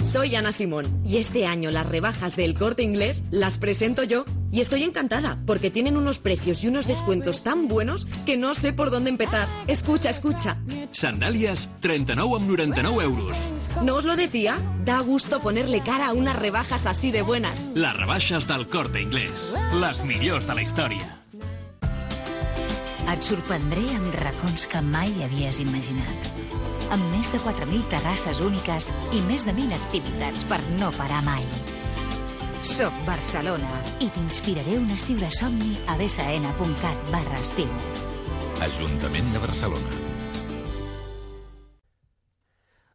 Soy Ana Simón y este año las rebajas del Corte Inglés las presento yo y estoy encantada porque tienen unos precios y unos descuentos tan buenos que no sé por dónde empezar. Escucha, escucha. Sandàlies, trenta-nou amb noranta-nou euros. ¿No os lo decía? Da gusto ponerle cara a unas rebajas así de buenas. Les rebaixes del Corte Inglés. Les millors de la història. Et sorprendré amb racons que mai havies imaginat. Amb més de quatre mil terrasses úniques i més de mil activitats per no parar mai. Soc Barcelona i t'inspiraré un estiu de somni a bsn.cat barra estiu. Ajuntament de Barcelona.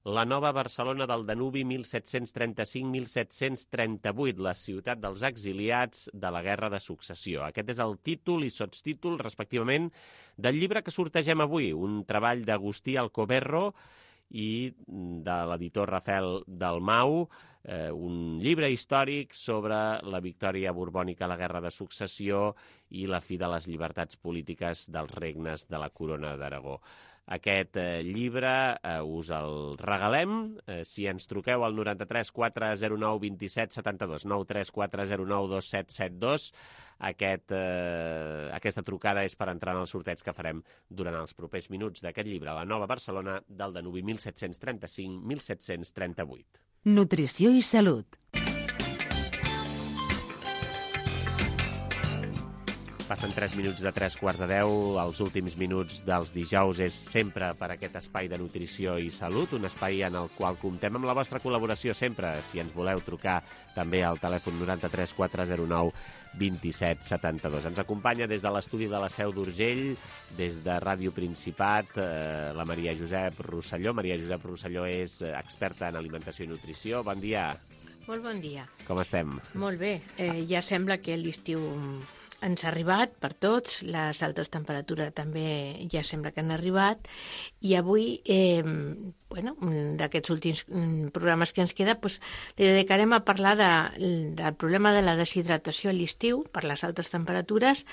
La nova Barcelona del Danubi mil set-cents trenta-cinc mil set-cents trenta-vuit, la ciutat dels exiliats de la Guerra de Successió. Aquest és el títol i sotstítol, respectivament, del llibre que sortegem avui, un treball d'Agustí Alcoberro i de l'editor Rafael Dalmau, eh, un llibre històric sobre la victòria borbònica a la Guerra de Successió i la fi de les llibertats polítiques dels regnes de la Corona d'Aragó. Aquest eh, llibre eh, us el regalem eh, si ens truqueu al noranta-tres quatre zero nou dos set set dos, nou tres quatre zero nou dos set set dos. Aquest, eh, aquesta trucada és per entrar en el sorteig que farem durant els propers minuts d'aquest llibre, La nova Barcelona del Danubi mil set-cents trenta-cinc mil set-cents trenta-vuit. Nutrició i salut. Passen tres minuts de tres quarts de deu. Els últims minuts dels dijous és sempre per aquest espai de nutrició i salut, un espai en el qual comptem amb la vostra col·laboració sempre. Si ens voleu trucar també al telèfon noranta-tres quatre zero nou dos set set dos. Ens acompanya des de l'estudi de la Seu d'Urgell, des de Ràdio Principat, eh, la Maria Josep Rosselló. Maria Josep Rosselló és experta en alimentació i nutrició. Bon dia. Molt bon dia. Com estem? Molt bé. Eh, ja sembla que l'estiu ens ha arribat per tots, les altes temperatures també ja sembla que han arribat, i avui, eh, bueno, d'aquests últims programes que ens queda, doncs, li dedicarem a parlar de, del problema de la deshidratació a l'estiu per les altes temperatures,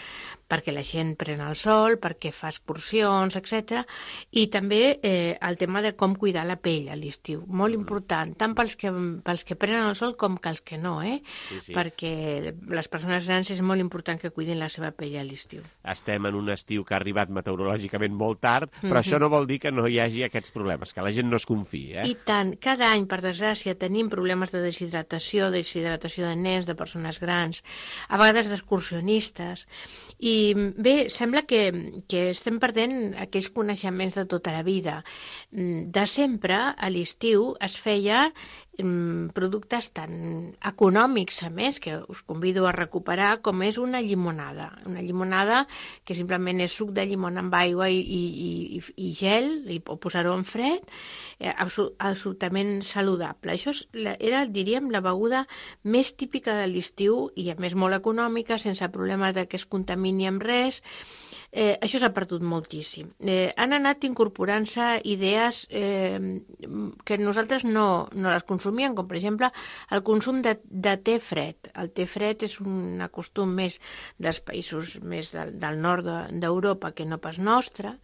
perquè la gent pren el sol, perquè fa excursions, etcètera, i també eh, el tema de com cuidar la pell a l'estiu, molt important, tant pels que, pels que prenen el sol com que els que no, eh? Sí, sí. Perquè les persones grans és molt important que cuidin la seva pell a l'estiu. Estem en un estiu que ha arribat meteorològicament molt tard, però Mhm. això no vol dir que no hi hagi aquests problemes, que la gent no es confiï. Eh? I tant, cada any, per desgràcia, tenim problemes de deshidratació, deshidratació de nens, de persones grans, a vegades d'excursionistes, i bé, sembla que, que estem perdent aquells coneixements de tota la vida. De sempre, a l'estiu, es feia productes tan econòmics, a més, que us convido a recuperar, com és una llimonada. Una llimonada que simplement és suc de llimona amb aigua i, i, i, i gel, i, o posar-ho en fred, eh, absolutament saludable. Això és, era, diríem, la beguda més típica de l'estiu i, a més, molt econòmica, sense problemes de que es contamini amb res. Eh, això s'ha perdut moltíssim. Eh, han anat incorporant-se idees eh, que nosaltres no, no les consumíem, com per exemple el consum de, de te fred. El te fred és un costum més dels països més del, del nord d'Europa que no pas nostre,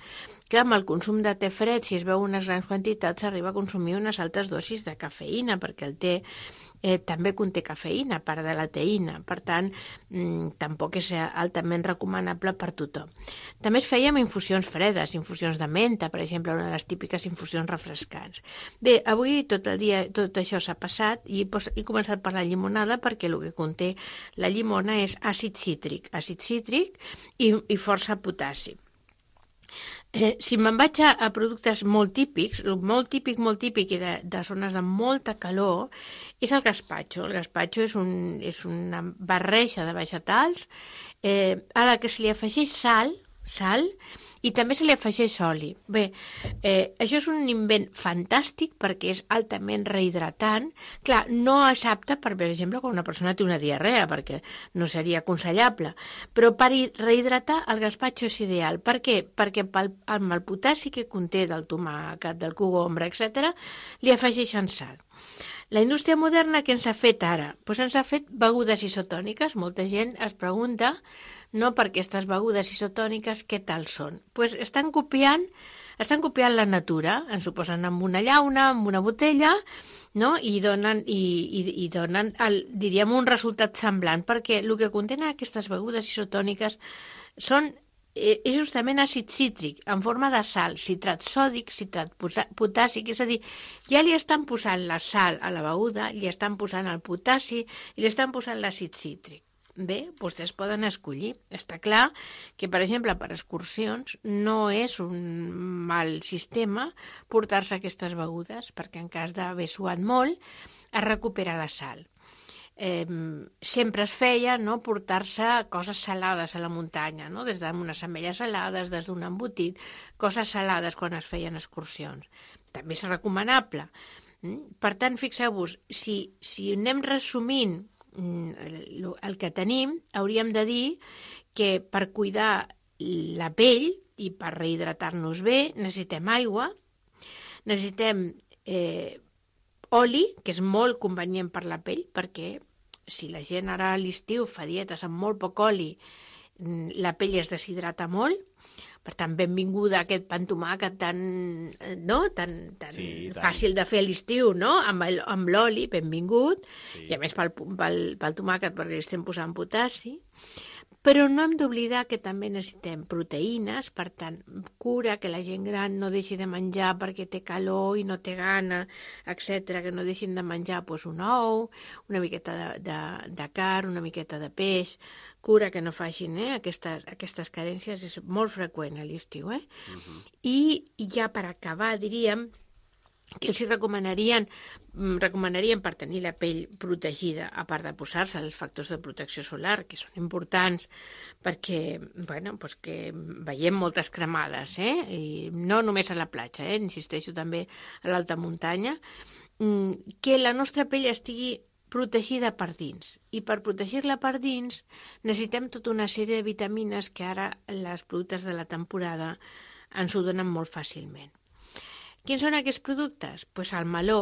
que amb el consum de te fred, si es veu unes grans quantitats, s'arriba a consumir unes altes dosis de cafeïna, perquè el te Eh, també conté cafeïna, a part de la teïna. Per tant, mmm, tampoc és altament recomanable per tothom. També es feia amb infusions fredes, infusions de menta, per exemple, una de les típiques infusions refrescants. Bé, avui tot el dia tot això s'ha passat i pues, he començat per la llimonada perquè el que conté la llimona és àcid cítric, àcid cítric i, i força potassi. Eh, si me'n vaig a, a productes molt típics, molt típic, molt típic i de, de zones de molta calor, és el gazpacho. El gazpacho és, un, és una barreja de vegetals eh, a la que se li afegeix sal, sal i també se li afegeix oli. Bé, eh, això és un invent fantàstic perquè és altament rehidratant. Clar, no és apte, per exemple, quan una persona té una diarrea, perquè no seria aconsellable, però per rehidratar el gazpacho és ideal. Per què? Perquè pel, amb el potassi que conté del tomàquet, del cogombre, etcètera, li afegeixen sal. La indústria moderna què ens ha fet ara? Pues ens ha fet begudes isotòniques. Molta gent es pregunta, no, per aquestes begudes isotòniques què tal són? Pues estan copiant, estan copiant la natura, ens ho posen amb una llauna, amb una botella, no? I donen, i, i, i donen el, diríem, un resultat semblant, perquè el que contenen aquestes begudes isotòniques són és justament àcid cítric, en forma de sal, citrat sòdic, citrat potàssic, és a dir, ja li estan posant la sal a la beguda, li estan posant el potassi i li estan posant l'àcid cítric. Bé, vostès poden escollir. Està clar que, per exemple, per excursions no és un mal sistema portar-se aquestes begudes, perquè en cas d'haver suat molt es recupera la sal. eh, sempre es feia, no?, portar-se coses salades a la muntanya, no?, des d'unes ametlles salades, des d'un embotit, coses salades quan es feien excursions. També és recomanable. Per tant, fixeu-vos, si, si anem resumint el, el que tenim, hauríem de dir que per cuidar la pell i per rehidratar-nos bé necessitem aigua, necessitem eh, oli, que és molt convenient per la pell, perquè si la gent ara a l'estiu fa dietes amb molt poc oli, la pell es deshidrata molt. Per tant, benvinguda a aquest pa amb tomàquet tan, no? tan, tan sí, fàcil de fer a l'estiu, no? Amb l'oli, benvingut, sí. I a més pel, pel, pel tomàquet perquè li estem posant potassi. Però no hem d'oblidar que també necessitem proteïnes, per tant, cura que la gent gran no deixi de menjar perquè té calor i no té gana, etcètera, que no deixin de menjar doncs, un ou, una miqueta de, de, de carn, una miqueta de peix, cura que no facin eh, aquestes, aquestes carències, és molt freqüent a l'estiu. Eh? Uh-huh. I, I ja per acabar diríem que els recomanarien, recomanarien per tenir la pell protegida, a part de posar-se els factors de protecció solar, que són importants perquè, bueno, pues que veiem moltes cremades, eh? I no només a la platja, eh? Insisteixo també a l'alta muntanya, que la nostra pell estigui protegida per dins. I per protegir-la per dins necessitem tota una sèrie de vitamines que ara els productes de la temporada ens ho donen molt fàcilment. Quins són aquests productes? Doncs pues el meló,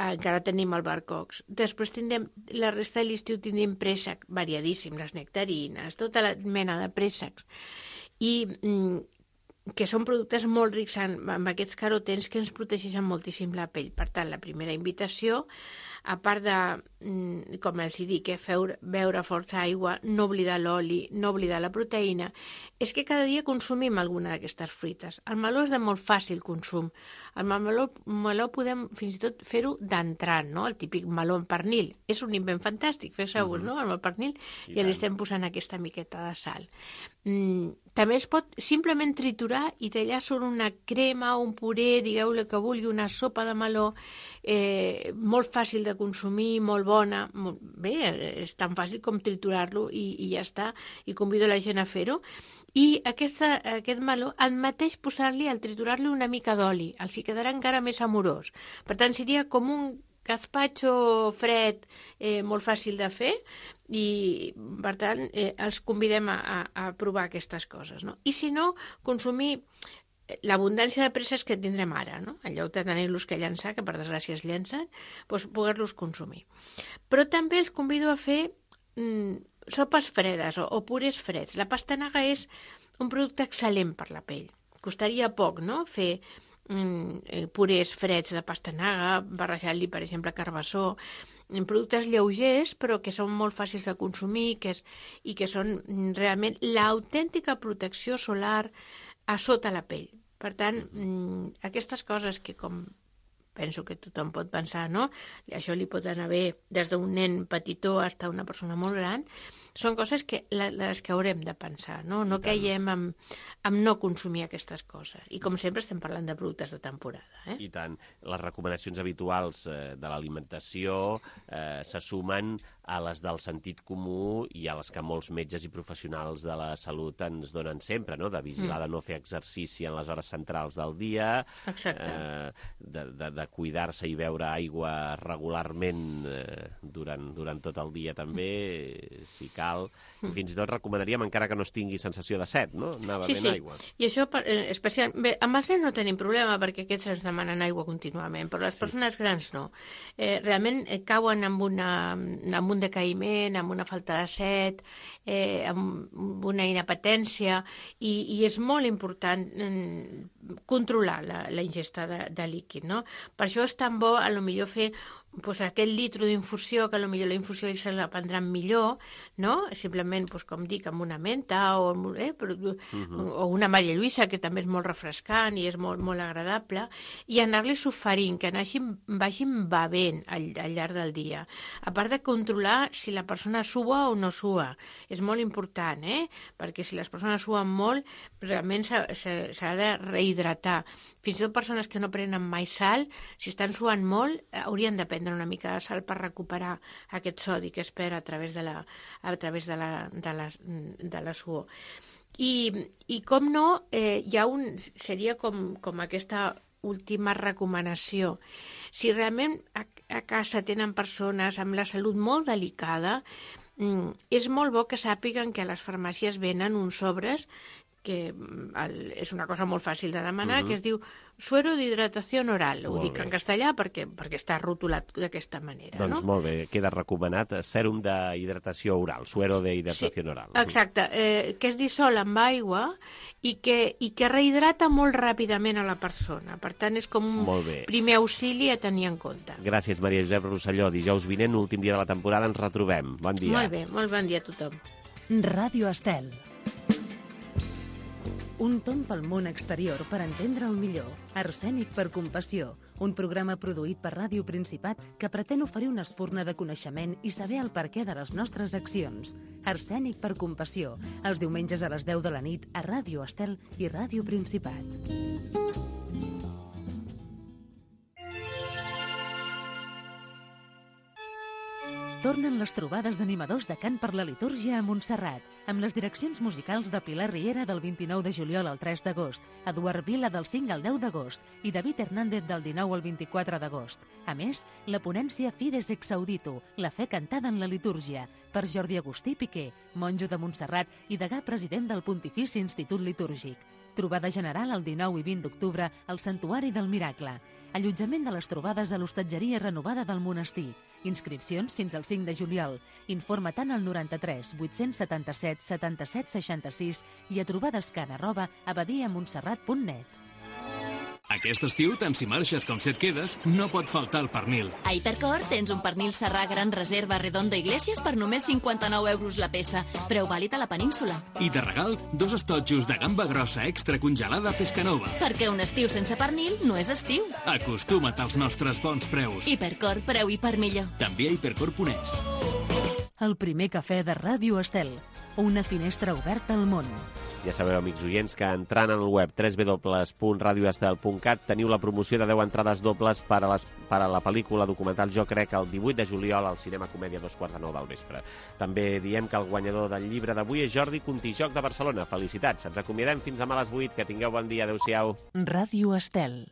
encara tenim el barcocs. Després tindrem, la resta de l'estiu tindrem préssec variadíssim, les nectarines, tota la mena de préssecs. I mm, que són productes molt rics en, en aquests carotens que ens protegeixen moltíssim la pell. Per tant, la primera invitació, a part de, mm, com els dic, eh, feu, beure força aigua, no oblidar l'oli, no oblidar la proteïna, és que cada dia consumim alguna d'aquestes fruites. El meló és de molt fàcil consum. El meló, meló podem fins i tot fer-ho d'entrant, no? El típic meló amb pernil. És un invent fantàstic, feu-vos, mm-hmm. no? Amb el pernil i ja li estem posant aquesta miqueta de sal. Mm, també es pot simplement triturar i tallar sobre una crema o un puré, digueu-li que vulgui, una sopa de meló, eh, molt fàcil de consumir, molt bona. Molt... Bé, és tan fàcil com triturar-lo i, i ja està. I convido la gent a fer-ho. I aquesta, aquest meló, el mateix posar-li, al triturar-li una mica d'oli, els hi quedarà encara més amorós. Per tant, seria com un gazpacho fred, eh, molt fàcil de fer, i per tant eh, els convidem a, a, a provar aquestes coses. No? I si no, consumir l'abundància de presses que tindrem ara, no? En lloc de tenir-los que llançar, que per desgràcia es llencen, doncs poder-los consumir. Però també els convido a fer mm, sopes fredes o, o purés freds. La pastanaga és un producte excel·lent per la pell. Costaria poc, no?, fer mm, purés freds de pastanaga, barrejar-li, per exemple, carbassó, productes lleugers, però que són molt fàcils de consumir que és, i que són realment l'autèntica protecció solar a sota la pell. Per tant, mm, aquestes coses que com penso que tothom pot pensar, no? Això li pot anar bé des d'un nen petitó fins a una persona molt gran, són coses que les que haurem de pensar, no? No caiem amb, amb no consumir aquestes coses. I com sempre estem parlant de productes de temporada. Eh? I tant. Les recomanacions habituals eh, de l'alimentació eh, se sumen a les del sentit comú i a les que molts metges i professionals de la salut ens donen sempre, no? De vigilar, mm. de no fer exercici en les hores centrals del dia, eh, de, de, de cuidar-se i beure aigua regularment eh, durant, durant tot el dia també, mm. si cal. I fins i tot recomanaríem, encara que no es tingui sensació de set, no? Anar bevent sí, sí. aigua. I això, especialment, bé, amb els nens no tenim problema perquè aquests ens demanen aigua contínuament, però les sí. persones grans no. Eh, realment eh, cauen amb, una, amb un decaïment, amb una falta de set, eh, amb una inapetència, i, i és molt important eh, controlar la, la ingesta de, de líquid, no? Per això és tan bo, a lo millor, fer pues, aquest litro d'infusió, que potser la infusió se la prendran millor, no? Simplement, pues, com dic, amb una menta o, eh, però, uh-huh. o una Maria Lluïsa, que també és molt refrescant i és molt, molt agradable, i anar-li soferint, que anagin, vagin bevent al, al llarg del dia. A part de controlar si la persona sua o no sua. És molt important, eh? Perquè si les persones suen molt, realment s'ha de rehidratar. Fins i tot persones que no prenen mai sal, si estan suant molt, haurien de prendre prendre una mica de sal per recuperar aquest sodi que es perd a través de la, a través de la, de la, de la suor. I, i com no, eh, hi ha un, seria com, com aquesta última recomanació. Si realment a, a casa tenen persones amb la salut molt delicada, mm, és molt bo que sàpiguen que a les farmàcies venen uns sobres que el, és una cosa molt fàcil de demanar, uh-huh. que es diu suero d'hidratació oral. Ho molt dic bé. En castellà perquè, perquè està rotulat d'aquesta manera. Doncs no? molt bé, queda recomanat sèrum d'hidratació oral, suero d'hidratació sí, oral. Exacte, eh, que es dissol amb aigua i que, i que rehidrata molt ràpidament a la persona. Per tant, és com un primer auxili a tenir en compte. Gràcies, Maria Josep Rosselló. Dijous vinent, últim dia de la temporada, ens retrobem. Bon dia. Molt bé, molt bon dia a tothom. Ràdio Estel. Un tomb pel món exterior per entendre-el millor. Arsènic per compassió. Un programa produït per Ràdio Principat que pretén oferir una espurna de coneixement i saber el perquè de les nostres accions. Arsènic per compassió. Els diumenges a les deu de la nit a Ràdio Estel i Ràdio Principat. Tornen les trobades d'animadors de cant per la litúrgia a Montserrat, amb les direccions musicals de Pilar Riera del vint-i-nou de juliol al tres d'agost, Eduard Vila del cinc al deu d'agost i David Hernández del dinou al vint-i-quatre d'agost. A més, la ponència Fides ex audito, la fe cantada en la litúrgia, per Jordi Agustí Piqué, monjo de Montserrat i degà president del Pontifici Institut Litúrgic. Trobada general el dinou i vint d'octubre al Santuari del Miracle. Allotjament de les trobades a l'hostatgeria renovada del monestir. Inscripcions fins al cinc de juliol. Informa tant al noranta-tres vuit-cents setanta-set setanta-set seixanta-sis i a trobadescan arroba abadiamontserrat punt net. Aquest estiu, tant si marxes com si et quedes, no pot faltar el pernil. A Hipercor tens un pernil serrà gran reserva Redondo Iglesias per només cinquanta-nou euros la peça. Preu vàlid a la península. I de regal, dos estotjos de gamba grossa extra congelada Pescanova. Perquè un estiu sense pernil no és estiu. Acostuma't als nostres bons preus. Hipercor, preu i per millor. També a hipercor punt es. El primer cafè de Ràdio Estel. Una finestra oberta al món. Ja sabeu, amics oients, que entrant al web w w w punt radio estel punt cat teniu la promoció de deu entrades dobles per a, les, per a la pel·lícula documental Jo crec el divuit de juliol al Cinema Comèdia a dos quarts de nou del vespre. També diem que el guanyador del llibre d'avui és Jordi Contijoc de Barcelona. Felicitats, ens acomiadem fins demà a les vuit. Que tingueu bon dia. Adéu-siau. Ràdio Estel.